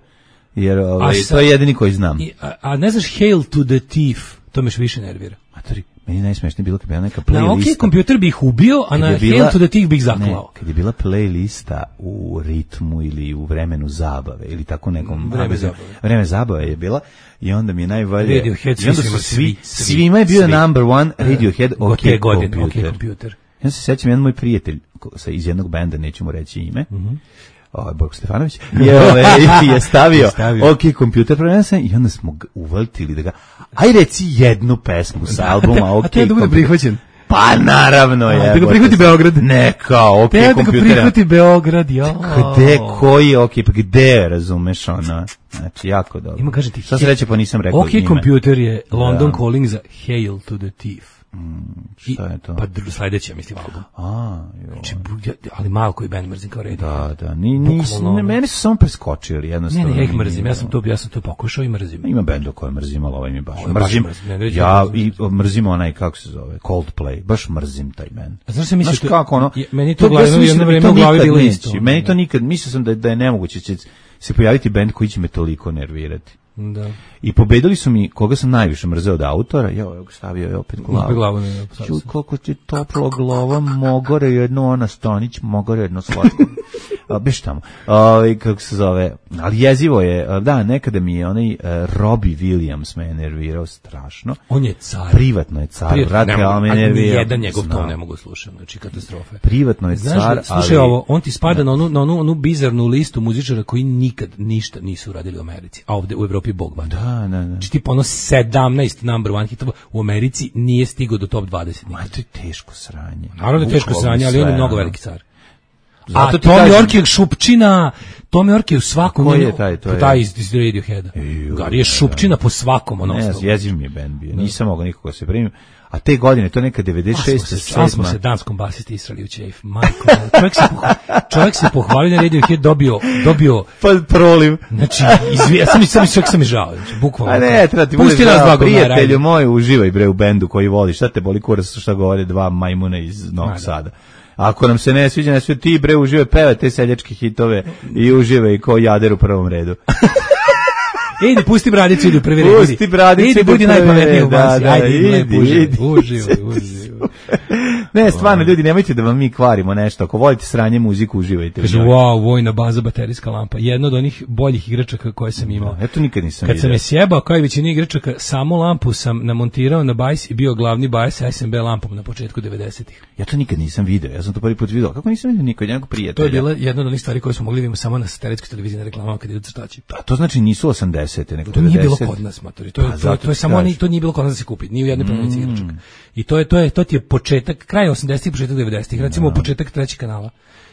jer ovaj, sa- to je jedini koji znam. I- a, a ne znaš Hail to the Thief, to me još više nervira. Matori, meni najsmešnije bilo kad je bila neka Na OK playlista. kompjuter bih ubio, a Kad na je bila- Hail to the Thief bih Ne, zaklao. kad je bila playlista u ritmu ili u vremenu zabave ili tako nekom Vreme abecednom- zabave. vreme zabave je bila i onda mi je najvalje Radiohead, i onda svi su su svi, svi, svi, svima je bio svi. number one Radiohead OK, OK godine, OK Computer. kompjuter. Ja se sećam, jedan moj prijatelj ko- sa iz jednog benda, neću mu reći ime, ovaj Borko Stefanović, je, ove, je stavio, Stavio. OK Computer prenesen i onda smo ga uvaltili da ga, aj reci jednu pesmu sa albuma OK A to je da bude Computer. prihvaćen. Pa naravno je. da ga prihvati Beograd. Neka, OK Te da ga Computer. prihvati Beograd, ja. Gde, koji je OK, pa gde, razumeš, ono, znači, jako dobro. Ima, kažem ti, Šta se reće, pa nisam rekao OK ime. Computer je London Da. Calling za Hail to the Thief. Šta je to? Pa dru- sledeći, ja mislim, album. A, jo. Znači, bu- ja- ali malo koji band mrzim kao Radiohead. Da, da, ni, nis, Bukvalno ono. ne, meni su samo preskočili, Ne, jednostavno. ne, ja ih nije mrzim, ja sam bilo. to, ja sam to pokušao i mrzim. Ima benda koje mrzim, ali ovaj mi baš Ovo je baš mrzim. mrzim, ne, neću Ja mrzim. i mrzim onaj, kako se zove, Coldplay, baš mrzim taj band. A znaš šta misliš, Znaš to- kako, ono, je- meni to ja glavno sam mislio jedno da mi vreme to u glavi nikad bilo neće. isto. Meni to nikad, mislio sam da, je- da je nemoguće će se pojaviti band koji će me toliko nervirati. Da. I pobedili su mi, koga sam najviše mrzeo od autora, jo, evo ga stavio je opet glavu. Opet glavu, ne, ne, sad Čuj, sam. koliko ti toplo glava, mogore jedno ona Stanić, mogore jedno slatko. A, Beš tamo. Ovaj, kako se zove, ali jezivo je, a, da, nekada mi je onaj uh, Robbie Williams me je nervirao strašno. On je car. Privatno je car, Privatno, vrate, ne mogu, ali me a nervirao. nijedan njegov Znam. ton ne mogu slušati, znači katastrofe. Privatno je Znaš, car, da, slušaj ali... ovo, on ti spada na onu, na onu, onu bizarnu listu muzičara koji nikad ništa nisu uradili u Americi, a ovde u Evropi bog vada. Da, da, da. Znači tipa ono sedamnaest number one hitova u Americi nije stigao do top dvadeset. Ma, to je teško sranje. Naravno da je teško Bukvalno sranje, ali on je sve, mnogo ono. veliki car. A Tom York je Šupčina, Tom York je u svakom... Ko je taj? To je... Taj iz, iz Radioheada. Gari je Šupčina po svakom. Ono ne, jeziv mi je band bio. Nisam mogao nikoga se primim. A te godine, to neka devedeset šeste Sva smo se danskom basisti israli u ćejf. Majko, čovjek se, pohvalio, čovjek se pohvalio na Radiohead, dobio, dobio... Pa proliv. Znači, izvi, ja sam mi sam, sam mi žao, znači, bukvalno. A ne, treba ti bude žao, prijatelju moj, uživaj bre u bendu koji voliš, šta te boli kurac, šta govore dva majmuna iz Novog Sada. Ako nam se ne sviđa, ne sviđa, ti bre uživaj, peva te seljačke hitove i uživaj ko jader u prvom redu. Idi, pusti bradicu, idi u prvi red. Pusti bradicu, idi, budi najpametniji u bazi. Da, da, ajde, idi, lepo, idi. Uživaj, uživaj. Ne, stvarno, ljudi, nemojte da vam mi kvarimo nešto. Ako volite sranje muziku, uživajte. Kaže, wow, vojna baza, baterijska lampa. Jedna od onih boljih igračaka koje sam imao. Ja to nikad nisam Kad vidio. sam je sjebao, kao i većina igračaka, samu lampu sam namontirao na bajs i bio glavni bajs S M B lampom na početku devedesetih. Ja to nikad nisam video. Ja sam to prvi put video. Kako nisam vidio nikad jednog prijatelja? To je bila jedna od onih stvari koje smo mogli vidjeti samo na satelitskoj televiziji na reklamama kad idu crtači. A to znači nisu osamdesete, nego to nije bilo kod nas, matori. To je pa, to, to je samo oni, to nije bilo kod nas da se kupi, ni u jednoj prodavnici mm. igračaka. I to je to je to ti je početak kraj osamdesetih, početak devedesetih, recimo no. početak trećeg kanala.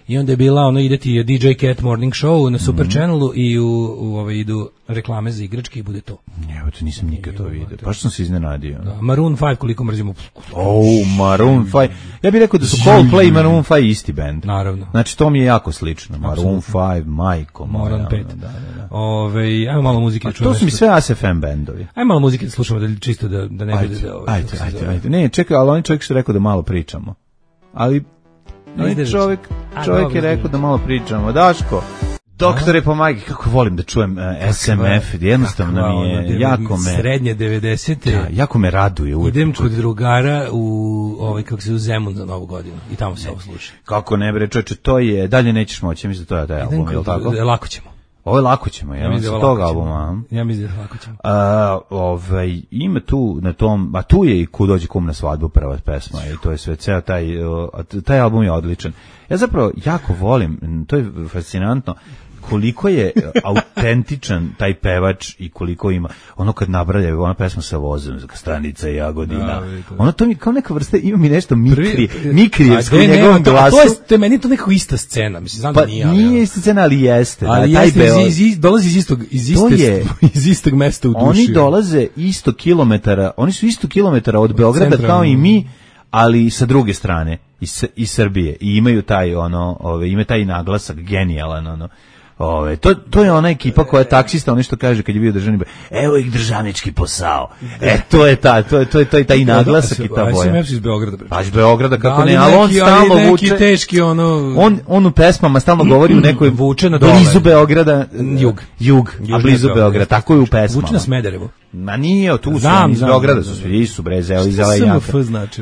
I onda je bila ono ide ti D J Cat Morning Show na Super mm. Channelu i u, u ove idu reklame za igračke i bude to. Evo to nisam nikad to vidio. Baš sam se iznenadio. Da, Maroon five koliko mrzimo. Oh, Maroon five. Ja bih rekao da su Coldplay i Maroon five isti bend. Naravno. Znači to mi je jako slično. Maroon five, Majko, Maroon pet. Da, da, da. Ove, ajmo malo muzike da čujemo. To su mi sve A S F M bendovi. Ajmo malo muzike da slušamo da čisto da da ne bude da. Ajde, ajde, ajde. Ne, čekaj, ali on čovjek što rekao da malo pričamo. Ali ne, čovjek, čovjek je rekao da malo pričamo. Daško, doktore pomagi, kako volim da čujem uh, S M F, jednostavno mi je, jako me... Srednje devedesete. Da, jako me raduje. Uvijek idem kod drugara u, ovaj, kako se u Zemun za Novu godinu i tamo se ovo sluša. Kako ne bre, čoče, to je, dalje nećeš moći, ja mislim da to je taj album, je li tako? Lako ćemo. Ovo je lako ćemo, ja mislim da tog albuma. Ja mislim da lako ćemo. A, ovaj, ima tu na tom, a tu je i Kud dođe kum na svadbu, prva pesma i to je sve, ceo taj, taj album je odličan. Ja zapravo jako volim, to je fascinantno, koliko je autentičan taj pevač i koliko ima, ono kad nabralja, ona pesma sa vozom, Stanica i Jagodina, da, ono to mi kao neka vrsta, ima mi nešto mikri, mikrijevsko u njegovom glasu. To je, to je meni to nekako ista scena, mislim, znam pa, da nije. Pa nije ista scena, ali jeste. Ali da, jeste, taj iz, iz, dolazi iz istog, iz, iste, je, iz istog mesta u duši. Oni dolaze isto kilometara, oni su isto kilometara od Beograda kao i mi, ali sa druge strane, iz, iz Srbije, i imaju taj, ono, ove, ima taj naglasak, genijalan, ono, Ove, to, to je ona ekipa koja je taksista, ono što kaže kad je bio državni, evo ih državnički posao. E, to je ta, to je to je taj taj naglasak i ta boja. Ja sam iz Beograda. Pa iz Beograda kako ne, ali on stalno vuče. Neki teški ono. On on u pesmama stalno govori u nekoj vuče na blizu Beograda, jug, jug, a blizu Beograda, tako je u pesmama. Vuče na Smederevo. Ma nije, tu su iz Beograda su svi, su bre, zeli zelenjaka.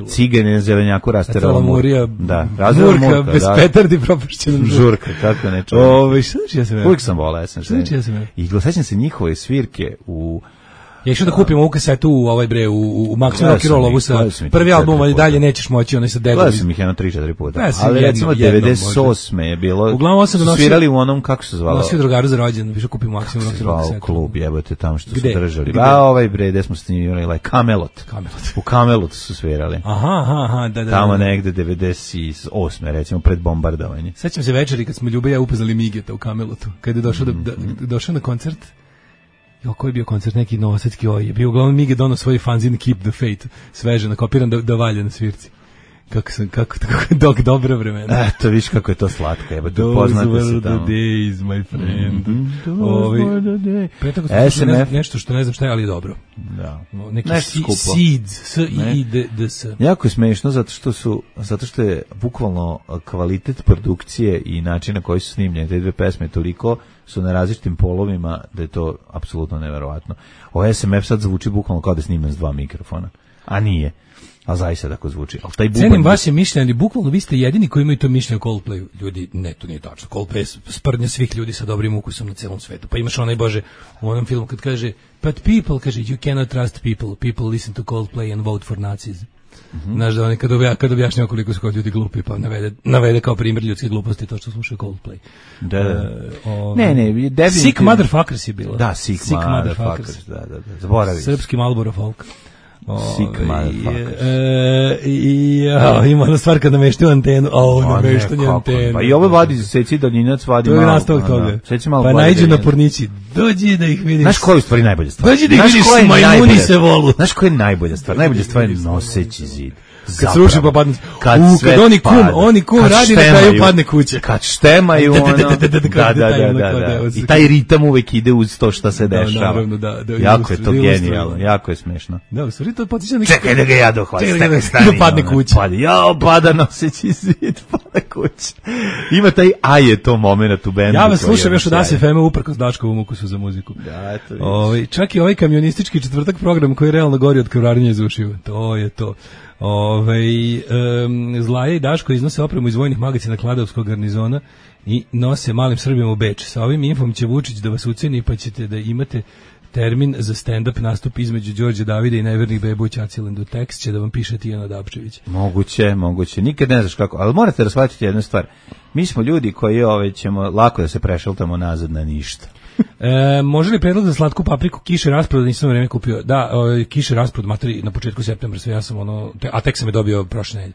Cigane zelenjaku rasterala Murija. Da, razvela Murka. Bez petardi propušćenom žurka, kako ne čujem. Ove, šta ja sam uvijek sam volao, ja sam što i sećam se njihove svirke u... Ja išao da kupim ovu kasetu u ovaj bre, u, u Maximum Rock and Roll, ovu sa prvi album, ali dalje nećeš moći, onaj sa Dedom. Gledao sam ih jedno tri četiri puta, ali recimo devedeset osme je bilo, uglavnom sam donosio, svirali u onom, kako se zvalo? Nosio drugaru za rođendan, išao kupim Maximum Rock and Roll kasetu. Klub, jebote, tamo što su držali. A ovaj bre, gde smo snimili, like Camelot. Camelot. U Camelotu su svirali. Aha, aha, aha, da, da. Tamo negde devedeset osme, recimo, pred bombardovanje. Sećam se večeri kad smo Ljube ja upoznali Migeta u Camelotu, kad je došao, da, da, došao na koncert. Jo, koji je bio koncert, neki novosadski oj, je bio uglavnom Mige dono svoj fanzin Keep the Faith, sveže, nakopiran da, da valja na svirci. Kako sam, kako, kako dok dobro vremena. Eto, viš kako je to slatko, jeba, tu poznate se tamo. Those were the days, my friend. Mm-hmm. Ovi, pre tako S M F. Ne, nešto što ne znam šta je, ali dobro. Da. Neki Seeds, S I D D S. Jako je smešno, zato što su, zato što je bukvalno kvalitet produkcije i način na koji su snimljene te dve pesme toliko su na različitim polovima da je to apsolutno neverovatno. Ovo S M F sad zvuči bukvalno kao da snimam s dva mikrofona, a nije. A zaista tako zvuči. Al taj bubanj... Cenim vaše mišljenje, ali bukvalno vi ste jedini koji imaju to mišljenje o Coldplayu. Ljudi, ne, to nije tačno. Coldplay je sprdnja svih ljudi sa dobrim ukusom na celom svetu. Pa imaš onaj, bože, u onom filmu kad kaže, but people, kaže, you cannot trust people. People listen to Coldplay and vote for Nazis. Mm-hmm. Znaš da oni kad, obja, kad objašnjava koliko su kao ljudi glupi, pa navede, navede kao primjer ljudske gluposti to što slušaju Coldplay. Da, da. Uh, o, ne, ne, definitivno. Sick Motherfuckers je bilo. Da, Sick, sick Motherfuckers, da, da, da, zaboravim. Srpski Marlboro folk. Sick motherfuckers. E, i, ja, ima ona stvar kad nameštaju antenu, a nameštanje antenu. Pa i ovo vadi, seci daljinac, vadi to malo. To je nastavak toga. Seci malo. Pa najđe na pornići, dođi da ih vidiš. Znaš koja je u stvari najbolja stvar? Dođi da ih vidiš, majmuni se volu. Znaš koja je najbolja stvar? Najbolja stvar je noseći zid. Kad se ruši pa padne. Kad, U, kad oni kum, pada. oni kum kad radi na kraju padne kuća. Kad štemaju ono. Da, da, da, da. I taj ritam uvek ide uz to što se dešava. Naravno, da. Jako je to genijalno, jako je smešno. Da, u stvari to potiče na... Čekaj da ga ja dohvatim. Čekaj da ga padne kuća. Jao, pada noseći zid, pada kuća. Ima taj a je to moment u bendu. Ja vas slušam još od A S F M-a uprkos Daškovom ukusu za muziku. Da, eto vidiš. Ovaj, čak i ovaj kamionistički četvrtak program koji realno gori od krvarenja iz ušiju. To je to. Ove, um, Zlaja i Daško iznose opremu iz vojnih magacina Kladovskog garnizona i nose malim Srbima u Beč. Sa ovim infom će Vučić da vas uceni pa ćete da imate termin za stand-up nastup između Đorđe Davida i nevernih beba u Ćacilendu. Tekst će da vam piše Tijana Dapčević. Moguće, moguće. Nikad ne znaš kako. Ali morate da shvatiti jednu stvar. Mi smo ljudi koji ove, ćemo lako da se prešaltamo nazad na ništa. E, može li predlog za slatku papriku kiše rasprod, nisam vreme kupio. Da, o, kiše rasprod materi na početku septembra, sve ja sam ono, te, a tek sam je dobio prošle nedelje.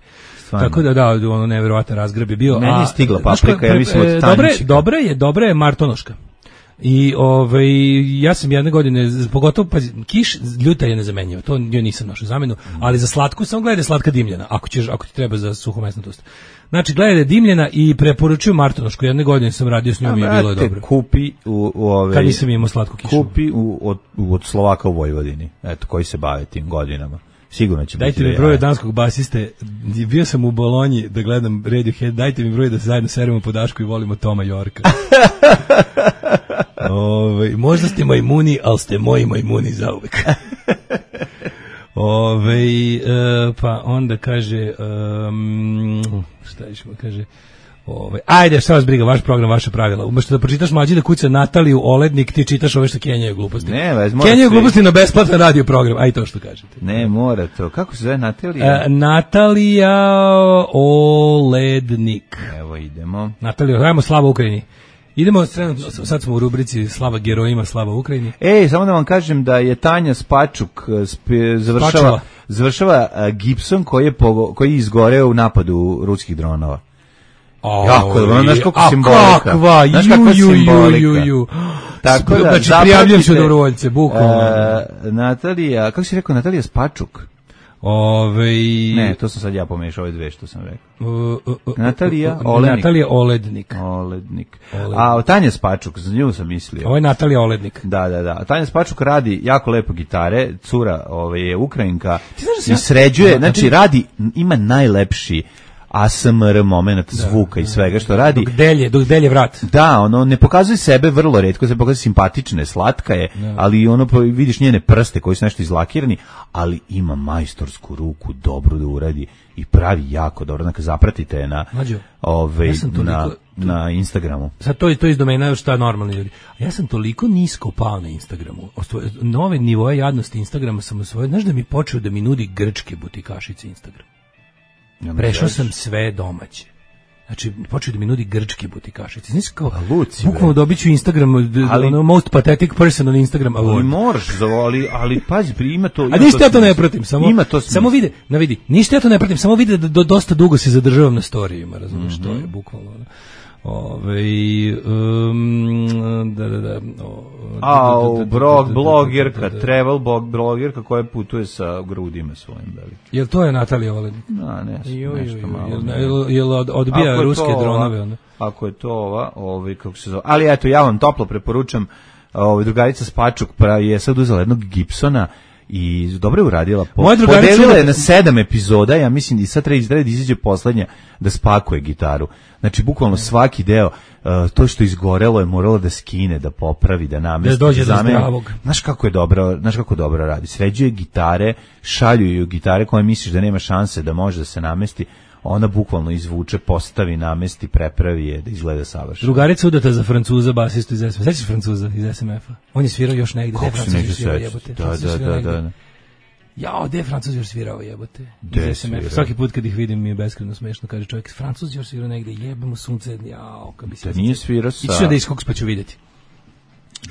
Tako da da, ono neverovatan razgreb je bio. Meni je stigla paprika, pre, ja mislim od tanjčika. Dobre, dobre je, dobre je martonoška. I ovaj ja sam jedne godine pogotovo pa kiš ljuta je nezamenjiva. To joj nisam našao zamenu, ali za slatku sam gledao slatka dimljena. Ako ćeš ako ti treba za suhomesnat tost. Znači gledaj dimljena i preporučujem martonošku. Jedne godine sam radio s njom i bilo je dobro. Kupi u, u ove kad nisam imao slatku kišu. Kupi u, od, od Slovaka u Vojvodini. Eto koji se bave tim godinama. Sigurno će dajte biti. Dajte mi broj danskog basiste. Bio sam u Bolonji da gledam Radiohead. Dajte mi broj da se zajedno seremo po Dašku i volimo Toma Yorka. Ove, možda ste majmuni, ali ste moji majmuni zauvek. Ove, e, pa onda kaže um, šta ćemo kaže ove, ajde šta vas briga, vaš program, vaše pravila. Umesto da pročitaš Mlađi da kuca Nataliju Olednik, ti čitaš ove što kenjaju gluposti. Ne, vez, kenjaju gluposti na besplatan radio program, aj to što kažete. Ne, mora to. Kako se zove Natalija? E, Natalija Olednik. Evo idemo. Natalija, dajmo slava Ukrajini. Idemo, sad smo u rubrici Slava herojima, Slava Ukrajini. Ej, samo da vam kažem da je Tanja Spačuk spe, završava, Spačula. završava uh, Gibson koji je, pogo, koji je izgoreo u napadu ruskih dronova. O, jako dobro, znaš kako a simbolika. Kakva, znaš kakva ju, ju, simbolika. Ju, ju, ju. Tako da, znači, prijavljam se u dobrovoljce, bukvalno. Uh, Natalija, kako si rekao, Natalija Spačuk? Ove... Ne, to sam sad ja pomešao ove dve što sam rekao. Uh, uh, uh, Natalija uh, Olednik. Natalija Olednik. Olednik. Olednik. A Tanja Spačuk, za nju sam mislio. Ovo je Natalija Olednik. Da, da, da. Tanja Spačuk radi jako lepo gitare, cura ove, je Ukrajinka ja... i sređuje, da, znači radi, ima najlepši A S M R moment zvuka da, i svega što radi. Dok delje, dok delje vrat. Da, ono ne pokazuje sebe vrlo retko, se pokazuje simpatične, slatka je, da. Ali ono vidiš njene prste koji su nešto izlakirani, ali ima majstorsku ruku, dobro da uradi i pravi jako dobro. Dakle, zapratite je na Mađo, ove, ja toliko, na, na Instagramu. Sad to, to iz domena šta normalni ljudi. A ja sam toliko nisko pao na Instagramu. Osvoje, nove nivoje jadnosti Instagrama sam osvojio. Znaš da mi počeo da mi nudi grčke butikašice Instagram. Ja prešao sam sve domaće. Znači, počeo da mi nudi grčke butikašice. Znaš kao, bukvalno dobit ću Instagram, ali, ono, most pathetic person on Instagram award. Ali moraš, ali, ali pazi, ima to... Ima A ništa ja to ne pratim, samo, ima to samo vide, na vidi, ništa ja to ne pratim, samo vide da do, dosta dugo se zadržavam na storijima, razumiješ, mm-hmm. To je bukvalno... Ove, um, da, da, da, o, a blog, blogerka, travel blogerka koja putuje sa grudima svojim velikim. Jel to je Natalija Olednik? No, ne, nešto malo. Jel, jel odbija ruske dronove? Onda? Ako je to ova, ovaj, kako se zove. Ali eto, ja vam toplo preporučam, ovaj, drugarica Spačuk je sad uzela jednog Gibsona i dobro je uradila. Po, podelila je na sedam epizoda, ja mislim i sad treba da izađe poslednja da spakuje gitaru. Znači, bukvalno svaki deo, uh, to što izgorelo je moralo da skine, da popravi, da namesti. Da dođe do zdravog. Znaš kako je dobro, znaš kako dobro radi. Sređuje gitare, šalju ju gitare koje misliš da nema šanse da može da se namesti. Ona bukvalno izvuče, postavi, namesti, prepravi je da izgleda savršeno. Drugarica udata za Francuza, basistu iz S M F-a. Sećaš Francuza iz S M F-a? On je svirao još negde. Kako se neće sećati? Da, da, da, da, da. Jao, gde je Francuz još svirao, jebote? Gde svirao? Svaki put kad ih vidim mi je beskreno smešno, kaže čovjek, Francuz još svirao negde, jebemo sunce, jao, kad bi se... Da nije svirao sa... Ići da iskoks pa ću vidjeti.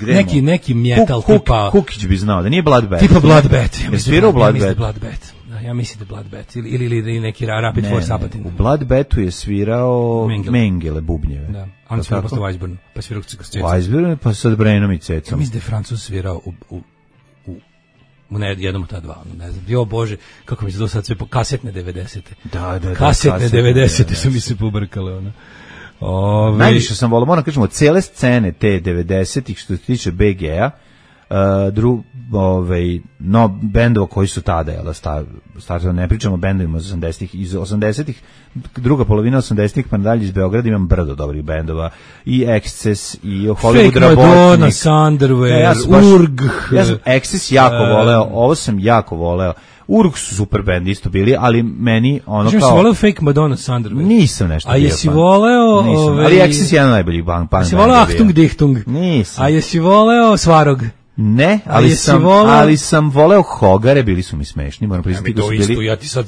neki, neki metal Kuk, tipa... Kukić bi znao, da nije Bloodbath. Tipa Bloodbath. Ja je svirao Bloodbath? Bloodbath. Da, ja mislim da Bloodbath. Ili, ili, ili neki Rapid ne, Force Apatin. U Bloodbathu je svirao Mengele, Mengele bubnjeve. Da, on je svirao posle Weisburnu, pa svirao s Cecom. Weisburnu, pa sa Brenom i Cecom. Ja mislim da je Francuz svirao u... u u ne, jednom od ta dva, ne znam. Jo Bože, kako mi se to sad sve po kasetne devedesete. Da, da, da. Kasetne devedesete su mi se pobrkale, ona. Ove... Najviše sam volao, moram kažem, od cele scene te devedesetih što se tiče B G-a, uh, dru, ovaj, no, bendova koji su tada, jel, startano, ne pričamo o bendovima iz osamdesetih, iz osamdesetih, druga polovina osamdesetih pa nadalje iz Beograda imam brdo dobrih bendova, i Excess, i Hollywood Fake Rabotnik. Madonna, Thunderwear, ja baš, Urg. Ja sam Excess jako uh, voleo, ovo sam jako voleo. Urg su super band isto bili, ali meni ono kao... Jesi voleo Fake Madonna, Thunderwear? Nisam nešto bio. A jesi voleo... Nisam, ove... ali Excess je jedan najboljih band. Jesi voleo Achtung Dichtung? Nisam. A jesi voleo Svarog? Ne, ali sam, voleo... ali sam voleo Hogare, bili su mi smešni, moram priznati da su bili... Isto, ja ti sad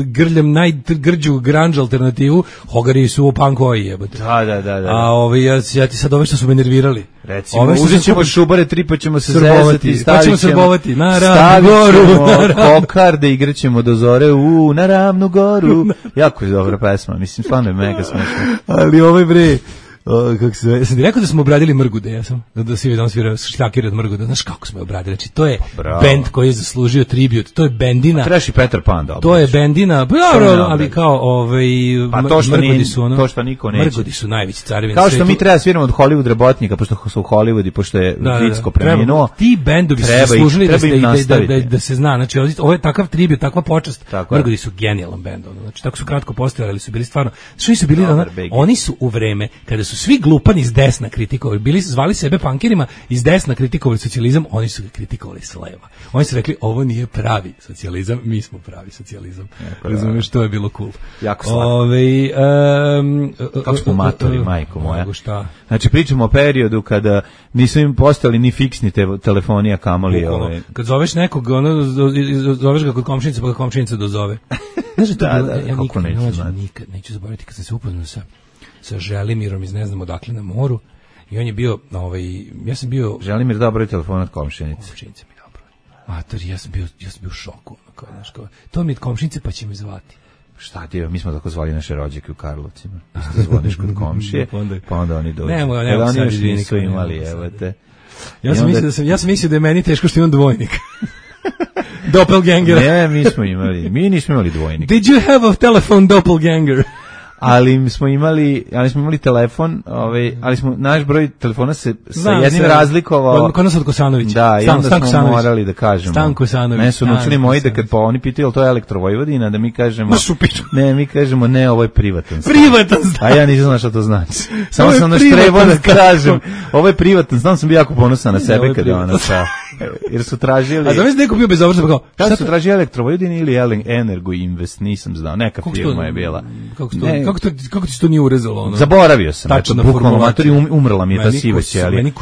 grljam najgrđu grunge alternativu, Hogari su u punkoji, jebote. Da, da, da, da. A ovi, ja, ja ti sad ove što su me nervirali. Recimo, uzet ćemo šubare tri, pa ćemo se zezati, stavit ćemo, srbovati, na ravnu goru, na ravnu. Kokarde, igraćemo do zore, u, na ravnu goru. Jako je dobra pesma, mislim, stvarno je mega smešno. Ali ovaj bre... O, kako se zove, sam ti rekao da smo obradili Mrgude, ja sam, da, da si vidio, svirao šljakir od Mrgude, znaš kako smo je obradili, znači to je Bravo. bend koji je zaslužio tribut, to je bendina. Treši i Petar Pan, da. To je bendina, pa, ali kao, ovaj, pa to što Mrgudi su, ono, to što niko neće. Mrgudi su najveći carevi. Kao što mi treba sviramo od Hollywood Rabotnika, pošto su u Hollywoodu, pošto je da, Vicko da, preminuo. Ti bendovi su zaslužili da, da, da, da, da se zna, znači ovo je takav tribut, takva počast. Tako Mrgudi su genijalan bend, ono, znači tako su kratko postojali, su bili stvarno, što su bili, ona, oni su u vreme kada su svi glupani iz desna kritikovali, bili zvali sebe punkirima, iz desna kritikovali socijalizam, oni su ga kritikovali s leva. Oni su rekli, ovo nije pravi socijalizam, mi smo pravi socijalizam. Razumiješ, to je bilo cool. Jako slatko. Ove, um, kako smo matori, majko moja. Šta? Znači, pričamo o periodu kada nisu im postali ni fiksni te, telefoni, a kamoli. Ove. Kad zoveš nekog, ono, zoveš ga kod komšinice, pa ga komšinica dozove. Znaš, to da, bilo, da, ja nikad, neću, neću, nikad neću zaboraviti kad sam se upoznao sa sa Želimirom iz ne znam odakle na moru i on je bio, ovaj, ja sam bio... Želimir dao broj telefona od komšinice. Komšinice mi dao broj. Matori, ja sam bio, ja sam bio u šoku. Kao, znaš, kao, to mi je od komšinice pa će me zvati. Šta ti je, mi smo tako zvali naše rođake u Karlovcima. Isto zvoniš kod komšije, pa onda oni dođu. Nemo, nemo, oni sad još izvini, nisu imali, evo te. Ja sam, onda... mislio da sam, ja sam mislio da je meni teško što imam dvojnik. Doppelganger. Ne, mi smo imali, mi nismo imali dvojnik. Did you have a telephone doppelganger? Ali smo imali, ali smo imali telefon, ovaj, ali smo naš broj telefona se Znam, sa jednim se, razlikovao. Kod nas od Kosanovića. Da, i onda Stan, smo Sanović. morali da kažemo. Stan Kosanović. Ne su naučili moji da kad pa oni pitaju jel to je Elektrovojvodina, da mi kažemo. Ne, mi kažemo ne, ovo je privatan stan. Privatan stan. A ja nisam znao šta to znači. Samo sam naš trebao da kažem, ovo je privatan stan, sam bio jako ponosan na sebe kad je ona sa. Jer su tražili. A da mi neko bio bezobrazan, kao šta su tražili Elektrovojvodina ili Energo Invest, nisam znao, neka firma je bila. Kako to, kako to, kako ti to nije urezalo ono? Zaboravio sam. Tačno na formulaciji. Um, umrla mi je ta siva ćelija.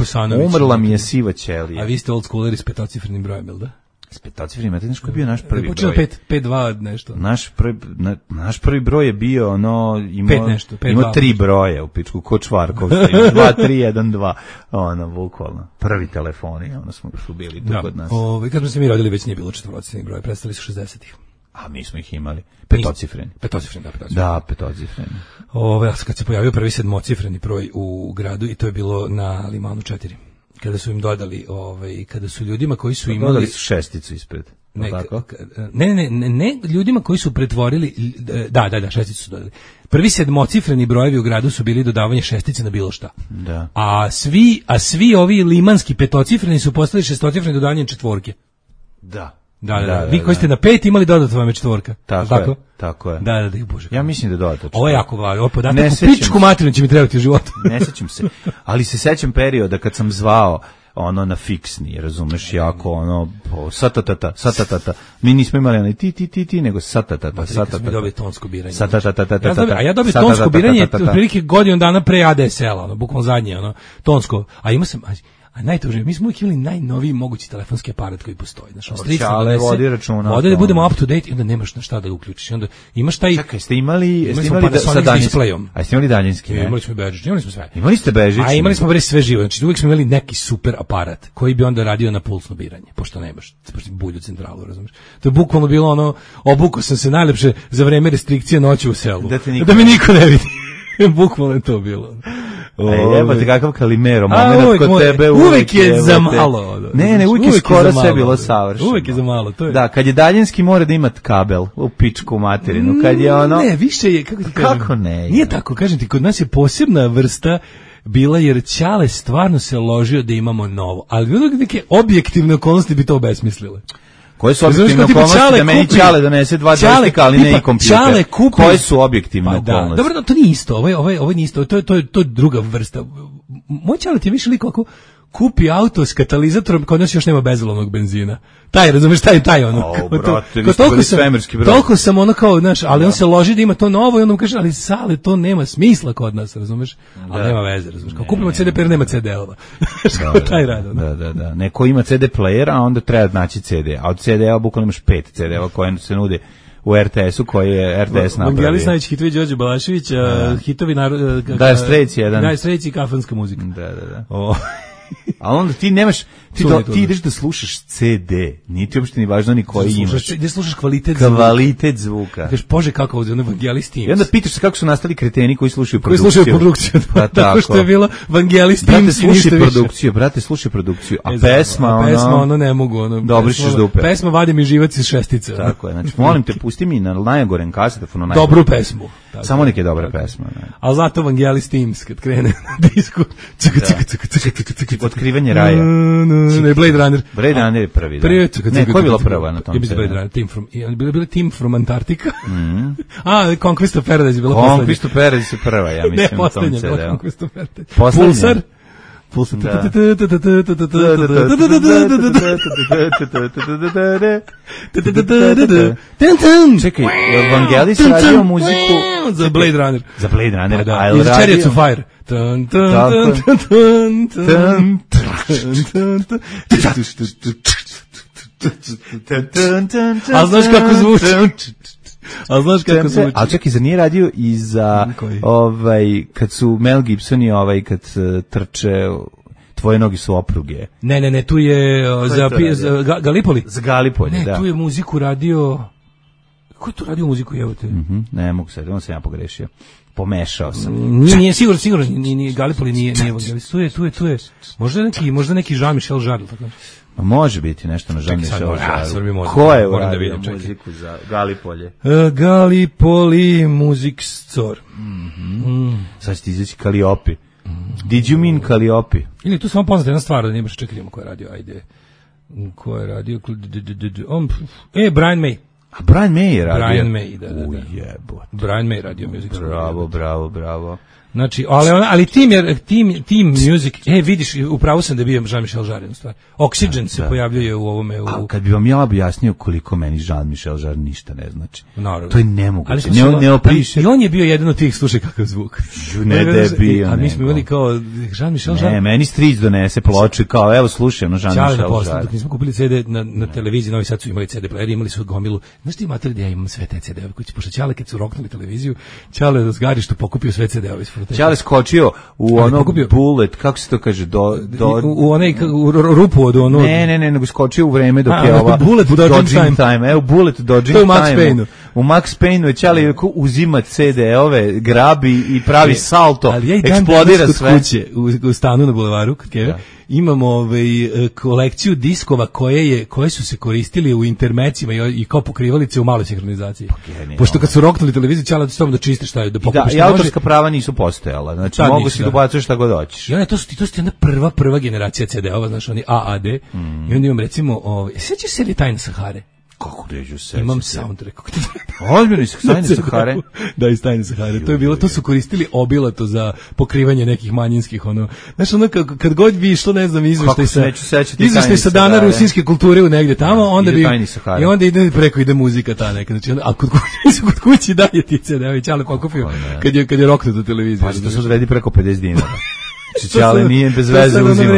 Umrla mi je siva ćelija. A vi ste old schooleri s petocifrenim brojem, jel da? S petocifrenim, znate koji je bio naš prvi počeo broj? pet pet dva nešto. Naš prvi na, naš prvi broj je bio ono imao pet nešto, pet imao tri broja u pičku ko Čvarkov, dva tri jedan dva. Ono bukvalno. Prvi telefoni, ono smo su bili tu kod nas. Ovaj kad smo se mi rodili već nije bilo četvorocifreni broj, prestali su šezdesetih. A mi smo ih imali petocifreni. Petocifreni, da, petocifreni. Da, petocifreni. Ove, kad se pojavio prvi sedmocifreni broj u gradu i to je bilo na Limanu četiri. Kada su im dodali, ovaj, kada su ljudima koji su imali... Dodali su šesticu ispred. Ne, ne, ne, ne, ne, ljudima koji su pretvorili... Da, da, da, šesticu su dodali. Prvi sedmocifreni brojevi u gradu su bili dodavanje šestice na bilo šta. Da. A svi, a svi ovi limanski petocifreni su postali šestocifreni dodavanjem četvorke. Da. Da, da, da, vi koji ste na pet imali dodatno vam je četvorka. Tako, tako je, tako je. Da, da, da, bože. Ja mislim da dodatno. Ovo je jako važno, ovo podatak u pičku materinu će mi trebati u životu. Ne sećam se, ali se sećam perioda kad sam zvao ono na fiksni, razumeš, jako ono satatata, satatata. Mi nismo imali onaj ti ti ti ti, nego satatata, satatata. Mi dobili tonsko biranje. Satatata. A ja dobio tonsko biranje otprilike godinu dana pre A D S L-a, ono bukvalno zadnje, ono tonsko. A ima sam A najtužnije, mi smo uvijek imali najnoviji mogući telefonski aparat koji postoji. Znaš, Čale vodi računa. Vode da budemo up to date i onda nemaš na šta da uključiš. Onda imaš taj... Čekaj, ste imali, imali ste imali da, sa daljinskim. A ste imali daljinski, ne? Imali smo bežični, imali smo sve. Imali ste bežični? A imali smo bre sve živo. Znači uvijek smo imali neki super aparat koji bi onda radio na pulsno biranje, pošto nemaš, pošto bulju centralu, razumiješ. To je bukvalno bilo ono, obukao sam se najlepše za vreme restrikcije noći u selu. Da, da me niko ne vidi. Bukvalno je to bilo. E, jebate kakav Kalimero, moment kod moj, tebe uvek, uvek je jebate. Za malo. Ne, ne, uvek, uvek je skoro je sve bilo savršeno. Uvek je za malo, to je. Da, kad je daljinski mora da imati kabel u pičku materinu, kad je ono... Ne, više je, kako ti kažem? Kako ne? Nije tako, kažem ti, kod nas je posebna vrsta bila jer Ćale stvarno se ložio da imamo novo, ali bilo neke objektivne okolnosti bi to obesmislile. Koje su objektivne okolnosti da meni Ćale donese dva dvojstika, ali ne i kompjuter? Koje su objektivne okolnosti? Dobro, no, to nije isto, ovo je, ovo je, ovo nije isto, to je, to je, to je druga vrsta. Moj Ćale ti je više liko ako kupi auto s katalizatorom, kod nas još nema bezolovnog benzina. Taj, razumeš, taj, taj ono. O, brate, vi ste bili svemirski broj. Toliko sam ono kao, znaš, ali on se loži da ima to novo i onda mu kaže, ali Sale, to nema smisla kod nas, razumeš? Ali nema veze, razumeš. Kao kupimo C D player, nema C D-ova. Kao taj rad, ono. Da, da, da. Neko ima C D player, a onda treba naći C D. A od C D-ova bukvalno imaš pet C D-ova koje se nude u R T S-u koji je R T S napravio. Vangelis najveći hitovi Đorđe Balašević, uh, hitovi narod... Uh, Dire Straits jedan. Dire Straits i kafanska muzika. Da, da, da. O. A onda ti nemaš, ti, do, ti ideš da slušaš C D, nije ti uopšte ni važno ni koji imaš. Gde slušaš kvalitet zvuka. Kvalitet zvuka. Kažeš, bože, kako ovdje, ono Vangelis Teams. I onda pitaš se kako su nastali kreteni koji slušaju produkciju. Koji slušaju produkciju, pa, tako što je bilo Vangelis Teams. Brate, slušaj produkciju, brate, slušaj produkciju. A e, pesma, a ono... pesma, ono ne mogu, ono... Dobrišeš dupe. Pesma vadi mi živac iz šestice. Tako je, znači, molim te, pusti mi na najgorem kasetofonu najgorem. Dobru pesmu. Tako, samo neke dobre tako. Pesme. Ne. Ali zato Vangelis Teams, kad krene na disku, cika, cika, cika, cika, cika, cika, otkrivanje raja. Ne, Blade Runner. Blade Runner je prvi, da. Prvi, ne, ko je bilo prva na tom? Je bilo Blade Runner, Team from, je bilo bilo Team from Antarctica. Mm. A, Conquest of Paradise je bilo poslednja. Conquest of Paradise je prva, ja mislim. Ne, poslednja, bilo Conquest of Paradise. Poslednja. Pulsar. Čekaj, Vangelis radio muziku za Blade Runner. Za Blade Runner, da, a za Chariots of Fire. A znaš kako zvuči? A znaš kako zvuči? A čekaj, zar nije radio i za ovaj, kad su Mel Gibson i ovaj, kad trče Tvoje nogi su opruge. Ne, ne, ne, tu je za, je za Ga, Galipoli. Za Galipoli, ne, da. Ne, tu je muziku radio... Ko je tu radio muziku, evo te? Mm -hmm, ne mogu sad, on sam ja pogrešio. Pomešao sam. Nije, nije sigurno, sigurno, nije, nije, Galipoli nije, nije Vangelis. Tu je, tu je, tu je. Možda neki, možda neki Jean-Michel Jarre, tako. A može biti nešto na Jean-Michel Jarre. Ko je uradio da muziku za Galipolje? Uh, Galipoli Music Store. Mm -hmm. mm. Sad će ti izaći Kaliopi. Did you mean Kaliopi? Ili tu samo poznate jedna stvar, da nemaš čekaj ko je radio, ajde. Ko je radio? On, e, Brian May. A Brian May je radio? Brian May, da, da, da. Ujebote. Brian May radio Music Store. Bravo, bravo, bravo. Znači, ali, ali team, je, team, team Music, e, vidiš, upravo sam da bio Jean-Michel Jarre, u stvari. Oxygen da, se da. pojavljuje u ovome. U... A kad bi vam ja objasnio koliko meni Jean-Michel Jarre ništa ne znači. Naravno. To je nemoguće. Ali ne, ne opiše. I on je bio jedan od tih, slušaj kakav zvuk. Ne da je bio. A mi smo imali kao Jean-Michel Jarre. Ne, meni stric donese ploče, kao evo slušaj, no Jean-Michel Jarre. Dok nismo kupili C D na, na televiziji, Novi Sad su imali C D player, imali su gomilu. Znaš ti mater da ja imam sve te C D-ove koji će, pošto Ćale kad su roknuli televiziju, Ćale da zgarištu pokupio sve C D-ove iz fototeke. Ćale skočio u ono bullet, kako se to kaže, do, do u, u onaj u rupu od ono. Ne, ne, ne, nego skočio u vreme dok a, je ova bullet dodging time. time. Evo bullet dodging to time. U Max Payne-u. U Max Payne-u je Ćale uzima C D-ove, grabi i pravi salto, ali ja eksplodira sve. Kuće, u, u stanu na bulevaru kod Keve. Imamo ovaj kolekciju diskova koje je koje su se koristili u intermecima i, i kao pokrivalice u maloj sinhronizaciji. Pa, pošto kad su roknuli televiziju, Ćale da da čiste šta je da pokupiš. Da, i autorska prava nisu postojala. Znači tad mogu si dobacuješ šta god hoćeš. I onda to su to su jedna prva prva generacija C D-ova, znači oni A A D. Mm. I onda imam recimo, ovaj, sećaš se li Tajne Sahare? Kako deđu se? Imam soundtrack. Ozbiljno iz Tajne Sahare? Da, iz Tajne Sahare. To je bilo, to su koristili obilato za pokrivanje nekih manjinskih, ono. Znaš, ono, kad, kad god bi išlo, ne znam, izveštaj sa, izveštaj sa dana rusinske kulture u negdje tamo, onda bi, i onda ide preko, ide muzika ta neka. Znači, onda, a kod kući, kod kući dalje ti C D-ovi, Ćale pokupio, kad je, kad je roknuto televizija. Pa, to se odredi preko pedeset dinara. Ćale nije bez veze uzima.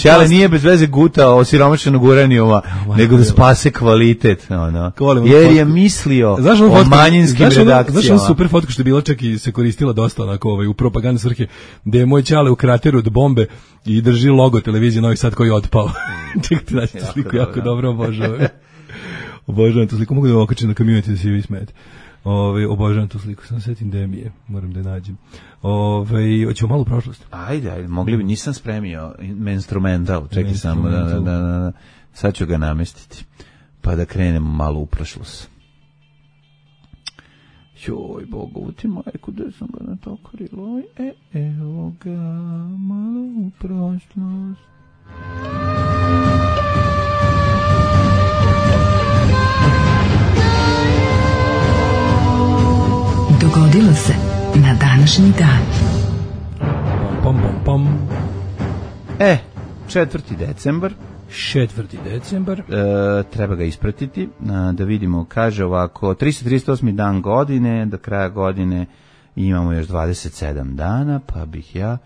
Ćale nije bez veze gutao osiromašenog uranijuma, nego da spase kvalitet. Ono. Jer je mislio o manjinskim redakcijama. Znaš ono super fotku što je bila čak i se koristila dosta onako ovaj, u propagandne svrhe, gde je moj Ćale u krateru od bombe i drži logo televizije Novi Sad koji je otpao. Čekaj ti daći tu sliku, jako dobro obožavam. Obožavam tu sliku, mogu da okačem na community da se vi smete. Ove, obožavam tu sliku, sam setim da mi je, moram da je nađem. Ove, hoćemo malo u prošlost. Ajde, ajde, mogli bi, nisam spremio instrumental, čekaj samo da, da, da, da, sad ću ga namestiti, pa da krenemo malo u prošlost. Joj, Bogovu ti majku, gde sam ga natokarila, e, evo ga, malo u prošlost. Dogodilo se na današnji dan. Pom, pom, pom. E, četvrti decembar. Četvrti decembar. E, treba ga ispratiti, a, da vidimo, kaže ovako, tristo trideset osmi dan godine, do kraja godine imamo još dvadeset sedam dana, pa bih ja...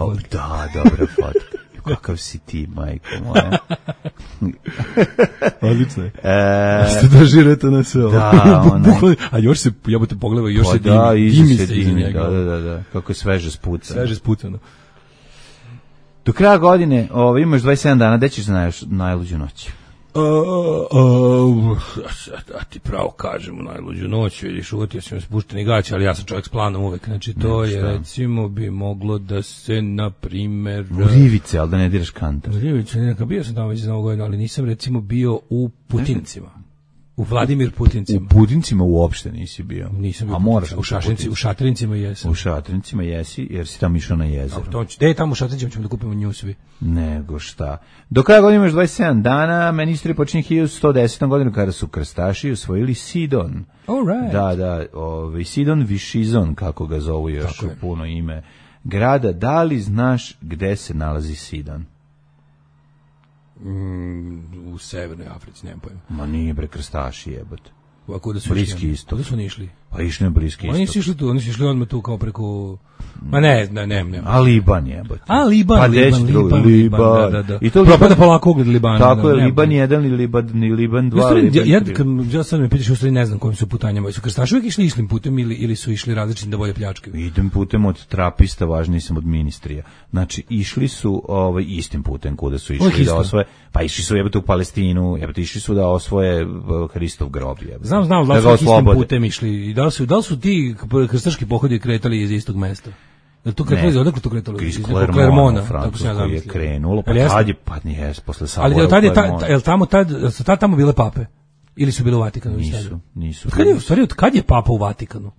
O, da, dobra fotka. Kakav si ti, majko moja. Odlično je. E, ste dožirate na sve ovo. Da, ono. A još se, jebote, pogledaj, još pa se dimi. Da, dimi se se dimi, iza njega. da, da, da. Kako je sveže spucano. Sveže spucano. Do kraja godine ovo, imaš dvadeset sedam dana, gde ćeš za naj, najluđu noć? Uh, uh, a ti pravo kažem, u najluđu noć, vidiš, uvatio sam spušteni gać, ali ja sam čovjek s planom uvek, znači to ne, je, recimo, bi moglo da se, na primer... U Rivice, ali da ne diraš kantar. U Rivice, nekako, bio sam tamo već za novu godinu, ali nisam, recimo, bio u Putincima. U Vladimir Putincima. U Putincima uopšte nisi bio. Nisam bio. A moraš u Šašrinci, u Šatrincima jesam. U Šatrincima jesi, jer si tamo išao na jezero. Gde je tamo u Šatrincima, ćemo da kupimo nju svi. Nego šta. Do kraja godine imaš dvadeset sedam dana, meni istorija počinje hiljadu sto desete. godinu kada su krstaši osvojili Sidon. All right. Da, da, ovaj Sidon Višizon, kako ga zovu još u puno ime grada. Da li znaš gde se nalazi Sidon? Mm, u Severnoj Africi, nemam pojma. Ma nije bre, krstaši jebote. Ovako da su Bliski istok. Kuda su oni išli? Pa išli na Bliski istok. Oni su išli tu, oni su išli odmah tu kao preko... Ma ne, ne, ne, ne. A Liban jebote. A Liban, pa Liban, Liban, Liban, da, da, da. I to propada polako ugled Libana. Tako je, da, Liban jedan ili Liban, ni Liban dva. Ja, ja, kad, ja sad me pitaš, u stvari ne znam kojim su putanjama. Su krstaši uvijek išli istim putem ili, ili su išli različitim da bolje pljačkaju? Idem putem od trapista, važniji sam od ministrija. Znači, išli su ovaj, istim putem kuda su išli da osvoje. Pa išli su jebote u Palestinu, jebote išli su da osvoje Hristov grob. Jebote. Znam, znam, da, da su istim putem išli. I da li su, da li su ti krstaški pohodi kretali iz istog mesta? Da to kretali, odakle to kretalo? Iz Klermona, Francusko je krenulo, pa tad je, pa nije, posle Savoja. Ali tad je, ta, je li tamo, tad, su tad tamo bile pape? Ili su bile u Vatikanu? Nisu, nisu. Kad je, u stvari, od kad je papa u Vatikanu?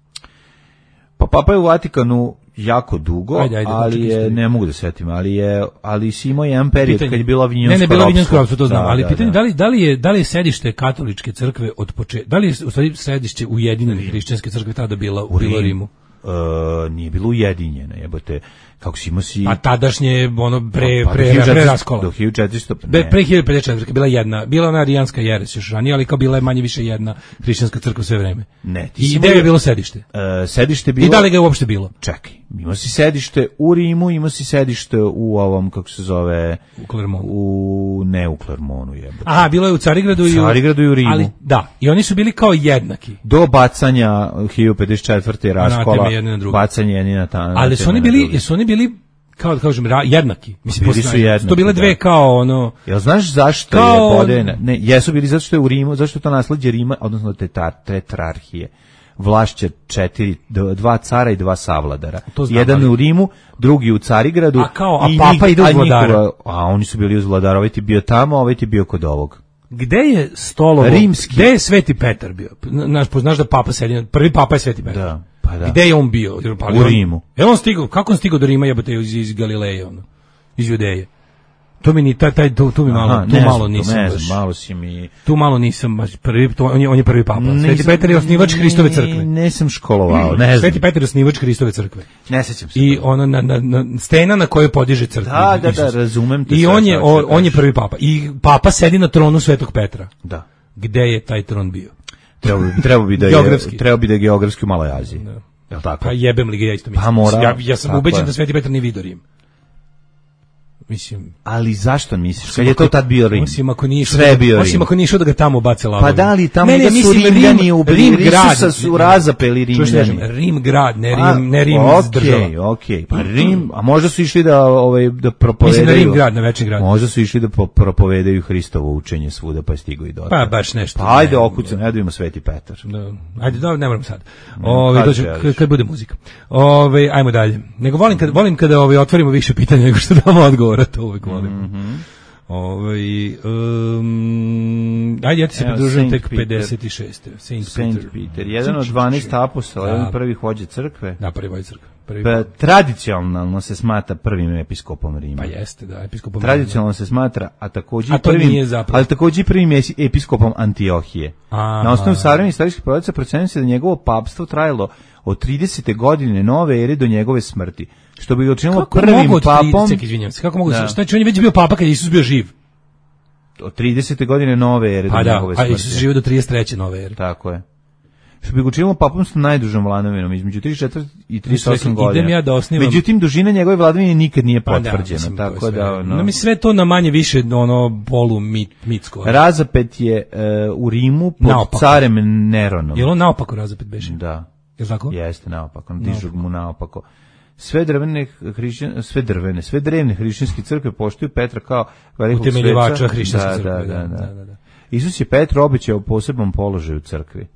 Pa papa je u Vatikanu jako dugo, ajde, ajde, ali je, ne mogu da setim, ali je, ali si imao jedan period pitanje, kad je bila vinjonsko ropstvo. Ne, ne, bila vinjonsko ropstvo, to znam, da, ali da, pitanje, da. da li, da li je, da li je sedište katoličke crkve od početka, da li je u stvari sedište Ujedinjene hrišćanske crkve tada bila u Rim. Rimu? Uh, nije bilo ujedinjeno, jebote, kako si imao si... A tadašnje, ono, pre, pa, pre, pre, pre raskola. Do hiljadu četiristo... Be, pre hiljadu pedeset četvrte bila jedna, bila ona arijanska jeres još ranije, ali kao bila je manje više jedna hrišćanska crkva sve vreme. Ne, ti I gde je bilo sedište? Uh, sedište bilo... I da li ga je uopšte bilo? Čekaj, imao si sedište u Rimu, imao si sedište u ovom, kako se zove... U Klermonu. U, ne u Klermonu, jebote. Aha, bilo je u Carigradu, u i u... Carigradu i u Rimu. Ali, da, i oni su bili kao jednaki. Do bacanja hiljadu pedeset četvrte raskola, bacanje jedni na ta. Ali su oni bili, su oni bili kao da kažem jednaki. Mislim, bili su jednaki. To bile dve da. Kao ono. Jel znaš zašto kao... je podeljena? Ne, jesu bili zato što je u Rimu, zašto je to nasleđe Rima, odnosno tetar, tetrarhije. Vlašće četiri, dva cara i dva savladara. Jedan ali... u Rimu, drugi u Carigradu. A kao, a papa ide uz vladara. A oni su bili uz vladara, ovaj ti bio tamo, ovaj ti bio kod ovog. Gde je stolovo? Rimski. Gde je Sveti Petar bio? Znaš, poznaš da papa sedi, prvi papa je Sveti Petar. Da, pa da. Gde je on bio? Pa, u Rimu. Je on stigao, kako on stigao do Rima, jebote, iz, iz Galileje, ono, iz Judeje? To mi ni taj taj tu, tu mi malo, Aha, tu ne malo znam, nisam ne baš. Znam, malo si mi. Tu malo nisam baš prvi, to, on je on je prvi papa. Nisam, Sveti Petar je osnivač Hristove crkve. Ne sam školovao, ne znam. Sveti Petar je osnivač Hristove crkve. Ne sećam se. I ona na, na, na stena na kojoj podiže crkvu. Da, da, da, razumem te. I on je on, on je prvi papa. I papa sedi na tronu Svetog Petra. Da. Gde je taj tron bio? Treba bi, treba bi da je treba bi da je geografski u Maloj Aziji. Da. Jel tako? Pa jebem li ga, ja isto mislim. Pa mora, ja, ja sam ubeđen da Sveti Petar nije vidio Rim. mislim. Ali zašto misliš? Kad je to tad bio Rim? Osim ako nije sve bio Rim. Osim ako nije išao da ga tamo bace lavom. Pa da li tamo ne, ne, da su mislim, Rimljani ubili, Rim grad, Isusa su razapeli Rimljani. Rim grad, ne Rim, ne Rim okay, država. Okej, okej. Pa Rim, a možda su išli da ovaj da propovedaju. Mislim da Rim grad, na večni grad. Možda su išli da propovedaju Hristovo učenje svuda, pa stigli i do. Pa baš nešto. Pa ajde okucam, ne idemo Sveti Petar. Da. Ajde, da, ne moram sad. Ovaj dođe kad, kad bude muzika. Ovaj ajmo dalje. Nego volim kad volim kada ovaj otvorimo više pitanja nego što damo odgovora, to uvijek volim. Mm-hmm. Ovaj um, ajde ja ti se pridružujem tek pedeset šeste. Saint, Saint Peter. Peter, jedan od dvanaest apostola, jedan prvi vođa crkve. Da, prvi vođa crkve. Prvi... Pa, tradicionalno se smatra prvim episkopom Rima. Pa jeste, da, episkopom. Tradicionalno se smatra, a takođe a to prvim, nije zapravo. Ali takođe prvim episkopom Antiohije. Aha. Na osnovu savremenih istorijskih podataka procenjuje se da njegovo papstvo trajalo od tridesete godine nove ere do njegove smrti. Što bi ga učinilo prvim papom. trideset, izvinjavam se, kako mogu da. Šta će, on je već bio papa kad je Isus bio živ. Od tridesete godine nove ere pa do da, njegove smrti. A Isus živio do trideset treće nove ere. Tako je. Što bi ga učinilo papom s najdužom vladavinom, između trideset četiri i trideset osam godina. Ja da osnivam... Međutim, dužina njegove vladavine nikad nije potvrđena. Pa da, mislim, tako da, ono... No, mi sve to na manje više ono polu mit, mitsko. Razapet je uh, u Rimu pod naopako. Carem Neronom. Je li on naopako razapet beše? Da. Je li tako? Jeste, naopako. Dižu mu naopako. Sve drvene hrišćan, sve drvene, sve drevne hrišćanske crkve poštuju Petra kao velikog sveca. Utemeljivača hrišćanske da, crkve. Da, da, da. da, da. Isus je Petru obećao poseban položaj u crkvi.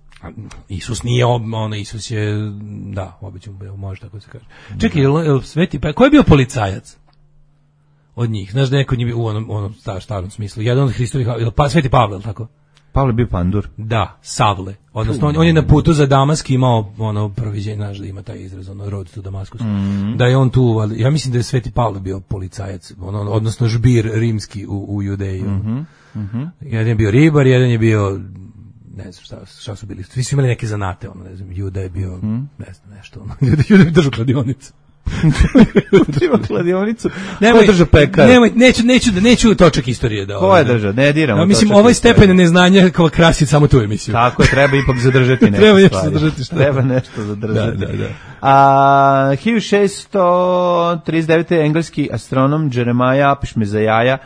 Isus nije, ono, Isus je, da, obećao, može tako se kaže. Čekaj, je li Sveti Petar, ko je bio policajac od njih? Znaš da neko njih u onom, onom star, starom smislu, jedan od Hristovih, pa, Sveti Pavle, tako? Pavle bio pandur. Da, Savle. Odnosno, on, on je na putu za Damask imao ono proviđenje, znaš da ima taj izraz, ono, road to Damascus. Mm. Da je on tu, ali ja mislim da je Sveti Pavle bio policajac, ono, odnosno žbir rimski u, u Judeji. Mm-hmm. Mm-hmm. Jedan je bio ribar, jedan je bio, ne znam šta, šta su bili, svi su imali neke zanate, ono, ne znam, Juda je bio, mm. ne znam, nešto, ono, Juda je držao kladionicu. Treba kladionicu. Nemoj, ko drža pekar? Nemoj, neću, neću, neću točak istorije da. Ko je držao? Ne diramo. No, mislim, ovaj stepen neznanja kao krasi samo tu emisiju. Tako je, treba ipak zadržati nešto. Treba nešto zadržati. Šta? Treba nešto zadržati. Da, da, da. A hiljadu šessto trideset devete engleski astronom Jeremiah Apishmezajaja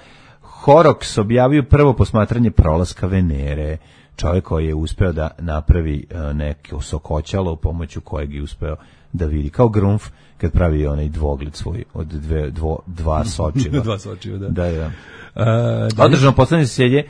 Horrocks objavio prvo posmatranje prolaska Venere. Čovjek koji je uspeo da napravi uh, neko sokoćalo pomoću kojeg je uspeo da vidi kao Grunf kad pravi onaj dvogled svoj od dve, dvo, dva sočiva. dva sočiva, da. Da, da. Uh, Održano poslednje zasedanje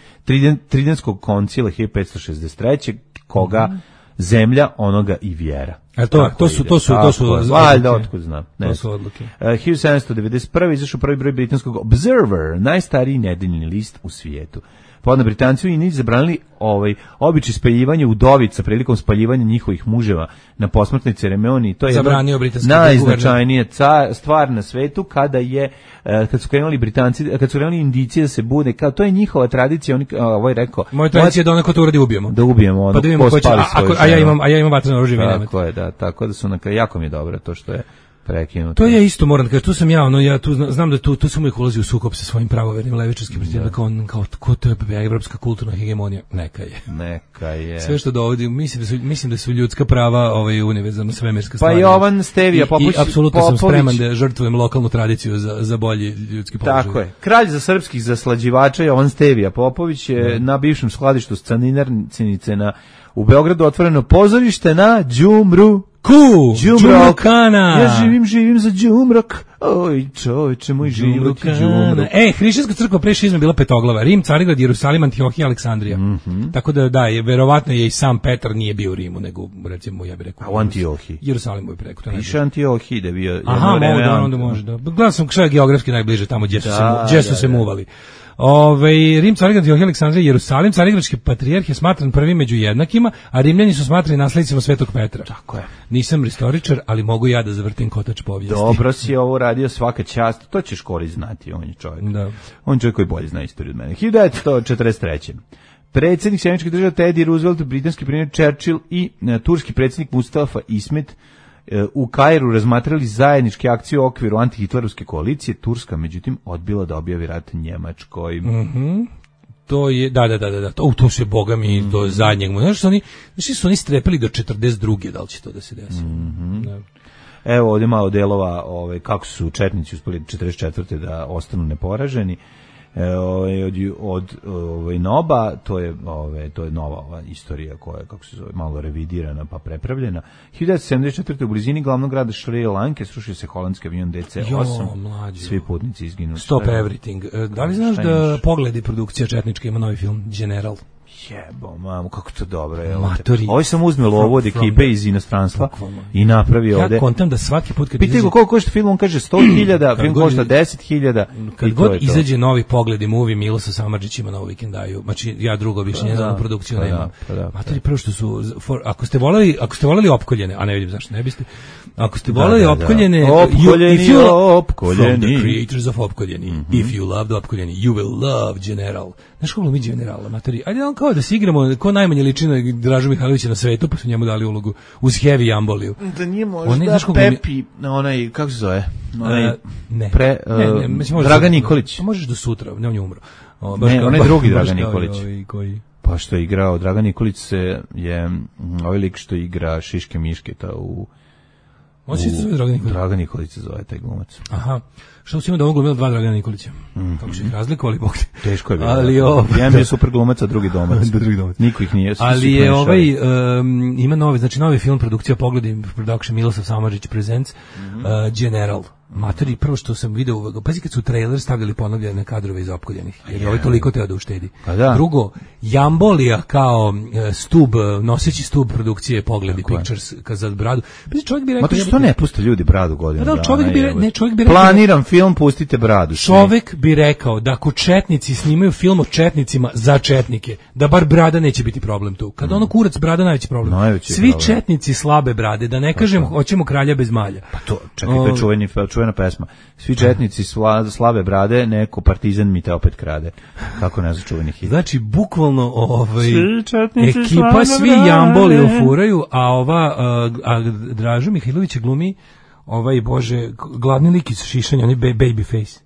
Tridentskog koncila hiljadu petsto šezdeset treće koga mm-hmm. zemlja onoga i vjera. A to, to su, to su, to su, to su, valjda, otkud znam. Ne. To su odluke. Uh, hiljadu sedamsto devedeset prve izašao prvi broj britanskog Observer, najstariji nedeljni list u svijetu. Podno Britanci u Indiji zabranili ovaj običaj spaljivanja udovica prilikom spaljivanja njihovih muževa na posmrtnoj ceremoniji. To je zabranio britanski najznačajnija stvar na svetu kada je kad su krenuli Britanci, kad su krenuli Indijci da se bude, kao to je njihova tradicija, oni ovaj rekao. Moja tradicija je da onako to uradi ubijemo. Da ubijemo ono. Pa da vidimo ko će, a, a, a ja imam a ja imam vatreno oružje, nemate. Tako je, da, tako da su na jako mi je dobro to što je prekinuto. To je isto, moram da kažem, tu sam ja, ono, ja tu znam da tu, tu sam uvijek ulazio u sukob sa svojim pravovernim levičarskim prijateljima, kao, kao, kao to je evropska kulturna hegemonija, neka je. Neka je. Sve što dovodi, mislim da su, mislim da su ljudska prava ovaj, univerzalno svemirska stvar. Pa Jovan Stevija Popović. I, i apsolutno sam spreman da žrtvujem lokalnu tradiciju za, za bolji ljudski položaj. Tako je. Kralj za srpskih zaslađivača Jovan Stevija Popović je da. na bivšem skladištu Caninarcinice na u Beogradu otvoreno pozorište na Đumru. Ku, Đumrokana. Ja živim, živim za Đumrok. Oj, čoveče, moj život je Đumrok. E, hrišćanska crkva pre šizme bila petoglava. Rim, Carigrad, Jerusalim, Antiohija, Aleksandrija. Mm-hmm. Tako da, da, je, verovatno je i sam Petar nije bio u Rimu, nego, recimo, ja bih rekao... A u Antiohiji? Jerusalimu je preko. Piše Antiohiji da bio... Aha, mogu da, onda može. Da. Gledam sam šta je geografski najbliže tamo gdje su, da, se, gdje su da, se da. muvali. Ove, Rim, Carigrad, Antiohija, Aleksandrija, Jerusalim, Carigradski patrijarh je smatran prvim među jednakima, a Rimljani su smatrani naslednicima Svetog Petra. Tako je. Nisam istoričar, ali mogu ja da zavrtim kotač povijesti. Dobro si ovo radio, svaka čast, to ćeš Kori znati, on je čovjek. Da. On je čovjek koji bolje zna istoriju od mene. hiljadu devetsto četrdeset treće Predsjednik Sjedinjenih Država Teddy Roosevelt, britanski premijer Churchill i uh, turski predsjednik Mustafa Ismet uh, u Kairu razmatrali zajedničke akcije u okviru antihitlerovske koalicije. Turska, međutim, odbila da objavi rat Njemačkoj. Mhm. To je, da, da, da, da, to, to se, boga mi, do zadnjeg, znaš, su oni, znaš, su oni strepili do četrdeset druge da li će to da se desi. Mm-hmm. Da. Evo ovdje malo delova ove, kako su četnici uspeli četrdeset četvrte da ostanu neporaženi. E, ove, od, od ove, Noba, to je, ove, to je nova ova istorija koja je, kako se zove, malo revidirana pa prepravljena. hiljadu devetsto sedamdeset četvrte u blizini glavnog grada Šri Lanke srušio se holandski avion D C osam. Jo, mlađo. Svi putnici izginuli. Stop everything. Da li znaš da Pogledi produkcija četnička ima novi film General? Jebo, mamu, kako to dobro je. Ovo sam uzmeo ovo od ekipe iz inostranstva i napravio ovde. Ja kontam da svaki put kad pitaj go koliko košta film, on kaže sto hiljada, film košta deset hiljada. Kad god izađe novi Pogledi movie, Milosa Samardžić ima novu vikendaju. Znači ja drugo više njezanu produkciju nemam. Matori, prvo što su, ako ste voleli, ako ste voleli Opkoljene, a ne vidim zašto ne biste, ako ste voleli Opkoljene, Opkoljeni, Opkoljeni, from the creators of Opkoljeni, if you loved Opkoljeni, you will love General. Znaš kako mi Generala, matori, ajde on kao da se igramo, ko najmanje liči na Dražu Mihajlovića na svetu, pa su njemu dali ulogu uz Heavy Jamboliju. Da nije možda Pepi, onaj, kako se zove? Onaj, ne, pre, ne, ne, mislim, Dragan Nikolić. Možeš do sutra, ne, on je umro. O, ne, onaj drugi Dragan Nikolić. Koji... Pa što je igrao, Dragan Nikolić se je, ovaj lik što igra Šiške Mišketa u... On se zove Dragan Nikolić? Dragan Nikolić se zove taj glumac. Aha. Što si imao da on glumio dva Dragana Nikolića? Mm-hmm. Kako su ih razlikovali, Bog te. Teško je bilo. Ali o... Jedan je super glumac, a drugi domac. drugi domac. Niko ih nije. Ali je ovaj, um, ima novi, znači novi film, produkcija Pogledi, production Milosav Samardžić presents, mm-hmm. uh, General. Matori, prvo što sam video, pazi kad su trailer stavljali ponovljene kadrove iz Opkoljenih, jer ovaj toliko teo da uštedi. Da. Drugo, Jambolija kao stub, noseći stub produkcije Pogledi tako Pictures je. Za bradu. Pazi, čovjek bi rekao... Matori, što ne puste ljudi bradu godinu da, dana? Čovjek bi, ne, čovjek bi rekao... Planiram film, pustite bradu. Čovjek bi rekao da ako četnici snimaju film o četnicima za četnike, da bar brada neće biti problem tu. Kad mm. ono kurac brada najveći problem. Najveći Svi problem. Četnici slabe brade, da ne pa kažem to. Hoćemo kralja bez malja. Pa to, čekaj, to je čuveni, čuvena pesma. Svi četnici sla, slabe brade, neko partizan mi te opet krade. Kako ne začuveni hit. Znači, bukvalno ovaj, ekipa svi Jamboli ufuraju, a ova a, a Dražu Mihajlović glumi ovaj, bože, gladni lik iz Šišanja, on je baby face.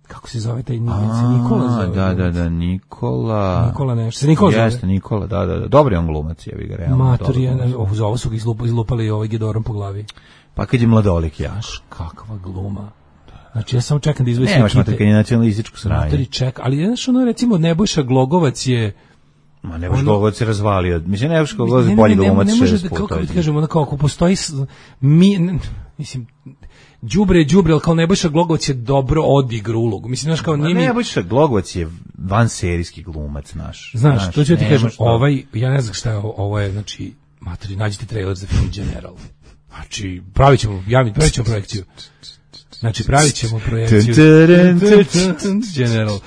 Kako se zove taj Nikola zove? Da, da, da, Nikola. Nikola nešto. Se Nikola zove? Jeste, Nikola, da, da, da. Dobar je on glumac, jebi ga, realno. Mator, za ovo su ga izlupali ovaj Gedorom po glavi. Pa kad je mladolik, ja. Kakva gluma. Znači, ja samo čekam da izvoj sve kite. Nemaš mater, kad je nacionalističku sranje. Matori, ček, ali znaš, ono, recimo, Nebojša Glogovac je... Ma Nebojša ono, Glogovac je razvalio. Mislim, Nebojša Glogovac je bolji glumac šest puta. Kako ti kažemo, onako, ako postoji... Mi, ne, mislim... Đubre je đubre, ali kao Nebojša Glogovac je dobro odigra ulogu. Mislim, znaš, kao nije mi... Nebojša Glogovac je vanserijski glumac, naš. Znaš, znaš to ću ti kažem, ovaj, ja ne znam šta je ovo, ovo je, znači, matori, nađite trailer za film General. Znači, pravit ćemo, javni, pravit ćemo projekciju. Znači, pravit ćemo projekciju. General.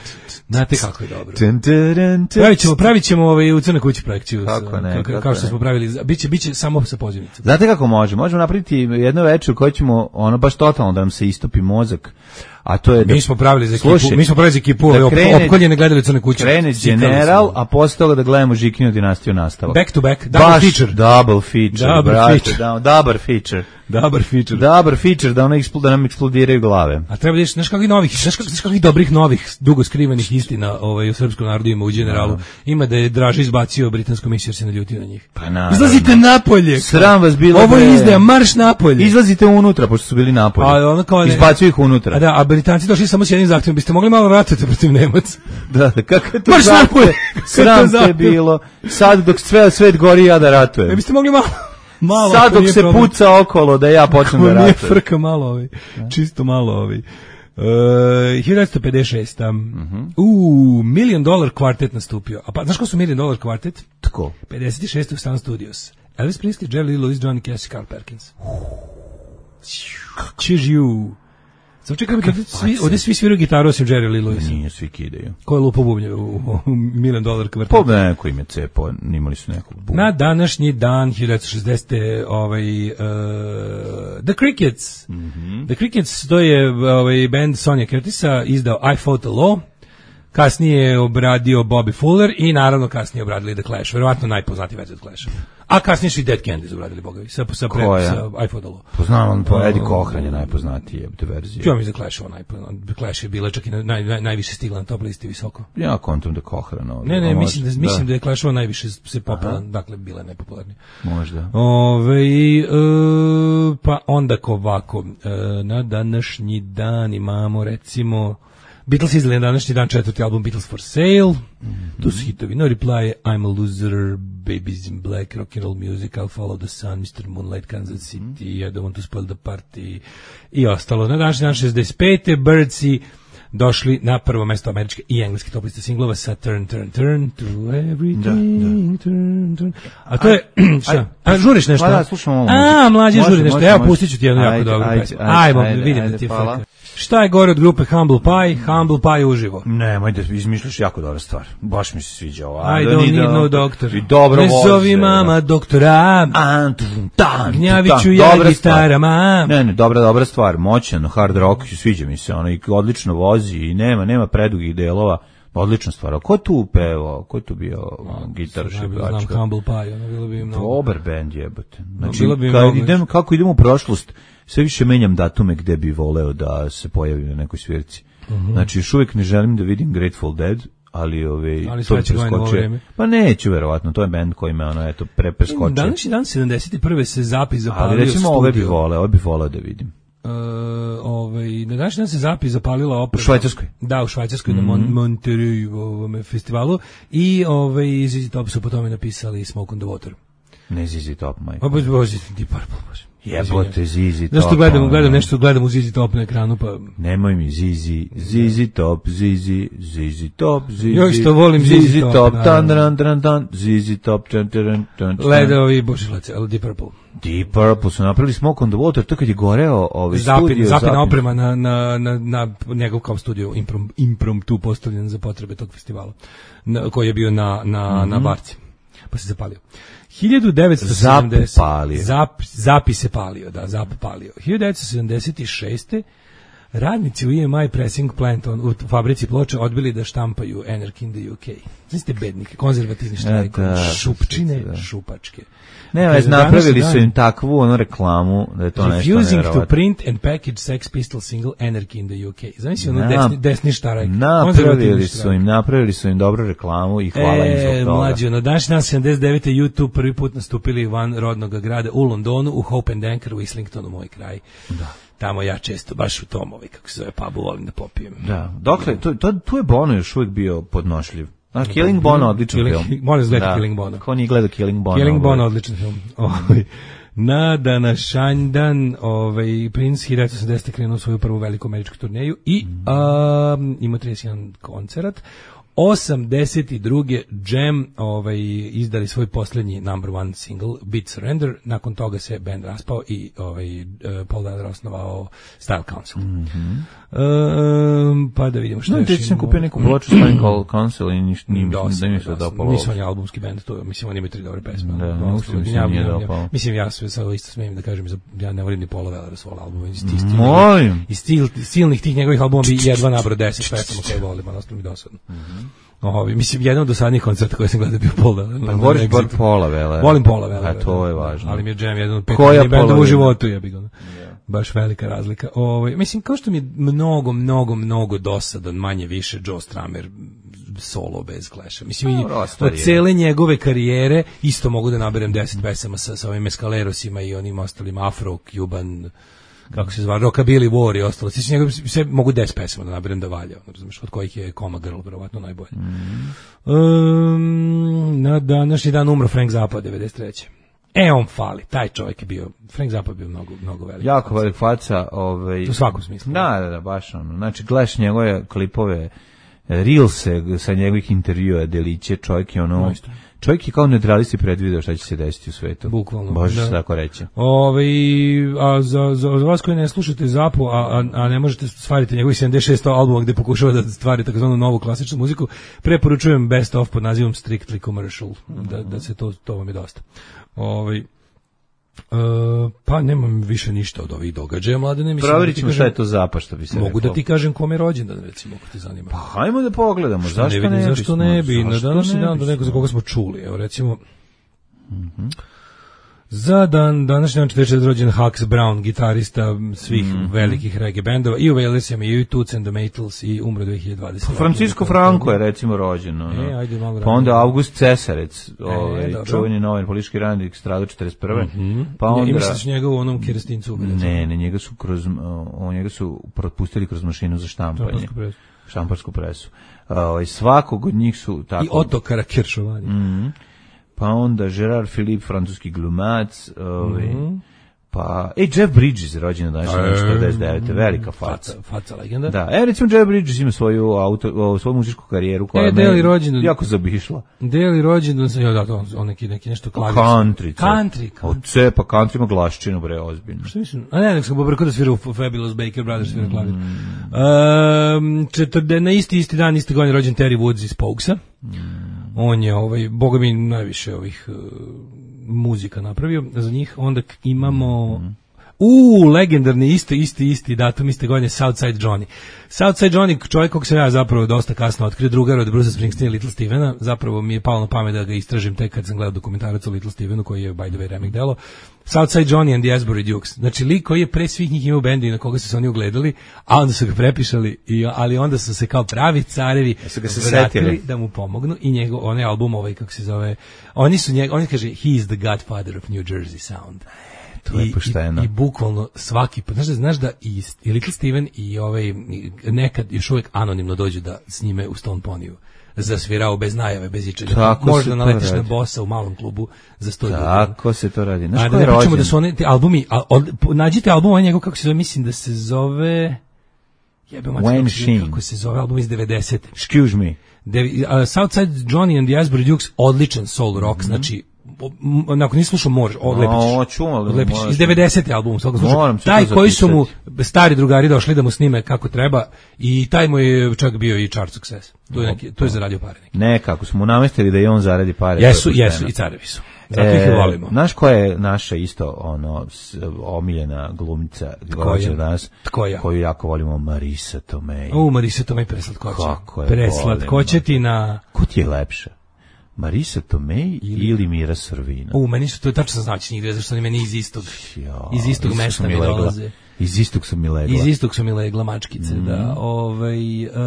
Znate kako je dobro. Pravit ćemo, pravit ćemo ovaj, u Crnoj kući projekciju. Kako ne, kako, kao što ne. Smo pravili. Biće, biće samo sa pozivnicom. Znate kako može? Možemo napraviti jedno večer u kojoj ćemo, ono, baš totalno da nam se istopi mozak. A to je da, mi smo pravili za ekipu, slušaj, mi smo pravili za ekipu, da opkoljene gledali u Crnoj kući. Krene General, a posle toga da gledamo Žikinu dinastiju nastavak. Back to back, double baš feature. Double feature, double brate, feature. Da, double feature. Dobar feature. Dobar feature da ona eksploda, da nam eksplodiraju glave. A treba vidiš, znaš kakvih novih, znaš kakvih, kakvih dobrih novih, dugo skrivenih istina ovaj, u srpskom narodu ima u Generalu. No. Ima da je Draža izbacio britansku misiju jer se naljuti na njih. Pa naravno. Izlazite napolje. Sram vas bilo. Ovo je izdaja, marš napolje. Izlazite unutra, pošto su bili napolje. A ono kao izbacio ih unutra. A da, a Britanci došli samo s jednim zahtjevom, biste mogli malo ratovati protiv Nemaca. Da, da, kako je to marš napolje. Sram te bilo. Sad dok sve svet gori, ja da ratujem. Ne biste mogli malo malo, sad dok se problem. Puca okolo da ja počnem da ratujem. Nije frka malo ovi, čisto malo ovi. Uh, hiljadu devetsto pedeset šeste. Uh-huh. U Million Dollar Quartet nastupio. A pa, znaš ko su Million Dollar Quartet? Tako. pedeset šeste u Sun Studios. Elvis Presley, Jerry Lee Lewis, Johnny Cash, Carl Perkins. Choose you. Samo čekaj, svi, ovdje svi sviraju gitaru osim Jerry Lee Lewis. Nije, svi kidaju. Ko je lupo bubnje u, u Million Dollar Quartet? Po neko ime cepo, nimali su nekog bubnja. Na današnji dan, hiljadu devetsto šezdesete. ovaj, uh, The Crickets. Mm-hmm. The Crickets, to je ovaj, band Sonja Curtisa, izdao I Fought the Law. Kasnije je obradio Bobby Fuller i naravno kasnije obradili The Clash. Verovatno najpoznatiji verzija od Clasha. A kasnije su i Dead Kennedys obradili, bogovi, sa, sa, pre, sa iPhone-alo. Poznam, on po Eddie Cochran je najpoznatiji jebate verzije. Ja mi za Clash ovo najpoznatiji. Clash je bila čak i naj, naj, najviše stigla na top listi visoko. Ja kontam da Cochran ovdje. Ne, ne, mislim da, mislim da je Clash ovo najviše se popularan, dakle, bila je najpopularnija. Možda. Ove, e, pa onda ovako, e, na današnji dan imamo, recimo, Beatles izdali na današnji dan četvrti album Beatles for Sale. Mm-hmm. Tu su hitovi No Reply, I'm a Loser, Babies in Black, Rock and Roll Music, I'll Follow the Sun, mister Moonlight, Kansas City, mm-hmm. I Don't Want to Spoil the Party i ostalo. Na današnji dan šezdeset pete Birdsi došli na prvo mesto američke i engleske top liste singlova sa Turn, Turn, Turn to Everything, da, da. Turn, Turn. A to je, šta? A žuriš nešto? Da, slušamo ovo. A, mlađe žuri nešto. Evo, pustit ću ti jednu jako dobru pesmu. Ajmo, vidim da ti je frka. Šta je gore od grupe Humble Pie? Humble Pie uživo. Nemoj da izmišljaš jako dobra stvar. Baš mi se sviđa ova. I don't need no doctor. I dobro voze. Ne zovi mama doktora. Gnjaviću ja gitarama. Ne, ne, dobra, dobra stvar. Moćan, hard rock, sviđa mi se. Ono, i odlično vozi i nema, nema predugih delova. Odlična stvar. A ko tu pevao? Ko tu bio gitar šibačka? Znam Humble Pie, ono bilo bi mnogo. Dobar bend jebote. Znači, kad idem, kako idem u prošlost, sve više menjam datume gde bi voleo da se pojavi na nekoj svirci. Mm-hmm. Znači, još uvijek ne želim da vidim Grateful Dead, ali ove ali to preskoče. Pa neću verovatno, to je bend koji me ono eto pre preskoče. Današnji dan sedamdeset prve se zapis zapalio. Ali recimo ove bi voleo, ove bi voleo da vidim. Uh, ovaj, na današnji dan se zapis zapalila oprema. U Švajcarskoj? Da, u Švajcarskoj, mm-hmm. na Mon- Monterey festivalu i ovaj, Z Z Top su po tome napisali Smoke on the Water. Ne Z Z Top, majko. Pa bože, bože, Deep Purple, bože. Jebote, Z Z Top. Nešto gledam, gledam, nešto gledam u Z Z Top na ekranu, pa... Nemoj mi Z Z, Z Z Top, Z Z, Z Z Top, Z Z... Joj što volim Z Z Top, tan, tan, tan, tan, Z Z Top, tan, tan, tan, tan. Ledovi, bože, lece, ali Deep Purple. Deep Purple su napravili Smoke on the Water, to kad je goreo ovaj studio. Zapina oprema na, na, na, na njegov kao studio improm, impromptu postavljen za potrebe tog festivala, na, koji je bio na, na, mm-hmm. na Barci, pa se zapalio. hiljadu devetsto sedamdeset Zapalio. Zap, zapi se palio, da, zap palio. hiljadu devetsto sedamdeset šeste radnici u E M I Pressing Plant on, u fabrici ploča odbili da štampaju Anarchy in the U K. Znači ste bednike, konzervativni štrajk, šupčine, da. Šupačke. Ne, već napravili su im takvu ono reklamu da je to nešto refusing nevjerovatno. to print and package Sex Pistol single Anarchy in the U K. Znači ono desni, desni štarajk. Napravili su im, napravili su im dobru reklamu i hvala e, im zbog toga. Mlađo, na današnji dan sedamdeset devete YouTube prvi put nastupili van rodnog grada u Londonu, u Hope and Anchor u Islingtonu, moj kraj. Da. Tamo ja često baš u tom, ovaj, kako se zove, pubu volim da popijem. Da, dokle, to, to, tu je Bono još uvijek bio podnošljiv. A, Killing Bono, odličan Killing, film. Moram gledati Killing Bono. Ko nije gledao Killing Bono? Killing Bono, odličan film. Ovaj. Na današnji dan ovaj, Prince hiljadu devetsto osamdesete krenuo svoju prvu veliku američku turneju i um, ima trideset jedan koncert. osamdeset druge Jam ovaj, izdali svoj posljednji number one single Beat Surrender, nakon toga se band raspao i ovaj, Paul Weller osnovao Style Council. Mm-hmm. Um, pa da vidimo što no, još imamo. Sam kupio neku ploču Style Council i ništa nije dosta, mi se dopalo. Nisu oni albumski band, to, mislim oni imaju tri dobre pesme. Da, no, mislim, mislim, ja, nije dopalo. Mislim ja sve sad isto smijem da kažem, ja ne volim ni Paula Wellera svoj album. Molim! Iz stil, silnih tih njegovih albuma bi jedva nabrao deset pesama koje volim, ali ostalo mi dosadno. Mm-hmm. Ovi, mislim, jedan od dosadnijih koncerta koje sam gledao bio Paul Weller. Pa voliš bar Paula Wellera. Volim Paula Wellera. A to je važno. Ali mi je Jam jedan od pet bendova u životu, ja bih ga. Baš velika razlika. Ovaj mislim kao što mi je mnogo mnogo mnogo dosadan manje više Joe Strummer solo bez Clasha. Mislim no, od cele njegove karijere isto mogu da naberem deset pesama sa sa ovim Mescalerosima i onim ostalim Afro Cuban kako se zove Rockabilly War i ostalo. Znači njegove sve mogu deset pesama da naberem da valja, razumeš, od kojih je Coma Girl verovatno najbolje. Mm. Um, na današnji dan umro Frank Zappa devedeset treće E, on fali, taj čovjek je bio, Frank Zappa bio mnogo, mnogo velik. Jako velik faca. Ovaj, u svakom smislu. Da, da, da, baš ono. Znači, gledaš njegove klipove, reelse sa njegovih intervjua, deliće, čovjek je ono... Isto. Čovjek je kao neutralisti predvideo šta će se desiti u svetu. Bukvalno. Može se tako reći. Ove, a za, za, za vas koji ne slušate Zappu, a, a, a ne možete stvariti njegovih sedamdeset šest albuma gde pokušava da stvari takozvanu novu klasičnu muziku, preporučujem Best of pod nazivom Strictly Commercial. Mm-hmm. Da, da se to, to vam je dosta. Ove, Uh, pa nemam više ništa od ovih događaja, Mladene. Mislim, provjerit ćemo šta je to Zappa, što bi se mogu rekao. Da ti kažem kome je rođendan, recimo, ako te zanima. Pa hajmo da pogledamo, zašto ne, ne bi? Zašto ne bi? Na današnji dan do nekog za koga smo čuli, evo recimo, mm-hmm. Za dan, današnji dan četrdeset četvrte rođen Hux Brown, gitarista svih mm-hmm. velikih reggae bendova, i u Wailers i u Toots and the Maytals, i umro dve hiljade dvadesete. Francisco Franco je recimo rođen. No. E, ajde malo pa onda August Cesarec, ovaj, e, čuveni novinar, politički radnik, stradao četrdeset prve. Mm-hmm. Pa onda... I misliš njega u onom kerestincu? Ne, ne, njega su, kroz, o, njega su propustili kroz mašinu za štampanje. Presu. Štamparsku presu. O, svakog od njih su tako... I Otokara Kiršovanja. Mm-hmm. Pa onda Gerard Philippe, francuski glumac, ovaj, mm-hmm. pa, ej, Jeff Bridges je rođen na današnji četrdeset devete. Velika faca. Faca, faca legenda. Da, e, recimo Jeff Bridges ima svoju, auto, svoju muzičku karijeru koja e, je rođen, jako zabišla. Deli rođen, ja, da, to, on neki, neki nešto klavir. Country. Country. Od cepa, country ima glaščinu, bre, ozbiljno. Što mislim? A ne, nek sam pobrkao da svira u Fabulous Baker Brothers, svira klavir. Mm. Um, četvrde, na isti, isti dan, isti godin rođen Terry Woods iz Pogsa. Mm. On je, ovaj, boga mi, najviše ovih uh, muzika napravio za njih. Onda imamo... Mm. U, legendarni, isti, isti, isti datum, iste godine, Southside Johnny. Southside Johnny, čovjek kog sam ja zapravo dosta kasno otkrio, drugar od Bruce Springsteena i Little Stevena, zapravo mi je palo na pamet da ga istražim tek kad sam gledao dokumentarac o Little Stevenu, koji je, by the way, remake delo. Southside Johnny and the Asbury Dukes. Znači, lik koji je pre svih njih imao bendi na koga su se oni ugledali, a onda su ga prepišali, i, ali onda su se kao pravi carevi vratili da mu pomognu, i njegov, onaj album, ovaj, kako se zove, oni su njegov, oni kaže, he is the godfather of New Jersey sound. To je pošteno. I, i bukvalno svaki put, znaš da, znaš da i, i Little Steven i ovaj, nekad još uvijek anonimno dođu da s njime u Stone Ponyu zasvirao bez najave, bez ičega. Možda naletiš na bossa u malom klubu za sto ljudi. Tako se to radi. Znaš, a da ne pričamo da su one, te albumi, a, od, nađite album, on njegov, kako se zove, mislim da se zove... Jebe mater, kako se zove album iz devedesete. Excuse me. De, uh, Southside Johnny and the Asbury Dukes, odličan soul rock, mm-hmm. znači nakon nisi slušao možeš odlepiš. No, odlepiš iz devedesete album svakog slučaja. Taj koji su mu stari drugari došli da mu snime kako treba, i taj mu je čak bio i chart success. To je neki, to je zaradio pare neki. Ne, kako smo mu namestili da i on zaradi pare. Jesu, jesu i carevi su. Zato ih volimo. Znaš ko je naša isto ono omiljena glumica danas, koju jako volimo, Marisa Tomei. O, Marisa Tomei preslatkoća. Preslatkoća ti na... Ko ti je lepša? Marisa Tomei ili, ili Mira Sorvino? U, meni su to tačno znači njih, zašto oni meni iz istog, ja, iz istog mesta mi dolaze. Iz istog su mi legla. Iz istog su mi legla mačkice, mm. da. Ovaj, uh, uh,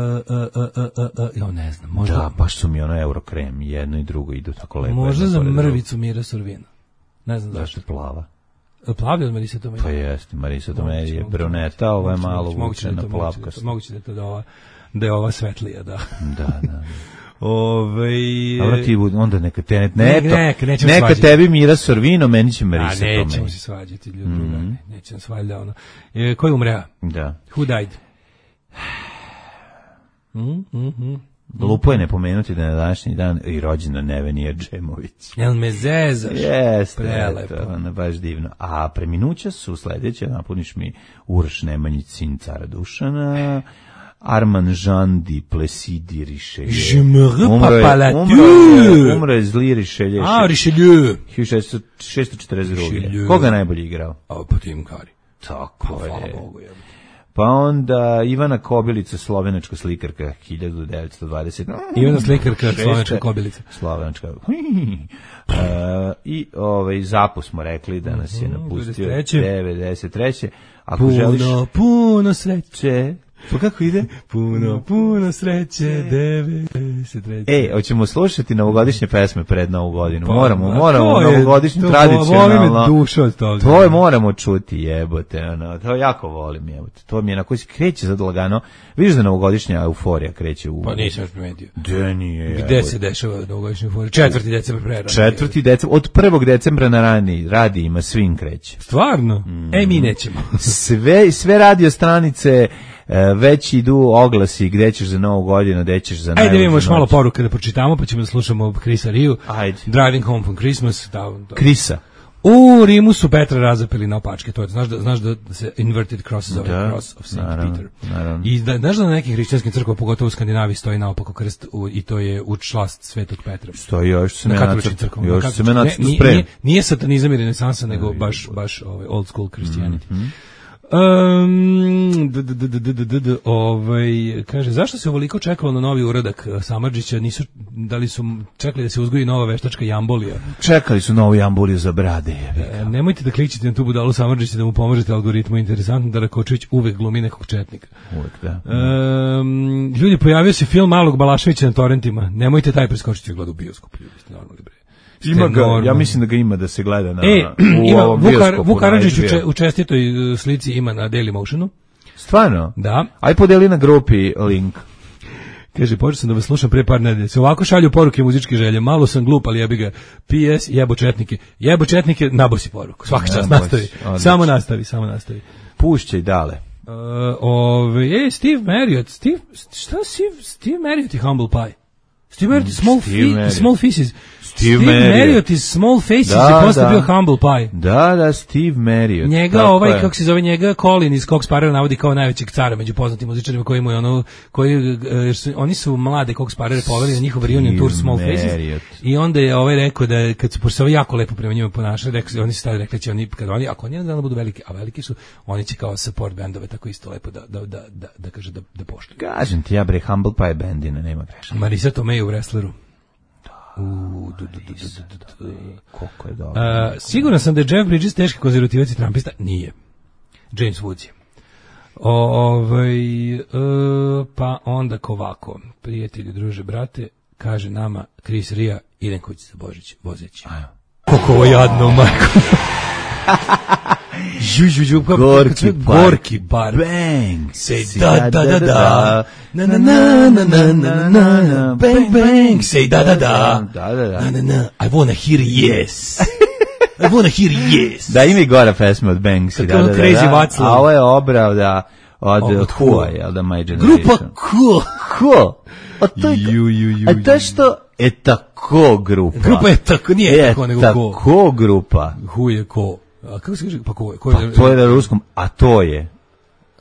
uh, uh, uh, ja ne znam, možda... Da, baš su mi ono Eurokrem, jedno i drugo idu tako lepo. Možda za mrvicu Mira Sorvino. Ne znam zašto. Zašto plava? Plavi od Marisa Tomei? Pa jeste, Marisa Tomei je bruneta, ovo je malo vučena plavkasta. Moguće da je ova, da je ova svetlija, da. Da, da. Ove, dobro ti onda neka te ne, ne, neka, neka tebi Mira Sorvino, meni će Marisa Tomei. A nećemo se svađati, ljudi, mm-hmm. nećemo svađati ono. E, ko je umrea? Da. Who died? Mm-hmm. Glupo je ne pomenuti da je na današnji dan i rođena Nevenija Džemović. Jel me zezaš? Jeste, prelepo. Eto, ono, baš divno. A preminuća su sljedeće, napuniš mi Uroš Nemanjić, sin cara Dušana, Armand Jean di Plessis Richelieu. Je me repapala tu. Umro je zli Richelieu. A, Richelieu. hiljadu šessto četrdeset druge. Koga najbolje igrao? A, pa Tim Kari. Tako je. Pa onda Ivana Kobilica, slovenačka slikarka, hiljadu devetsto dvadesete. Ivana slikarka, slovenačka Kobilica. Slovenačka. Uh, I ovaj, Zapu smo rekli da nas je napustio devedeset treće. Ako puno, želiš... puno sreće. Pa kako ide? Puno, puno sreće, devedeset treće. E, hoćemo slušati novogodišnje pesme pred Novu godinu. Pa, moramo, moramo, novogodišnju tradicionalno. Voli me duša od toga. To je moramo čuti, jebote, ono, to jako volim, jebote. To mi je na koji se kreće sad lagano. Vidiš da novogodišnja euforija kreće u... Pa nisam još primetio. Gde nije, jebote. Gde se dešava novogodišnja euforija? Četvrti decembar prerano. Četvrti decembar, od prvog decembra na rani radijima svim kreće. Stvarno? Mm. E, mi nećemo. sve, sve radio stranice... već idu oglasi gde ćeš za Novu godinu, gde ćeš za... Ajde, vidimo još malo poruka da pročitamo, pa ćemo da slušamo Chrisa Riju. Ajde. Driving Home from Christmas. Da, da. Chrisa. U Rimu su Petra razapeli na opačke, to je, znaš da, znaš da se inverted cross zove da, cross of Saint naravno, Peter. Naravno. I da, znaš da na nekim hrišćanskim crkvama, pogotovo u Skandinaviji, stoji naopako krst u, i to je u čast Svetog Petra. Stoji još se me nacrt, još se me nacrt sprem. Nije, nije satanizam i renesansa, nego baš, baš ovaj, old school Christianity. Mm-hmm. Um, d- d- d- d- d- d- d- ovaj, kaže, zašto se ovoliko čekalo na novi uradak Samardžića? Nisu, da li su čekali da se uzgoji nova veštačka jambolija? Čekali su novu jamboliju za brade. E, nemojte da klikćete na tu budalu Samardžića da mu pomožete algoritmu. Interesantno da Rakočević uvek glumi nekog četnika. Uvek, da. Um, ljudi, pojavio se film Malog Balaševića na torrentima. Nemojte taj preskočiti gleda u bioskop. Ljudi, ste normalni bre. Ima ga, ja mislim da ga ima da se gleda na, e, u ima, ovom Vuk, bioskopu. Vuk Karadžić u, če, u čestitoj uh, slici ima na Daily Motionu. Stvarno? Da. Aj podeli na grupi link. Kaže, počeo sam da vas slušam pre par nedelja. Se ovako šalju poruke muzičke želje. Malo sam glup, ali jebi ga. P S jebo četnike. Jebo četnike, nabosi poruku. Svaka čast, nastavi. Odlično. Samo nastavi, samo nastavi. Pušćaj dale. Uh, ove, ej, Steve Marriott. Steve, šta Steve, Steve Marriott i Humble Pie? Steve Marriott is Small, fi, small Faces. Steve, Steve Marriott. Marriott is Small Faces da, je posle da. bio Humble Pie. Da, da, Steve Marriott. Njega, ovaj, je. Kako se zove njega, Colin iz Cox Sparrow navodi kao najvećeg cara među poznatim muzičarima koji mu je ono, koji, jer su, oni su mlade Cox Sparrow poveli na njihov reunion tour Small Faces. I onda je ovaj rekao da kad su, pošto se ovaj jako lepo prema njima ponašali, rekao, oni su stavili, rekli će oni, kad oni, ako oni jedan budu veliki, a veliki su, oni će kao support bandove tako isto lepo da, da, da, da, da kaže da, da poštuju. Kažem ti ja bre, Humble Pie bandina, nema greška. Marisa Tomei u wrestleru. U, du, du, du, du, du, du. Koliko je dobro. Uh, siguran sam da je Jeff Bridges teški konzervativac i trumpista. Nije. James Woods je. Ovaj, uh, pa onda kovako. Prijatelji, druže, brate, kaže nama Chris Ria, idem kući za Božić, vozeći. Koliko ovo jadno, majko. Ju, ju, ju, gorki bar. Gorki bar. Bang. Say da, da, da, da. Na, na, na, na, na, na, na, na. Bang, bang. Say da, da, da. Da, da, da. Na, na, na. I wanna hear yes. I wanna hear yes. Da, ima i gora pesma od Banksy. Da, da, da, Crazy da. Watslow. A ovo je obrao da od Hua, jel da, My Generation. Grupa Cool. Cool. A to je, ju, ju, ju, a to je što je tako grupa. Grupa je tako, nije je tako, nego ko. Tako grupa. Hu je ko. A kako se kaže, pa ko je? Ko je? Pa to je na ruskom, a to je.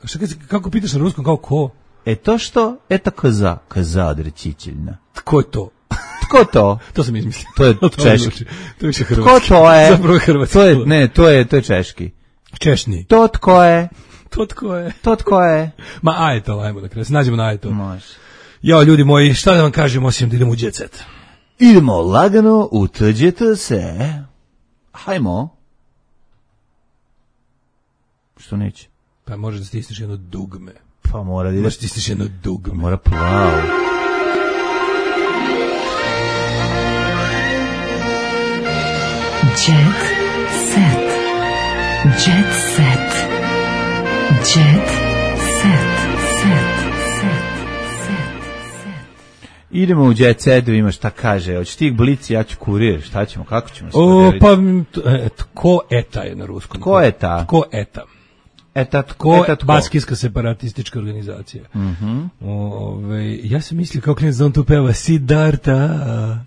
Šta kad, kako pitaš na ruskom, kao ko? E to što, eta kaza, kaza odrećićeljna. Tko je to? Tko to? To sam izmislio. To je češki. To je hrvatski. Tko to je? Zapravo je hrvatski. To je, ne, to je, to je češki. Češni. To tko je? To tko je? To tko je? Ma ajto, ajmo da krenu, se nađemo na ajto. Može. Jao, ljudi moji, šta da vam kažem, osim da idemo u jet set? Idemo lagano u tuđete se. Hajmo. Što neće? Pa može da stisneš jedno dugme. Pa mora da ide. Može da stisneš jedno dugme. Mora plavo. Jet set. Jet set. Jet set. Set. Set. Idemo u jet set, da ima šta kaže. Hoćeš ti blici, ja ću kurir. Šta ćemo, kako ćemo se o, pa, tko eta je na ruskom? Tko eta? Tko eta? Eta tko? Ko eta tko? Baskijska separatistička organizacija. Mhm. Ove, ja sam mislio kao klinac da on tu peva Siddharta.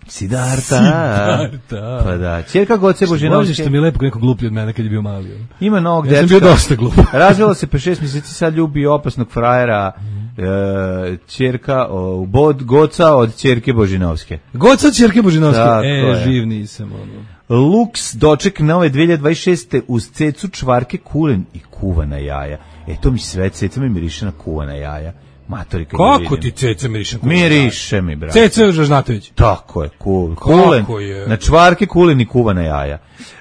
Siddharta. Siddharta. Pa da. Ćerka Goce Božinovske. Što mi je lepo neko gluplji od mene kad je bio mali. Ima novog ja dečka. Ja sam bio dosta glup. Razvela se pre šest mjeseci, sad ljubi opasnog frajera. E, ćerka o, bod, Goca od ćerke Božinovske. Goca od ćerke Božinovske. Tako e, je. živ nisam ono. Lux doček nove dve hiljade dvadeset šeste uz cecu, čvarke, kulen i kuvana jaja. E to mi sve, ceca mi miriše na kuvana jaja. Matori, kad kako ti ceca miriše na kuvana jaja? Miriše mi, brate. Ceca Žažnatović. Tako je, kul, kulen. Je? Na čvarke, kulen i kuvana jaja.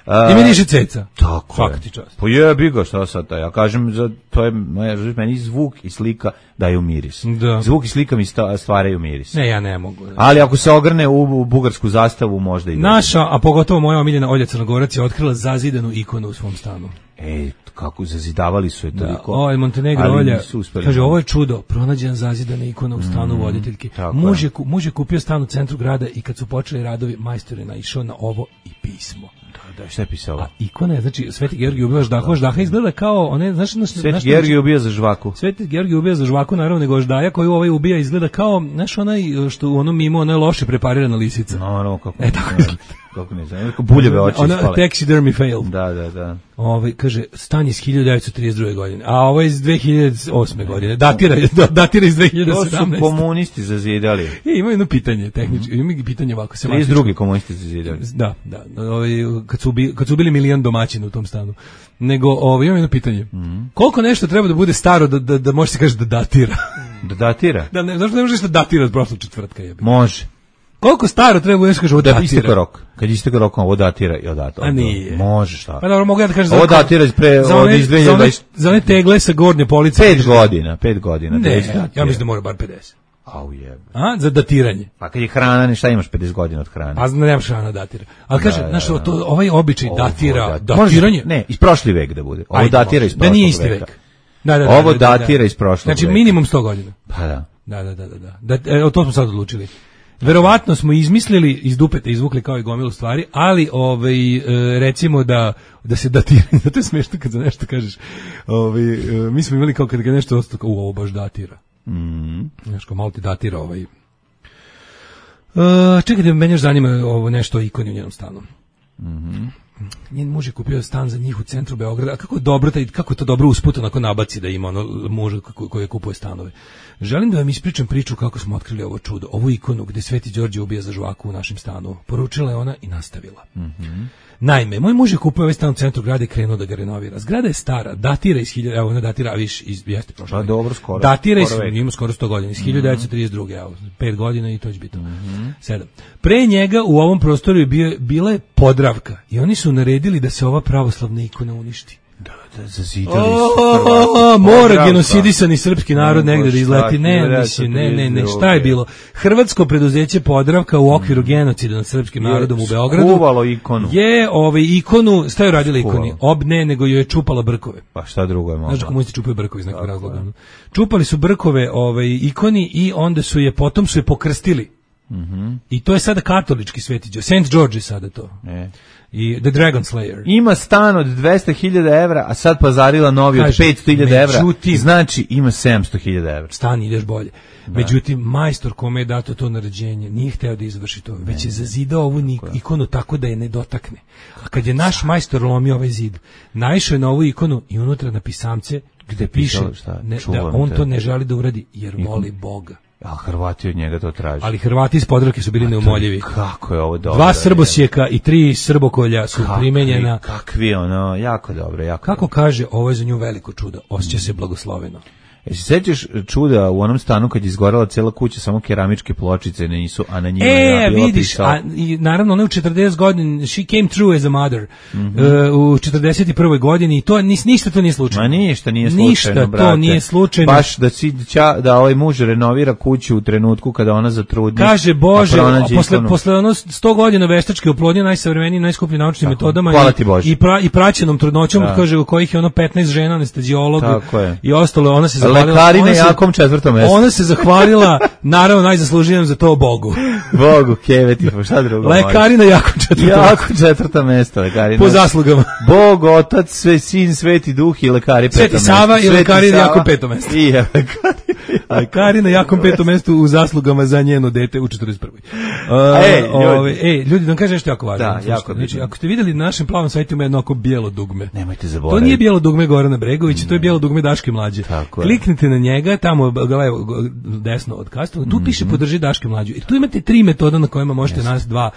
A, I miriše ceca. Tako Svaka je. ti čast. Pa jebi ga, šta sad, ja kažem, za, to je, meni zvuk i slika daju miris. Da. Zvuk i slika mi stvaraju miris. Ne, ja ne mogu. Da. Ali ako se ogrne u, u bugarsku zastavu, možda i da. Naša, a pogotovo moja omiljena Olja Crnogorac je otkrila zazidanu ikonu u svom stanu. Ej, kako zazidavali su je toliko. Da, ovo je Montenegro Olja, kaže, ovo je čudo, pronađena zazidana ikona u stanu mm, voditeljke. Muž je, muž je kupio stan u centru grada i kad su počeli radovi, majstor je naišao na ovo i pismo. Da, šta je pisalo? A ikona je, znači, Sveti Georgij ubija ždahu, ždaha izgleda kao, one, znaš, znaš, Sveti Georgij ubija za žvaku. Sveti Georgij ubija za žvaku, naravno, nego ždaja koju ovaj ubija izgleda kao, znaš, onaj, što u onom mimo, ona je loše preparirana lisica. No, no, kako. E, tako izgleda. kako ne znam, neko buljeve oči ona, ispale. Taxidermy fail. Da, da, da. Ovaj kaže stan iz hiljadu devetsto trideset druge godine, a ovo je iz dve hiljade osme godine. Datira, da, datira iz dve hiljade sedamnaeste. To su komunisti zazidali. E, ima jedno pitanje tehnički, ima pitanje ovako se trideset drugi komunisti zazidali. Da, da, ovaj kad su ubi, kad su ubili milion domaćina u tom stanu. Nego ovaj ima jedno pitanje. Mm. Koliko nešto treba da bude staro da da da može se kaže da datira? Da datira? Da ne, zašto ne možeš da datira od prošlog četvrtka jebi. Može. Koliko staro treba da kaže ovo datira? Da istekao rok. Kad istekao rok, ovo datira i odatira. A nije. Može šta. Pa dobro, mogu ja da kažem. Ovo datira iz pre za one, od iz dve hiljade dvadeset. Za one tegle sa gornje police. pet godina, pet godina. Ne, ja mislim da mora bar pedeset. Au jebe. A, za datiranje. Pa kad je hrana, ne šta imaš pedeset godina od hrane. A znam nemaš hrana datira. Ali kaže, da, znaš, da, da. to, ovaj običaj Ovo datira, da, datiranje. Može, ne, iz prošli vek da bude. Ovo Ajde, datira iz da prošlog nije isti veka. vek. Da, da, da, Ovo da, da, datira da. iz prošlog Znači veka. minimum sto godina. Pa da. Da, da, da, da, da. da evo, to smo sad odlučili. Verovatno smo izmislili, iz dupeta izvukli kao i gomilu stvari, ali ovaj, e, recimo da, da se datira, zato je smešno kad za nešto kažeš, ovaj, e, mi smo imali kao kad ga nešto ostalo, kao u, ovo baš datira. Mm. Znaš, kao malo ti datira ovaj. Uh, čekajte, mene još zanima ovo nešto o ikoni u njenom stanu. Mhm. Njen muž je kupio stan za njih u centru Beograda. A kako je dobro taj, kako je to dobro usput onako nabaci da ima ono muž koji kupuje stanove. Želim da vam ispričam priču kako smo otkrili ovo čudo, ovu ikonu gde Sveti Đorđe ubija za žvaku u našem stanu. Poručila je ona i nastavila. Mhm. Naime, moj muž je kupio ovaj stan u centru grada i krenuo da ga renovira. Zgrada je stara, datira iz hiljadu, evo ona datira, a više iz jeste prošle. Pa dobro, skoro. Datira iz, skoro ima skoro sto godina, iz hiljadu devetsto trideset druge, evo, pet godina i to će biti. Mm-hmm. sedam. Pre njega u ovom prostoru je bio, bila je Podravka i oni su naredili da se ova pravoslavna ikona uništi. Da, da, zazidali su. Mora genocidisani srpski narod negde da izleti. Ne, mislim, ne, ne, ne, šta je bilo? Hrvatsko preduzeće Podravka u okviru genocida nad srpskim narodom u Beogradu skuvalo ikonu. Je ovaj ikonu, šta je radila ikoni? Ob ne, nego joj je čupala brkove. Pa šta drugo je mogla? Znaš, komunisti čupaju brkove iz nekog razloga. Čupali su brkove ovaj, ikoni i onda su je, potom su je pokrstili. Mm-hmm. I to je sada katolički Sveti Đorđe. Saint George je sada to. E. I The Dragon Slayer. Ima stan od dvesta hiljada evra, a sad pazarila novi od petsto hiljada evra. Znači ima sedamsto hiljada evra. Stan ideš bolje. Da. Međutim, majstor kome je dato to naređenje nije hteo da izvrši to, ne, već je zazidao ovu ikonu tako da je ne dotakne. A kad je naš majstor lomio ovaj zid, naišao je na ovu ikonu i unutra na pisamce gde piše ne, da on to ne želi da uradi jer ikon. Voli Boga. A Hrvati od njega to traže. Ali Hrvati iz Podravke su bili neumoljivi. Kako je ovo dobro. Dva srbosjeka i tri srbokolja su kakvi, primenjena. Kakvi ono, jako dobro. Jako Kako dobro. Kaže, ovo je za nju veliko čudo. Osjeća se blagosloveno. E se sećaš čuda u onom stanu kad je izgorela cela kuća, samo keramičke pločice nisu, a na njima e, je bila vidiš, pisao. A i naravno ona u četrdeset godina, she came true as a mother. Mm-hmm. Uh, u četrdeset prvoj godini i to nis, ništa to nije slučajno. Ma ništa nije slučajno, ništa brate. to nije slučajno. Baš da sića, da ovaj muž renovira kuću u trenutku kada ona zatrudni. Kaže Bože, a posle posle ono sto godina veštačke oplodnje najsavremenijim, najskupljim naučnim tako, metodama i, i, pra, i praćenom trudnoćom, da. Kaže u kojih je ono petnaest žena anesteziolog i ostalo, ona se zahvalila. Jakom četvrtom mjestu. Ona se zahvalila, naravno najzaslužijem za to Bogu. Bogu, keveti, pa šta drugo? Lekari na jakom četvrtom mjestu. Jako četvrta mjesta, lekari. Po zaslugama. Bog, Otac, sve, Sin, Sveti Duh i lekari petom mjestu. Sveti Sava i lekari na jakom petom mjestu. I je, lekari. Lekari na jakom petom mjestu u zaslugama za njeno dete u četrdeset prvoj. Uh, ej, ljudi. Ove, ej, ljudi, da vam kažem nešto jako važno. Da, jako znači, ako ste vidjeli na našem plavom sajtu ima jedno oko bijelo dugme. Nemojte zaboraviti. To nije bijelo dugme Gorana Bregovića, to je bijelo dugme Daške Mlađe. Kliknite na njega, tamo levo, desno od Kastova, tu piše podrži Daške Mlađu. I tu imate tri metoda na kojima možete yes. nas dva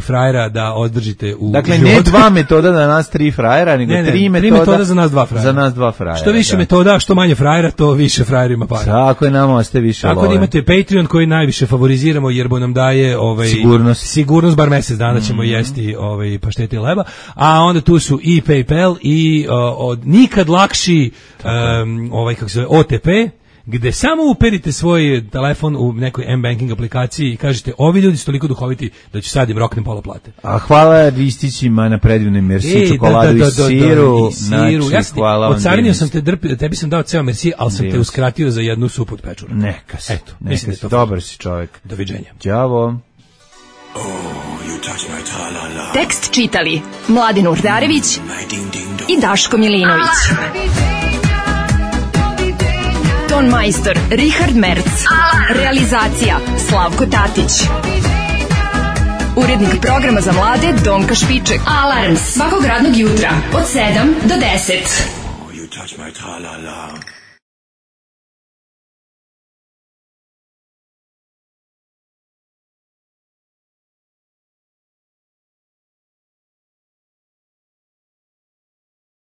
frajera da održite u dakle, životu. Ne dva metoda da nas tri frajera, nego ne, ne, tri, metoda, tri metoda za nas dva frajera. Za nas dva frajera. Što više da. metoda, što manje frajera, to više frajerima para. Tako je, nama ostaje više Tako love. Da imate Patreon koji najviše favoriziramo jer bo nam daje ovaj, sigurnost. Sigurnost, bar mjesec dana ćemo mm-hmm. jesti ovaj, paštete i leba. A onda tu su i PayPal i uh, od nikad lakši um, ovaj, kako se zove, O T P, gde samo uperite svoj telefon u nekoj M-banking aplikaciji i kažete ovi ljudi su toliko duhoviti da ću sad im roknem pola plate. A hvala Ristićima na predivnoj merci e, čokoladu da, da, da, i siru. I siru. Ja sam hvala od carinio sam te drpi, tebi sam dao ceo merci, ali sam te uskratio za jednu supu od pečura. Neka si, Eto, neka si, to dobar si čovjek. Doviđenja. Ćavo. Oh, tekst čitali Mladin Urdarević i Daško Milinović. Ton majstor Richard Merc. Realizacija Slavko Tatić. Urednik programa za mlade Donka Špiček. Alarms svakog radnog jutra od sedam do deset. You touch my tra-la-la.